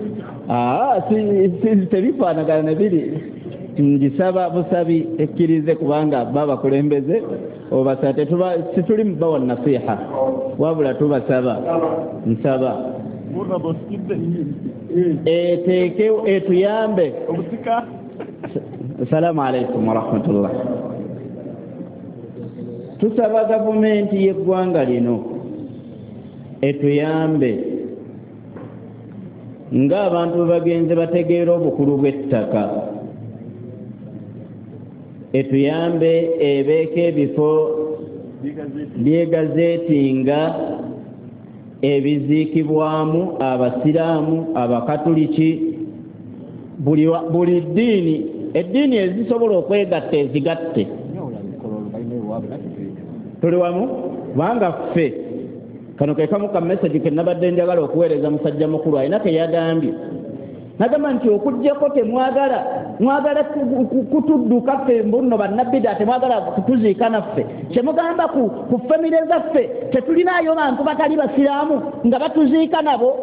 Speaker 4: tebifaanagana ne biri, ngisaba busabi ekkirize kubanga babakulembeze obasaba situli mubawa nasiha, wabula tubasaba nsaba eteeke etuyambe. Assalamu alaikum warahmatullah. Tusaba gavumenti y'eggwanga lino etuyambe ng'abantu bagenze bategeera obukulu bw'ettaka, etuyambe ebeeko ebifo by'egazeeti nga ebiziikibwamu abasiraamu, abakatuliki, buli ddiini, eddiini ezisobola okwegatta ezigatte. Tuli wamu kubanga ffe kano ke kamu ka message ke nabadde njagala okuweereza musajja mukulu alina ke yagambye. Nagamba nti okuggyako temwagala mwagala kutudduka ffe mbunno bannabbida, temwagala kutuziika naffe. Kyemugamba ku ku famire zaffe tetulinaayo bantu batali basiraamu nga batuziika nabo,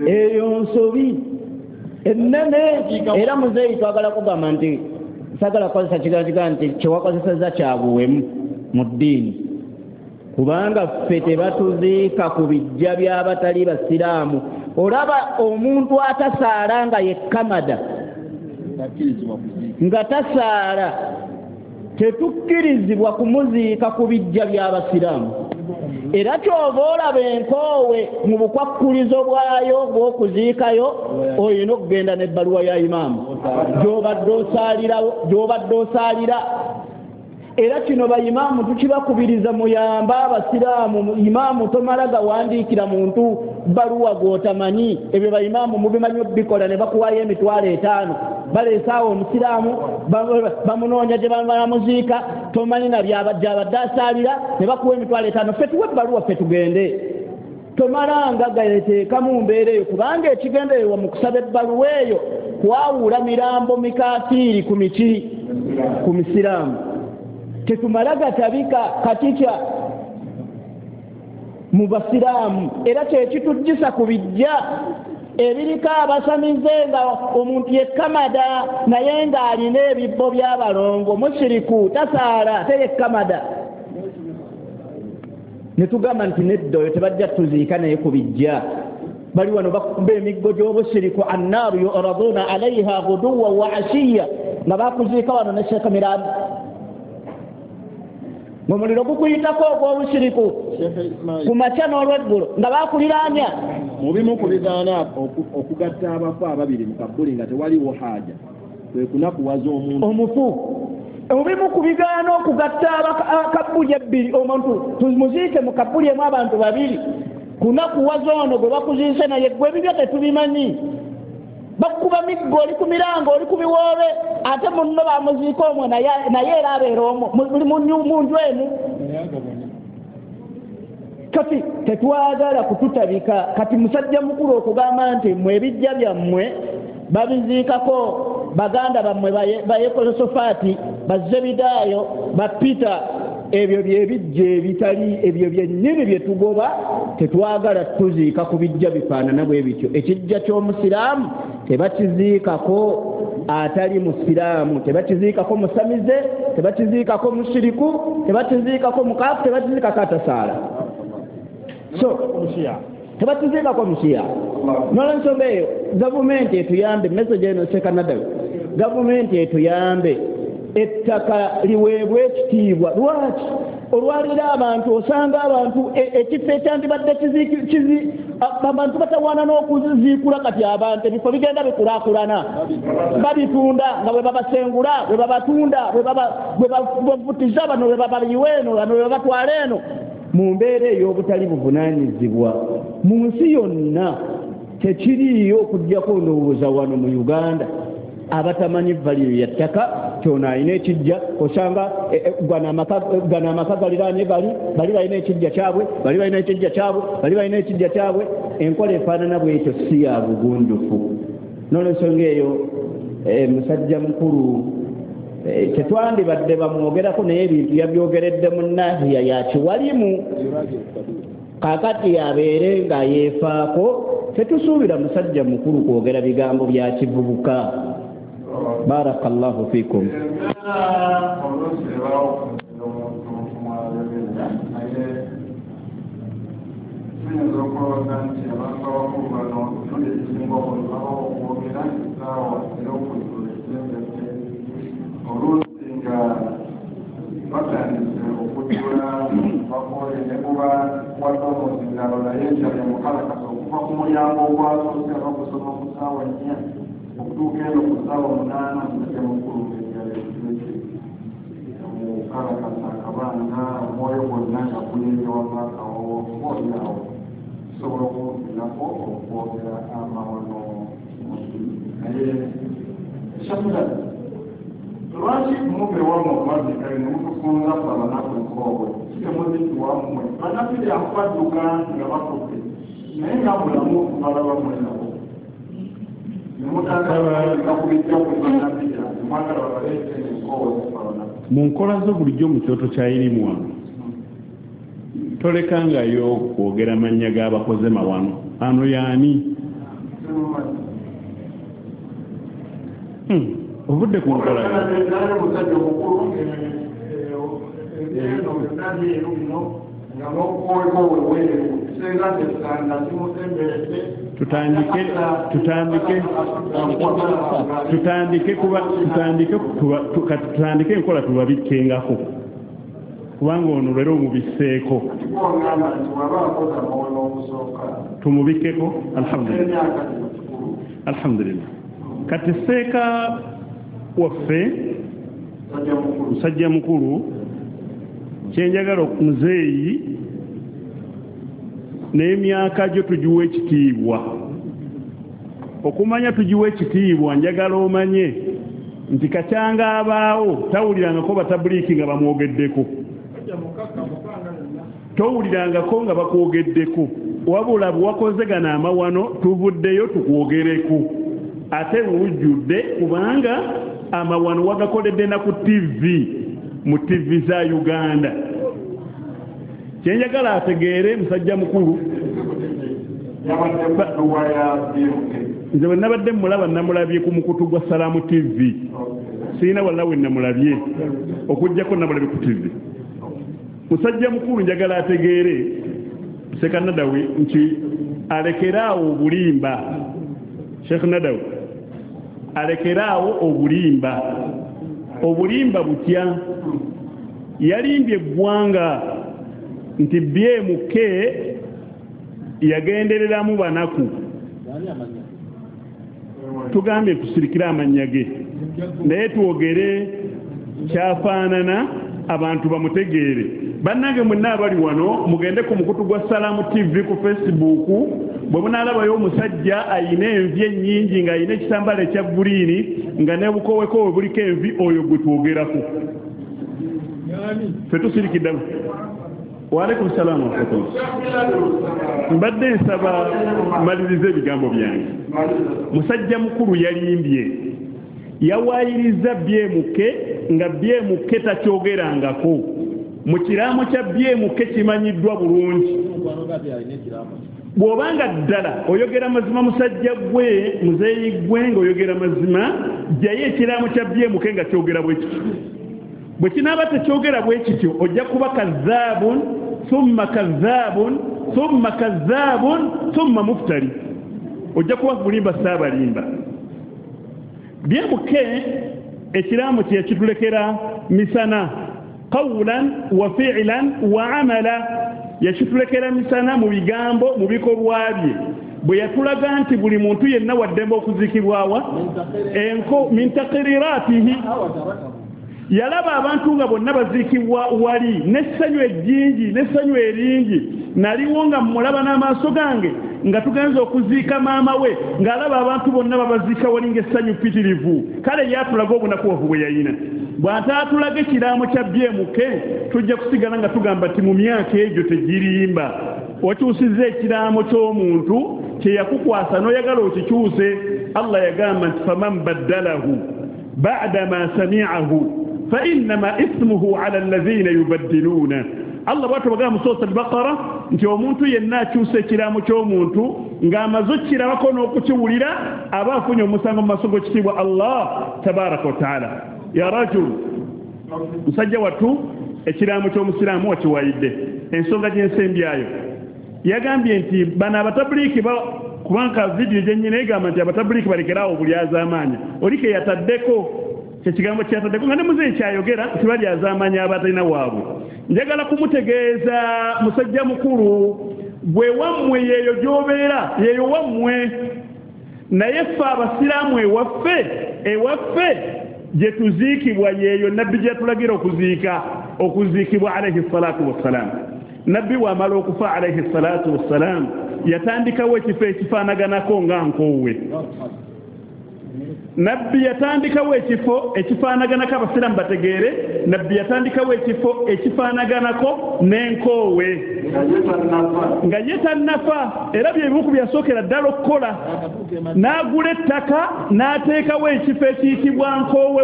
Speaker 4: eyo nsobi ennene. Era muzeeyi twagala kugamba nti sagala kukozesa kigambo kigambo nti kyewakozesezza kya buwemu mu ddiini, kubanga ffe tebatuziika ku bijja by'abatali basiraamu. Olaba omuntu atasaala nga ye Kamada nga tasaala, tetukkirizibwa kumuziika ku bijja by'abasiraamu. Era kyova olaba enkoowe mu bukwakkulizo bwayo bw'okuziikayo olina okugenda n'ebbaluwa ya imaamu gy'obadde osaalirawo, gy'obadde osaalira. Era kino bayimaamu tukibakubiriza muyambe abasiraamu. Imaamu tomala gawandiikira muntu bbaluwa gw'otamanyi, ebyo bayimaamu mubimanyi obikola ne bakuwaayo emitwalo etaano.
Speaker 6: Baleesaawo omusiraamu bamunoonya gye bamuziika, tomanyi na gyabadde asaalira, ne bakuwa emitwalo etaano. Ffe tuwe ebbaluwa ffe tugende. Tomalanga gateeka mu mbeera eyo, kubanga ekigendererwa mu kusaba ebbaluwa eyo kwawula mirambo mikafiiri ku miki ku misiraamu. Tetumala gatabika katikya mu basiraamu, era kyekitujjisa ku bijja ebiriko abasamize nga omuntu yekkamada naye ng'alina ebibbo by'abalongo, mushiriku tasaala ate yekkamada. Ne tugamba nti nedda oyo tebajja tuziika naye ku bijja. Bali wano bakuba emiggo gy'obushiriku, annaaru yuraduna alaiha guduwa wa ashiya, nga bakuziika wano ne Sheikh Mirambo ng'omuliro gukuyitako ogw'obushiriku ku makya n'olweggulo nga bakuliraanya.
Speaker 2: Mu bimu ku bigaana okugatta abafu ababiri mu kabbuli nga tewaliwo haaja kwe kunakuwaza omuntu
Speaker 6: omufu. Mu bimu ku bigaana okugatta akabbuli ebbiri, omuntu tumuziike mu kabbuli emu abantu babiri, kunakuwaza ono gwe bakuziise naye gwe ebibyo tetubimanyi. Bakuba miggo, oli ku mirango, oli ku biwoobe, ate munno bamuziika omwo naye era abeera omwo muli mu nju emu. Kati tetwagala kututabika. Kati musajja mukulu okugamba nti mmwe ebijja byammwe babiziikako baganda bammwe bayekosofaati, bazzebidaayo, bapita, ebyo byebijja ebitali ebyo byennyini bye tugoba. Tetwagala tuziika ku bijja bifaanana bwe bityo. Ekijja ky'omusiraamu tebakiziikako atali musiraamu, tebakiziikako musamize, tebakiziikako mushiriku, tebakiziikako mukaafu, tebakiziikako atasaala, so tebakiziikako mushiya. N'olwensonga eyo gavumenti etuyambe, message eno Sekanadawi, gavumenti etuyambe ettaka liweebwe ekitiibwa. Lwaki olwalira abantu osanga abantu ekifo ekyandibadde kizi abantu batawaana n'okuziikula. Kati abantu ebifo bigenda bikulaakulana, babitunda nga bwe babasengula, bwe babatunda, bwe bavutiza bano, bwe babayiwa eno, bano bwe babatwala eno, mu mbeera ey'obutali buvunaanyizibwa. Mu nsi yonna tekiriiyo okuggyako ndowooza wano mu Uganda abatamanyi value ya ttaka. Kyono alina ekijja, osanga gano amaka galiraanye gali, bali balina ekijja kyabwe, bali balina ekijja kyabwe, bali balina ekijja kyabwe. Enkola efaanana bwetyo si ya bugunjufu. N'olwensonga eyo musajja mukulu tetwandibadde bamwogerako, naye ebintu yabyogeredde mu nahiya ya kiwalimu. Kaakati abeere nga yeefaako. Tetusuubira musajja mukulu kwogera bigambo bya kivubuka. Barakallahu fikum.
Speaker 1: Tuyinza okulowooza nti abantu abakulu bano emirundi egisinga obungi babawo okwogera essaawa ey'okujjula esembedde, oluusi nga batandise okujjula bakooye ne buba wadde omuzindalo, naye enjala emukalakasa okuva ku mulyango ogwasoose abakusoma ku ssaawa nnya okutuuka eno ku ssaawa munaana. Musajja mukulu ng'enjala ekiweke emukalakasa akabanga, omwoyo gwonna nga guyenje wava akawowo oba awo tusobola okulumirako okwogera amawono. Naye Shafira, lwaki muve wammwe omwazikayo ne mutufunza ffe abanaku enkoobwe? Kitemuziiki wammwe bannaffe akwadduka nga bafudde, naye nga mulamu balaba mwe nabo ne mutandika ku bijja ku bannaffe mwagala babaleete enkoobwe ziffe abanaku.
Speaker 5: Mu nkola zo bulijjo mu kyoto kya irimu wano tolekangayo kwogera mannya g'abakoze mawano. Ano yaani ovudde ku nkola
Speaker 1: musajja omukulu eno byonna byeru bino nga n'okuweko weweeru kisenga nti kimusemberedde.
Speaker 5: Tutandike tutandike tutandike kuba tutandike tutandike enkola tubabikkengako, kubanga ono leero omubisseeko. Tumubikkeko. Alhamdulillah, alhamdulillah. Kati seeka waffe musajja mukulu, kyenjagala muzeeyi n'emyaka gyo tugiwa ekitiibwa, Okumanya tugiwe ekitiibwa, njagala omanye nti kacyanga abaawo tawulirangako batabuliiki nga bamwogeddeko, towulirangako nga bakwogeddeko, wabula bwe gano amawano tuvuddeyo tukwogereko ate lujjudde, kubanga amawano wagakoledde na ku T V, mu T V za Uganda. Kyenjagala ategeere musajja mukulu, nze bwe nabadde mmulaba namulabye ku mukutu gwa Salaamu T V, sirina walla we namulabye okuggyako namulabye ku T V. Musajja mukulu njagala ategeere Sheikh Nadawi nti alekeraawo obulimba. Sheikh Nadawi alekeraawo obulimba. Obulimba butya? Yalimbye eggwanga nti B M K yagendereramu banaku. Tugambye tusirikire amannya ge, naye twogere kyafaanana abantu bamutegeere. Bannange mwenna abali wano mugende ku mukutu gwa Salaamu T V ku Facebook, bwe munaalabayo omusajja ayina envi ennyingi ng'ayina ekitambaala ekya guliini nga ne bukowekowe buliko envi, oyo gwe twogerako. Ffe tusirikidde. Waalaikum salaamu warahmatullah. Mbadde nsaba malirize ebigambo byange. Musajja mukulu yalimbye, yawaayiriza B M K nga B M K takyogerangako. Mu kiraamo kya B M K kimanyiddwa bulungi. Bw'obanga ddala oyogera mazima musajja gwe muzeeyi gwe ng'oyogera mazima, jjayo ekiraamo kya B M K nga kyogera bwe kityo. Bwe kinaaba tekyogera bwe kityo ojja kuba kazaabun thumma kazaabun thumma kazaabun thumma muftari, ojja kuba mulimba saabalimba. B M K ekiraamo kye yakitulekera misana, qawlan wa fi'lan wa amala, yakitulekera misana mu bigambo mu bikolwa bye. Bwe yatulaga nti buli muntu yenna waddembe okuziikibwawa enko min taqriratihi, yalaba abantu nga bonna baziikibwa wali n'essanyu ejjingi n'essanyu eringi. Naliwo nga mmulaba n'amaaso gange nga tugenze okuziika maama we, ng'alaba abantu bonna babaziika wali ng'essanyu ppitirivu. Kale yatulaga obunakuwavu bwe yayina. Bw'ataatulaga ekiraamo kya B M K tujja kusigala nga tugamba nti mu myaka egyo tegirimba. Wakyusizza ekiraamo ky'omuntu kye yakukwasa n'oyagala okikyuse. Allah yagamba nti faman baddalahu ba'da ma sami'ahu فإنما اسمه على الذين يبدلون. Allah bw'atyo bagamba mu Surat al-Baqara nti omuntu yenna akyusa ekiraamo ky'omuntu ng'amaze okukirabako n'okukiwulira aba afunye omusango mu maaso g'ekitiibwa Allah tabaraka wa taala. Ya rajul, musajja wattu ekiraamo ky'omusiraamu wakiwayidde. Ensonga gy'ensembyayo yagambye nti bano abatabuliiki kubanga vidiyo gye nnyina egamba nti abatabuliiki balekeraawo obulyazaamaanya, oli ke yataddeko ekigambo kyataddeko nga ne muzeeyi kyayogera nti balyazaamaanya abatalina waabwe. Njagala kumutegeeza musajja mukulu, gwe wammwe yeeyo gy'obeera, yeeyo wammwe, naye ffe abasiraamu ewaffe ewaffe gye tuziikibwa yeeyo nabbi gye yatulagira okuziika okuziikibwa alayhi salatu wassalam. Nabbi bw'amala okufa alayhi salatu wassalam yatandikawo ekifo ekifaanaganako nga nkoowe. Nabbi yatandikawo ekifo ekifaanaganako, abasiraamu bategeere, nabbi yatandikawo ekifo ekifaanaganako n'enkoowe nga ye tannafa. Era bye bimu ku byasookera ddala okukola, n'agula ettaka n'ateekawo ekifo ekiyitibwa nkoowe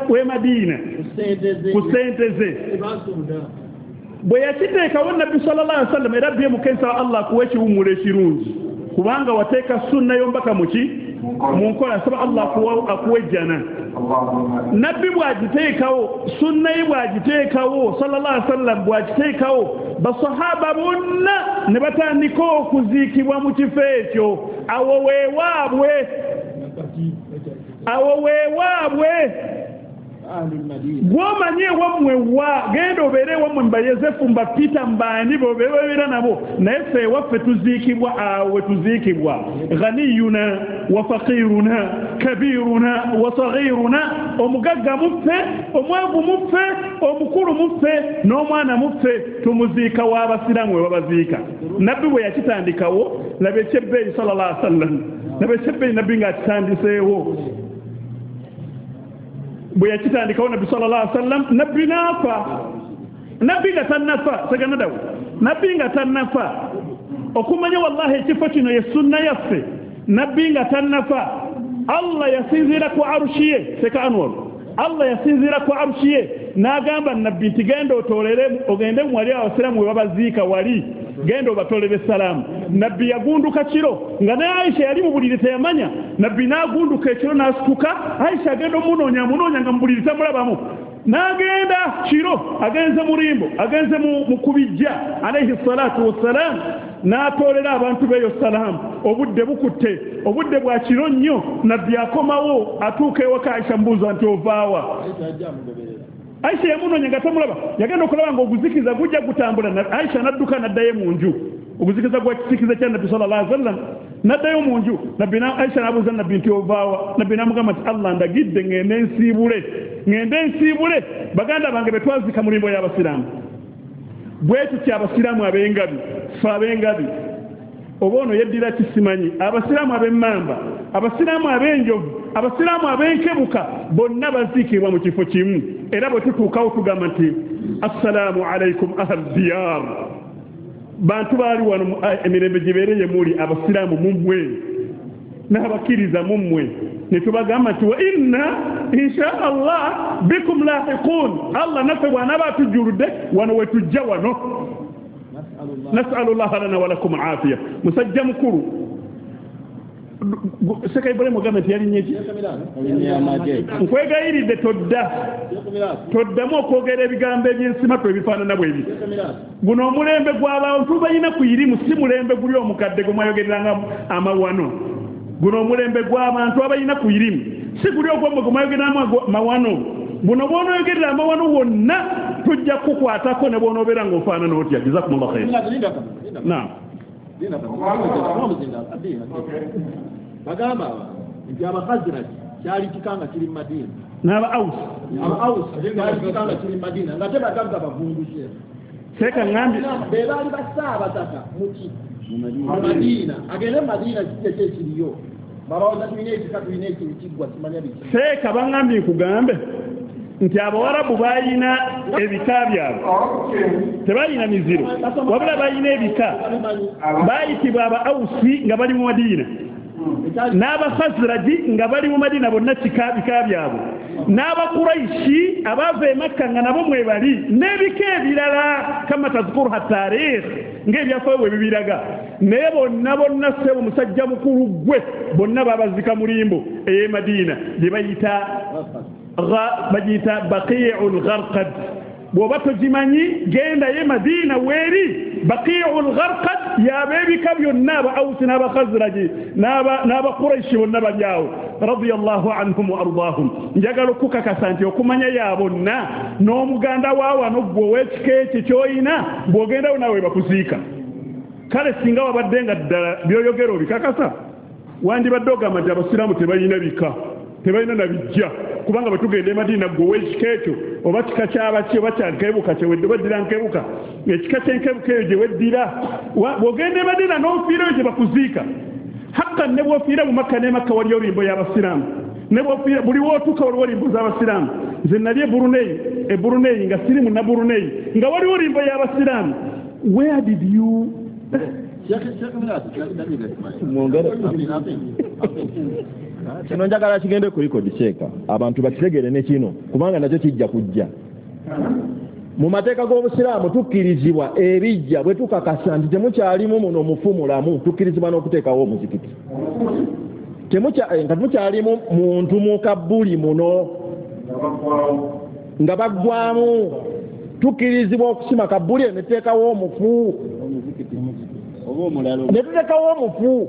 Speaker 5: w'e Madiina ku ssente ze. Bwe yakiteekawo nabbi sallallahu alaihi wasallam, era bye mukensaba Allah akuwa ekiwummulo ekirungi, kubanga wateeka sunna y'omubaka muki mu nkola, saba Allah akuwa ejjana. Nabbi bw'agiteekawo, sunna ye bw'agiteekawo sallallahu alaihi wasallam bw'agiteekawo, basahaba bonna ne batandika okuziikibwa mu kifo ekyo. Awo weewaabwe, awo weewaabwe. Gw'omanyi ewammwe wa, genda obeere ewammwe mba Yosefu mba Peter mbaani bobeera nabo, naye ffe ewaffe tuziikibwa awo we tuziikibwa. Ghaniyuna wa faqiruna kabiruna wa saghiruna, omugagga muffe, omwavu muffe, omukulu muffe n'omwana muffe, tumuziika w'abasiraamu we babaziika. Nabbi bwe yakitandikawo, laba ekyebbeeyi sallallahu alaihi wasallam. Nabe sebbe nabbi nga akitandiseewo bwe yakitandikawo nabbi sallallahu alaihi wasallam nabbi n'afa nabbi nga tannafa seganadawo nabbi nga tannafa okumanya wallahi ekifo kino ye sunna yaffe nabbi nga tannafa Allah yasinziira ku arushi ye seka Anwar Allah yasinziira ku arushi ye n'agamba nabbi nti genda otoolere ogende wali abasiraamu we babaziika wali genda obatolere salaamu nabbi yagunduka kiro nga ne Aisha yali mu buliri teyamanya nabbi n'agunduka ekiro n'asituka Aisha agenda omunoonya amunoonya nga mu buliri tamulabamu n'agenda kiro agenze mulimbo agenze mu kubijja alayhi salatu wassalam n'atoolera abantu beeyo salaamu obudde bukutte obudde bwa kiro nnyo nabbi akomawo atuuka ewaka Aisha mbuuza nti ovaawa Aisha yamunoonya nga tamulaba yagenda okulaba ng'oguzikiza gujja gutambula Aisha n'adduka n'addayo mu nju oguzikiza gwa kisikiza kya nabbi sallallahu alaihi wasallam n'addayo mu nju nabbi Aisha n'abuuza nabbi nti ovaawa nabbi n'amugamba nti Allah ndagidde ngende nsiibule ngende nsiibule baganda bange be twazika mu limbo y'abasiraamu bwe tutyo abasiraamu ab'engabi ffe ab'engabi oba ono yeddira kisimanyi abasiraamu ab'emmamba abasiraamu ab'enjovu abasiraamu ab'enkebuka bonna baziikibwa mu kifo kimu era bwe tutuukawo tugamba nti assalaamu alaikum ahal diyar bantu baali wano emirembe gibeereye muli abasiraamu mummwe n'abakkiriza mummwe ne tubagamba nti wa inna insha Allah bikum lahiqun Allah naffe bw'anaaba atujjuludde wano we tujja wano nasalullah lana wa lakum afiya musajja mukulu Seka Ibrahim ogambe nti yalinye ki nkwegayiridde todda toddamu okwogera ebigambo ebyensimatu ebifaanana bwe biti guno omulembe gw'abantu balina ku irimu si mulembe guli omukadde gwe mwayogereranga amawano guno omulembe gw'abantu abalina ku irimu si guli ogwomwe gwe mwayogereramu amawano buno bw'onooyogerera amawano wonna tujja kukukwatako ne bw'onoobeera ng'ofaanana otya jazakumullah khair naam
Speaker 8: bagamba nti Abakhazraj kyali kika nga kiri mu Madina
Speaker 5: n'aba Aus
Speaker 8: aba Aus kyali kika nga kiri mu Madina nga tebagamba bavungushe
Speaker 5: seka ngambi
Speaker 8: be baali basaabataka muki mu Madina agende mu Madina kijja kyekiriyo babawoza tulina ekika tulina ekiggwa kimanya biki
Speaker 5: seka bangambye nkugambe nti abawarabu balina ebika byabwe tebalina miziro wabula balina ebika bayitibwa aba Ausi nga bali mu Madina n'Abakhazraji nga bali mu Madina bonna kika bika byabwe n'Abakuraishi abava e Makka nga nabo mwe bali n'ebika ebirala kama tazkuruha tarikh ng'ebyafaayo bwe bibiraga naye bonna bonna ssebo musajja mukulu gwe bonna babazika mulimbo ey'e Madina gye bayita bagiyita Baqi'ul Gharqad bw'oba togimanyi genda ye Madina weeri Baqi'ul Gharqad y'ab'ebika byonna aba Ausi n'Abakhazraji n'Abakuraishi bonna bali awo radiyallahu anhum wa ardaahum njagala okukakasa nti okumanya ya bonna n'omuganda wa wano gwe ow'ekika ekyo ky'oyina bw'ogendawo naawe bakuziika kale singa wabadde nga ddala by'oyogera obikakasa wandibadde ogamba nti abasiraamu tebalina bika tebalina na bijja kubanga bwe tugenda e Madina gwe ow'ekika ekyo oba kika kyabaki oba kya nkebuka kyewedde weddira nkebuka ekika ky'enkebuka eyo gye weddira bw'ogenda e Madina n'ofiirayo gye bakuziika hakka ne bw'ofiira mu Makka ne Makka waliyo limbo y'abasiraamu ne bw'ofiira buli w'otuuka waliwo limbo z'abasiraamu nze nali e Brunei e Brunei nga siri munna Brunei nga waliwo limbo y'abasiraamu where did you
Speaker 2: kino njagala kigende ku record sheeka abantu bakitegere ne kino kubanga nakyo kijja kujja mu mateeka g'obusiraamu tukkirizibwa ebijja bwe tukakasa nti temukyalimu muno mufu mulamu tukkirizibwa n'okuteekawo omuzikiti nga temukyalimu muntu mu kabbuli muno nga baggwamu tukkirizibwa okusima kabbuli ne tuteekawo omufu ne tuteekawo omufu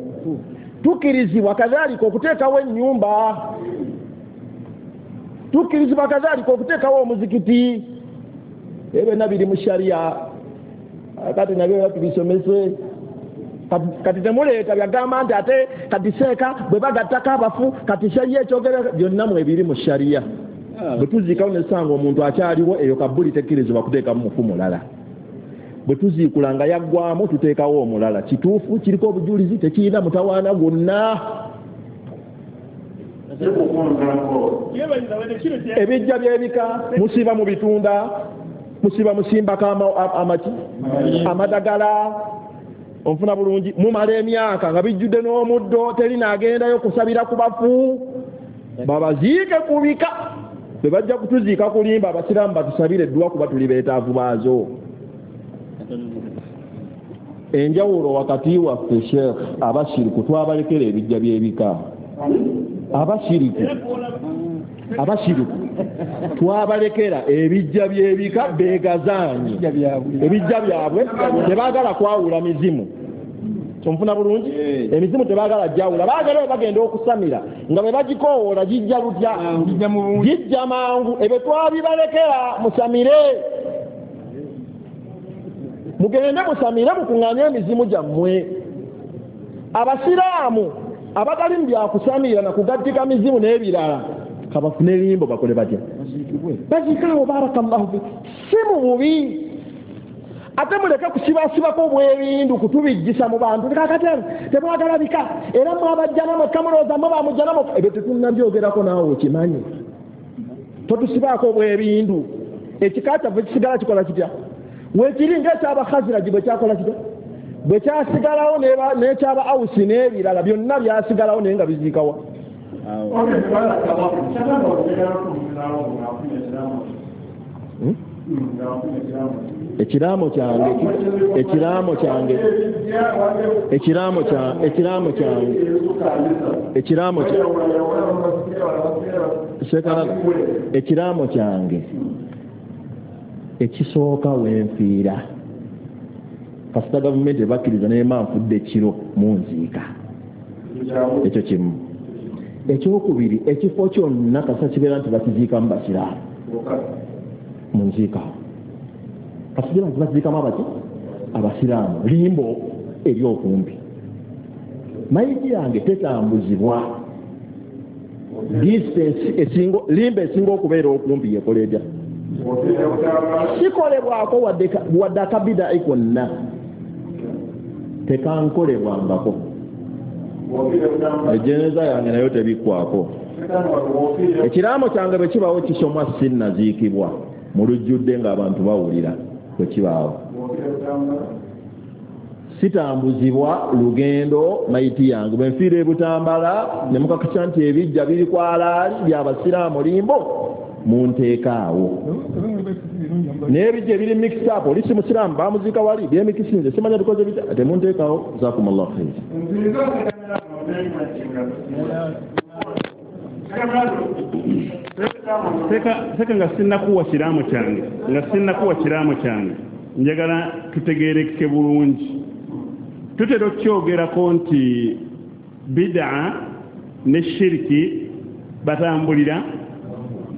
Speaker 2: tukkirizibwa kadhalika okuteekawo ennyumba tukkirizibwa kadhalika okuteekawo omuzikiti ebyo byonna biri mu sharia kati nabyo tubisomese kati temuleeta byagamba nti ate kati seeka bwe bagattako abafu kati sharia ekyogera byonna mwebiri mu sharia bwe tuziikawo ne tusanga omuntu akyaliwo eyo kabbuli tekkirizibwa kuteekamu mufu mulala bwe tuziikula nga yaggwamu tuteekawo omulala kituufu kiriko obujulizi tekirina mutawaana gwonna Ebijja by'ebika musiba mu bitunda, musiba musimbako amaki amadagala, onfuna bulungi, mumala emyaka nga bijjudde n'omuddo, teri naagendayo kusabira ku bafu, babaziike ku bika. Bwe bajja kutuziika kulimba, abasiraamu batusabire edduwa kuba tuli beetaavu baazo. Enjawulo wakati waffe Sheikh abashiriku twabalekera ebijja by'ebika. Abashiriku abashiriku twabalekera ebijja by'ebika beegazaanye ebijja byabwe, tebaagala kwawula mizimu. Onfuna bulungi, emizimu tebaagala jawula, baagala bagenda okusamira nga bwe bagikoowoola gijja lutya, gijja mangu. Ebyo twabibalekera, musamire, mugende musamire, mukuŋŋaanye emizimu gyammwe. Abasiraamu abatali mu byakusamira na kugattika mizimu n'ebirala kabafune limbo bakole batya, baziikaawo. Barakallahu fik, si mu bubi. Ate muleke kusibasibako obwebindu kutubijjisa mu bantu. Kakati temwagala bika, era mwabajjana mwekka mulowooza mwe bamujjana mwekka. Ebyo tetunnabyogerako naawe okimanyi. Totusibaako obwebindu. Ekika kyaffe kisigala kikola kitya? Weekiri ng'ekyabahaziraji bwe kyakola kitya? Bwe kyasigalawo n'ekyaba Awusi n'ebirala byonna byasigalawo naye nga biziikawa. Ekiraamo kyange ekiraamo kyange ekiraamo kyange ekiraamo kyange ekiraamo kyange ekiraamo kyange ekisooka wenfiira kasita gavumenti ebakkiriza nema nfudde ekiro munziika, ekyo kimu. Ekyokubiri, ekifo kyonna kasita kibeera nti bakiziikamu basiraamu munziikawo, kasita nti bakiziikamu abaki abasiraamu, limbo eri okumpi. Mayiti yange tetambuzibwa distance esinga, limbo esinga okubeera okumpi yekola etya? Sikolebwako wadde akabida konna, tekankolebwangako. Ejeneza yange nayo tebikwako. Ekiraamo kyange bwe kibaawo kisomwa sinnaziikibwa mu lujjudde ng'abantu bawulira bwe kibaawo. Sitambuzibwa lugendo mayiti yange. Bwe nfiira e Butambala ne mukakasa nti ebijja biri ku alaali by'abasiraamu limbo, munteekaawo. N'ebijja ebiri mixed up, oli si musiraamu bamuziika wali byemikisinze simanya bikoze bitya, temunteekaawo. Jazakumullahu khair.
Speaker 5: Seka nga sinnakuwa kiraamo kyange, nga sinnakuwa kiraamo kyange, njagala tutegeereke bulungi. Tutera okukyogerako nti bid'a ne shiriki batambulira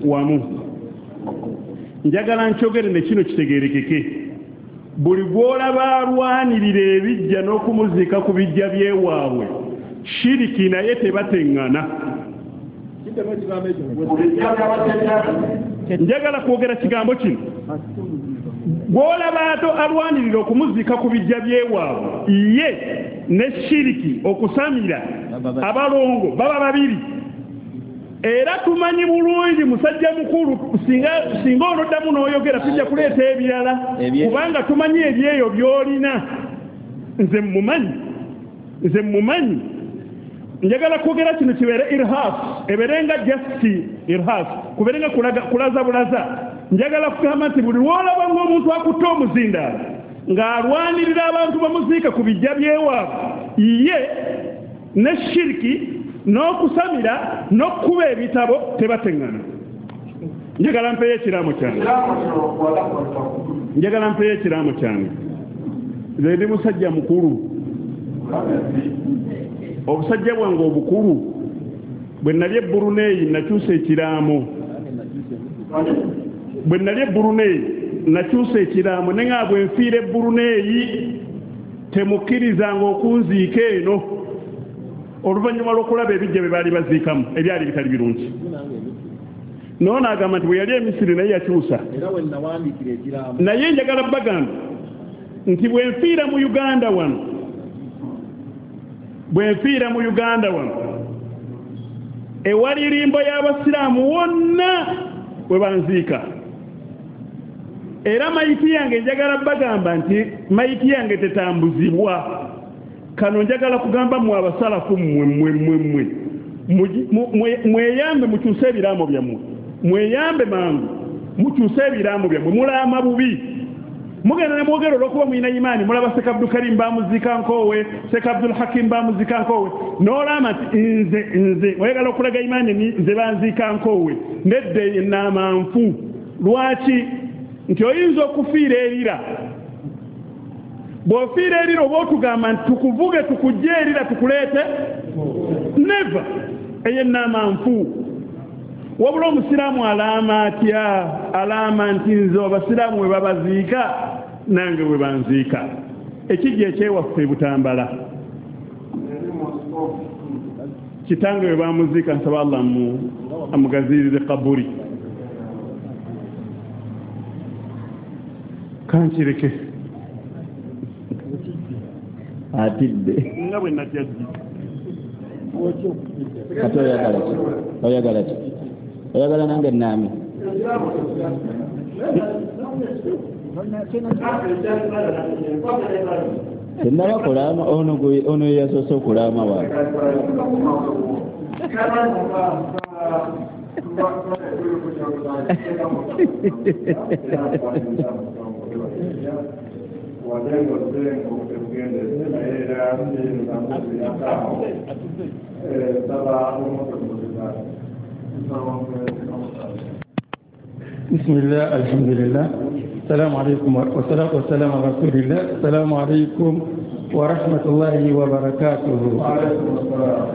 Speaker 5: wamu. Njagala nkyogere ne kino kitegeerekeke. Buli gw'olaba alwanirira ebijja n'okumuziika ku bijja by'ewaabwe, shiriki naye tebateŋŋana. Njagala kwogera kigambo kino. Gw'olaba ato alwanirira okumuziika ku bijja by'ewaabwe, ye ne shiriki okusamira abalongo baba babiri. Era tumanyi bulungi musajja mukulu, singa singa onoddamu n'oyogera tujja kuleeta ebirala, kubanga tumanyi ebyeyo by'olina. Nze mmumanyi, nze mmumanyi. Njagala kwogera kino kibeere irhas, ebeere nga just irhas, kubeere nga kulaza bulaza. Njagala kugamba nti buli lw'olaba ng'omuntu akutte omuzindaalo ng'alwanirira abantu bamuziika ku bijja by'ewaabwe, ye ne shiriki n'okusamira n'okukuba ebitabo tebateŋŋana. Njagala mpeyo ekiraamo kyange, njagala mpeyo ekiraamo kyange. Nze ndi musajja mukulu, obusajja bwange obukulu bwe nali e Brunei nakyusa ekiraamo, bwe nali e Brunei nakyusa ekiraamo ne nga bwe nfiira e Brunei temukkirizanga okunziika eno, oluvannyuma lw'okulaba ebijja bye baali baziikamu ebyali bitali birungi. Noono agamba nti bwe yali e Misiri naye yakyusa. Naye njagala bagamba nti bwe nfiira mu Uganda wano, bwe nfiira mu Uganda wano Ewali limbo y'abasiraamu wonna we banziika. Era mayiti yange njagala bagamba nti mayiti yange tetambuzibwa. Kano njagala kugamba mmwe abasalafu mmwe mmwe mmwe mmwe mweyambe mukyuse ebiraamo byammwe, mweyambe mangu mukyuse ebiraamo byammwe. Mulaama bubi, mugenda ne mwogera olw'okuba mulina imaani. Mulaba Sheikh Abdul Karim bamuziika Nkoowe, Sheikh Abdul Hakim bamuziika Nkoowe, n'olaama nti nze nze oyagala okulaga imaani nze banziika Nkoowe, nedda ennaama nfu. Lwaki? Nti oyinza okufiira erira. Bw'ofiira erira oba otugamba nti tukuvuge tukujje erira tukuleete, never. Eyo ennaama nfu. Wabula omusiraamu alaama atya? Alaama nti nze abasiraamu we babaziika nange we banziika. Ekijja ekyewaffe e Butambala, kitange we bamuziika, nsaba Allah amugaziirize kaburi. Kankireke
Speaker 4: atidde
Speaker 5: nga bwe natya jji.
Speaker 4: Kati oyagala ki? Oyagala ki? Oyagala nange nnaame? Tennaba kulaama, ono ono ye yasoose okulaama wa.
Speaker 7: بسم الله الحمد لله السلام عليكم والصلاة والسلام على رسول الله. السلام عليكم ورحمة الله وبركاته.
Speaker 1: وعليكم السلام.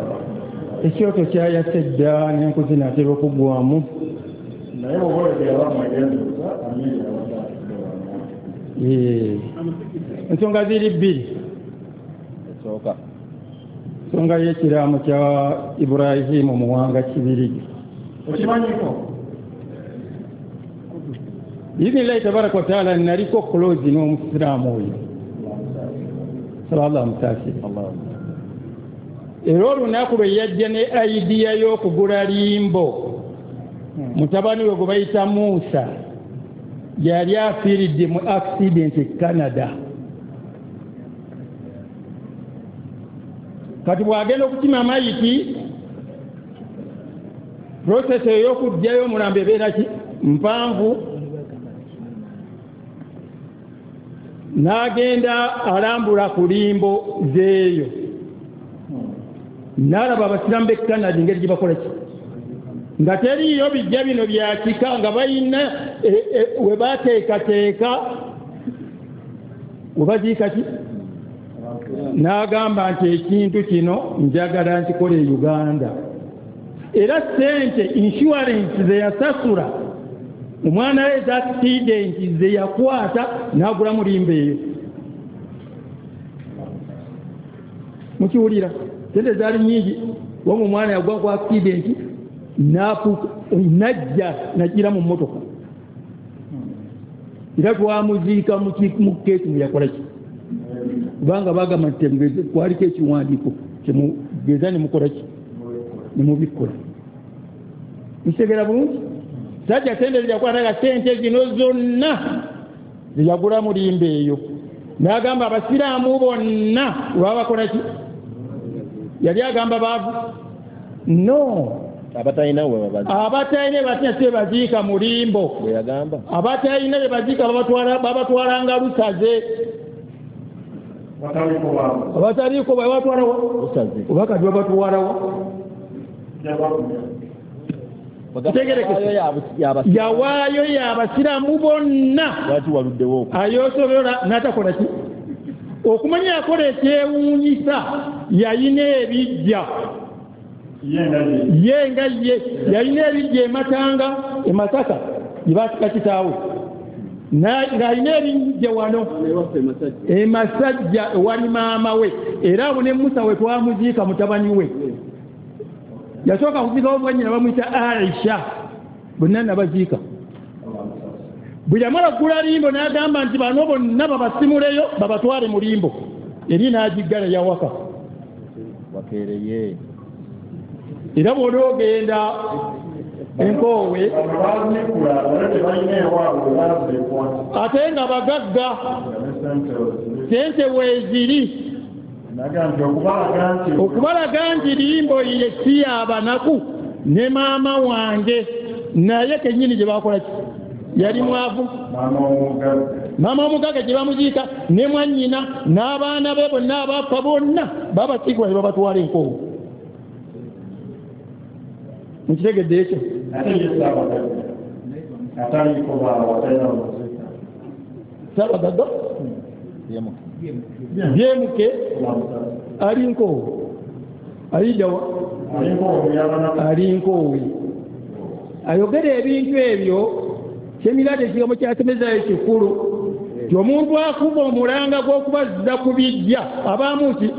Speaker 7: Ekyoto kyayase dda n'enku zinaatera okuggwamu. Ensonga ziri bbiri. Ensonga y'ekiraamo kya Ibrahimu Muwanga Kibirige.
Speaker 1: Okimanyiko?
Speaker 7: Biidhnillahi tabaraka wa taala naliko close n'omusiraamu oyo. Saba Allah amusaasire. Era olunaku lwe yajja ne idea y'okugula limbo, mutabani we gwe bayita Musa yali afiiridde mu accident e Canada. Kati bw'agenda okukima mayiti, process ey'okuggyayo omulambo ebeera ki mpanvu. N'agenda alambula ku limbo zeeyo, n'alaba abasiraamu b'e Canada engeri gye bakola ki, nga teriiyo bijja bino bya kika, nga balina we bateekateeka we baziika ki. N'agamba nti ekintu kino njagala nkikole e Uganda. Era ssente insurance ze yasasula omwana we eza accident ze yakwata n'agulamu limbo eyo. Mukiwulira? Sente zaali nnyingi. Wamma omwana yagwa ku accident najja nagira mu mmotoka, era twamuziika mu keesi yakola ki, kubanga bagamba nti kwaliko ekiwandiiko kyemugeza ne mukola ki ne mubikkola. Nkitegera bulungi? Sajja sente zeyakwataga sente zino zonna zeyagulamu limbo eyo, n'agamba abasiraamu bonna lwabakola ki. Yali agamba baavu? No,
Speaker 2: abatalina we babaziika,
Speaker 7: abatalina batina si baziika mu limbo. Abatalina be baziika babatwalanga lusaze, abataliiko babatwalawa oba kati babatwalawa. Yawaayo y'abasiraamu bonna ayosobola n'atakola ki. Okumanya yakola ekyewuunyisa, yayina ebijja ye nga ye yalina ebijja ematanga e Masaka gye baasika kitaawe, ng'alina ebijja wano e Masajja ewali maama we. Era abo ne Musa we twamuziika mutabani we yasooka kuziikawo mwannyina bamuyita Aisha, bonna nabaziika. Bwe yamala kugula limbo n'agamba nti bano bonna babasimuleyo babatwale mu limbo, eri n'agiggala yawaka
Speaker 2: wakeereye.
Speaker 6: Era bw'onoogenda enkoowe ate nga bagagga sente weeziri okubalaga nti limboyire si y'abanaku ne maama wange naye kennyini gye bakola ki yali mwavu maama omugagga gye bamuziika ne mwannyina n'abaana be bonna abafa bonna babasiigwa ne babatwala enkoowe. Mukitegedde ekyo? Ssaabagagga byemuke ali nkoowe aliddawa ali nkoowe ayogera ebintu ebyo kyemirade ekigambo kyasemezaayo kikulu ti omuntu akuba omulanga gw'okubazza ku bijja abaamu ki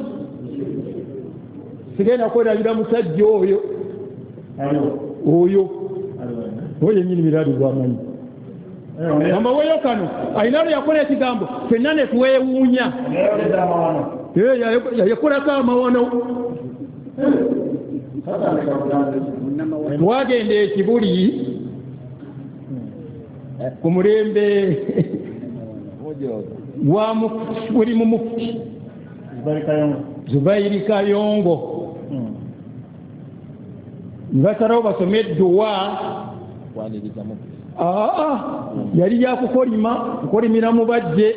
Speaker 6: sigenda kwerabira musajja oyo oyo oyo yennyini miradi gwamanyi ambaweyo kano alina lwe yakola ekigambo ffenna ne twewuunya yakolako amawano. Twagenda ekibuli ku mulembe gwa buli mu mufuti Zubairi Kayongo basalawo basome edduwa aa yali yakukolima kukolimira mubajje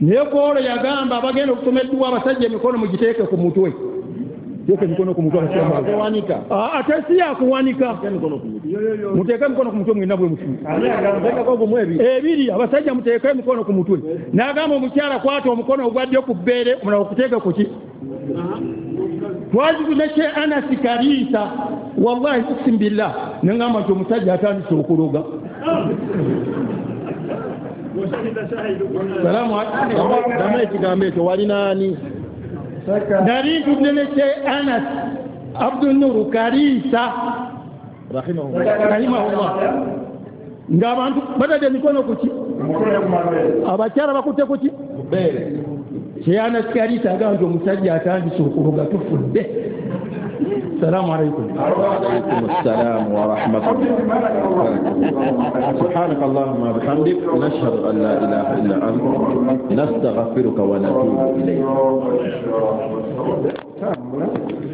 Speaker 6: naye kwolwo yagamba abagenda okusoma edduwa abasajja emikono mugiteeke ku mutwe teeka emikono ku mutwe ate si yakuwanika muteeke emikono ku mutwe mwenna bwe mutu ebiri abasajja muteeke emikono ku mutwe n'agamba omukyala kwata omukono ogwa ddyo ku bbeere omulala okuteeke ku ki twazikuze kye Anasi Kariisa wallahi uqsimu billah nengamba nti omusajja atandise okuloga. Salaamu alaykum.
Speaker 2: Ekigambo ekyo walina ani?
Speaker 6: Nali ntudde ne kye Anas Abdunuru Kariisa rahimahullah ng'abantu batadde emikono ku ki abakyala bakutte ku ki kye Anas Kariisa agamba nti omusajja atandise okuloga tufudde. السلام عليكم.
Speaker 2: وعليكم السلام ورحمة الله وبركاته. سبحانك اللهم وبحمدك نشهد أن لا إله إلا أنت نستغفرك ونتوب إليك.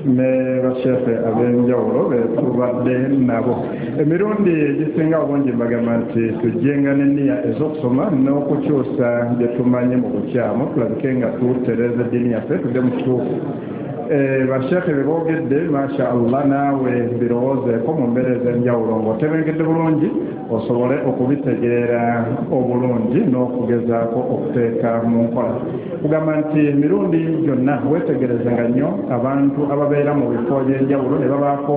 Speaker 1: Ne bashefe ab'enjawulo be tubadde nabo emirundi egisinga obungi mbagamba nti tujjenga n'enniya ez'okusoma n'okukyusa bye tumanyi mu bukyamu tulabike nga tutereeza eddiini yaffe tudde mu kituufu. Bashekhe be boogedde masha Allah naawe birowoozeeko mu mbeera ez'enjawulo ng'otebenkedde bulungi osobole okubitegeera obulungi n'okugezaako okuteeka mu nkola. Kugamba nti emirundi gyonna weetegerezenga nnyo abantu ababeera mu bifo by'enjawulo ne babaako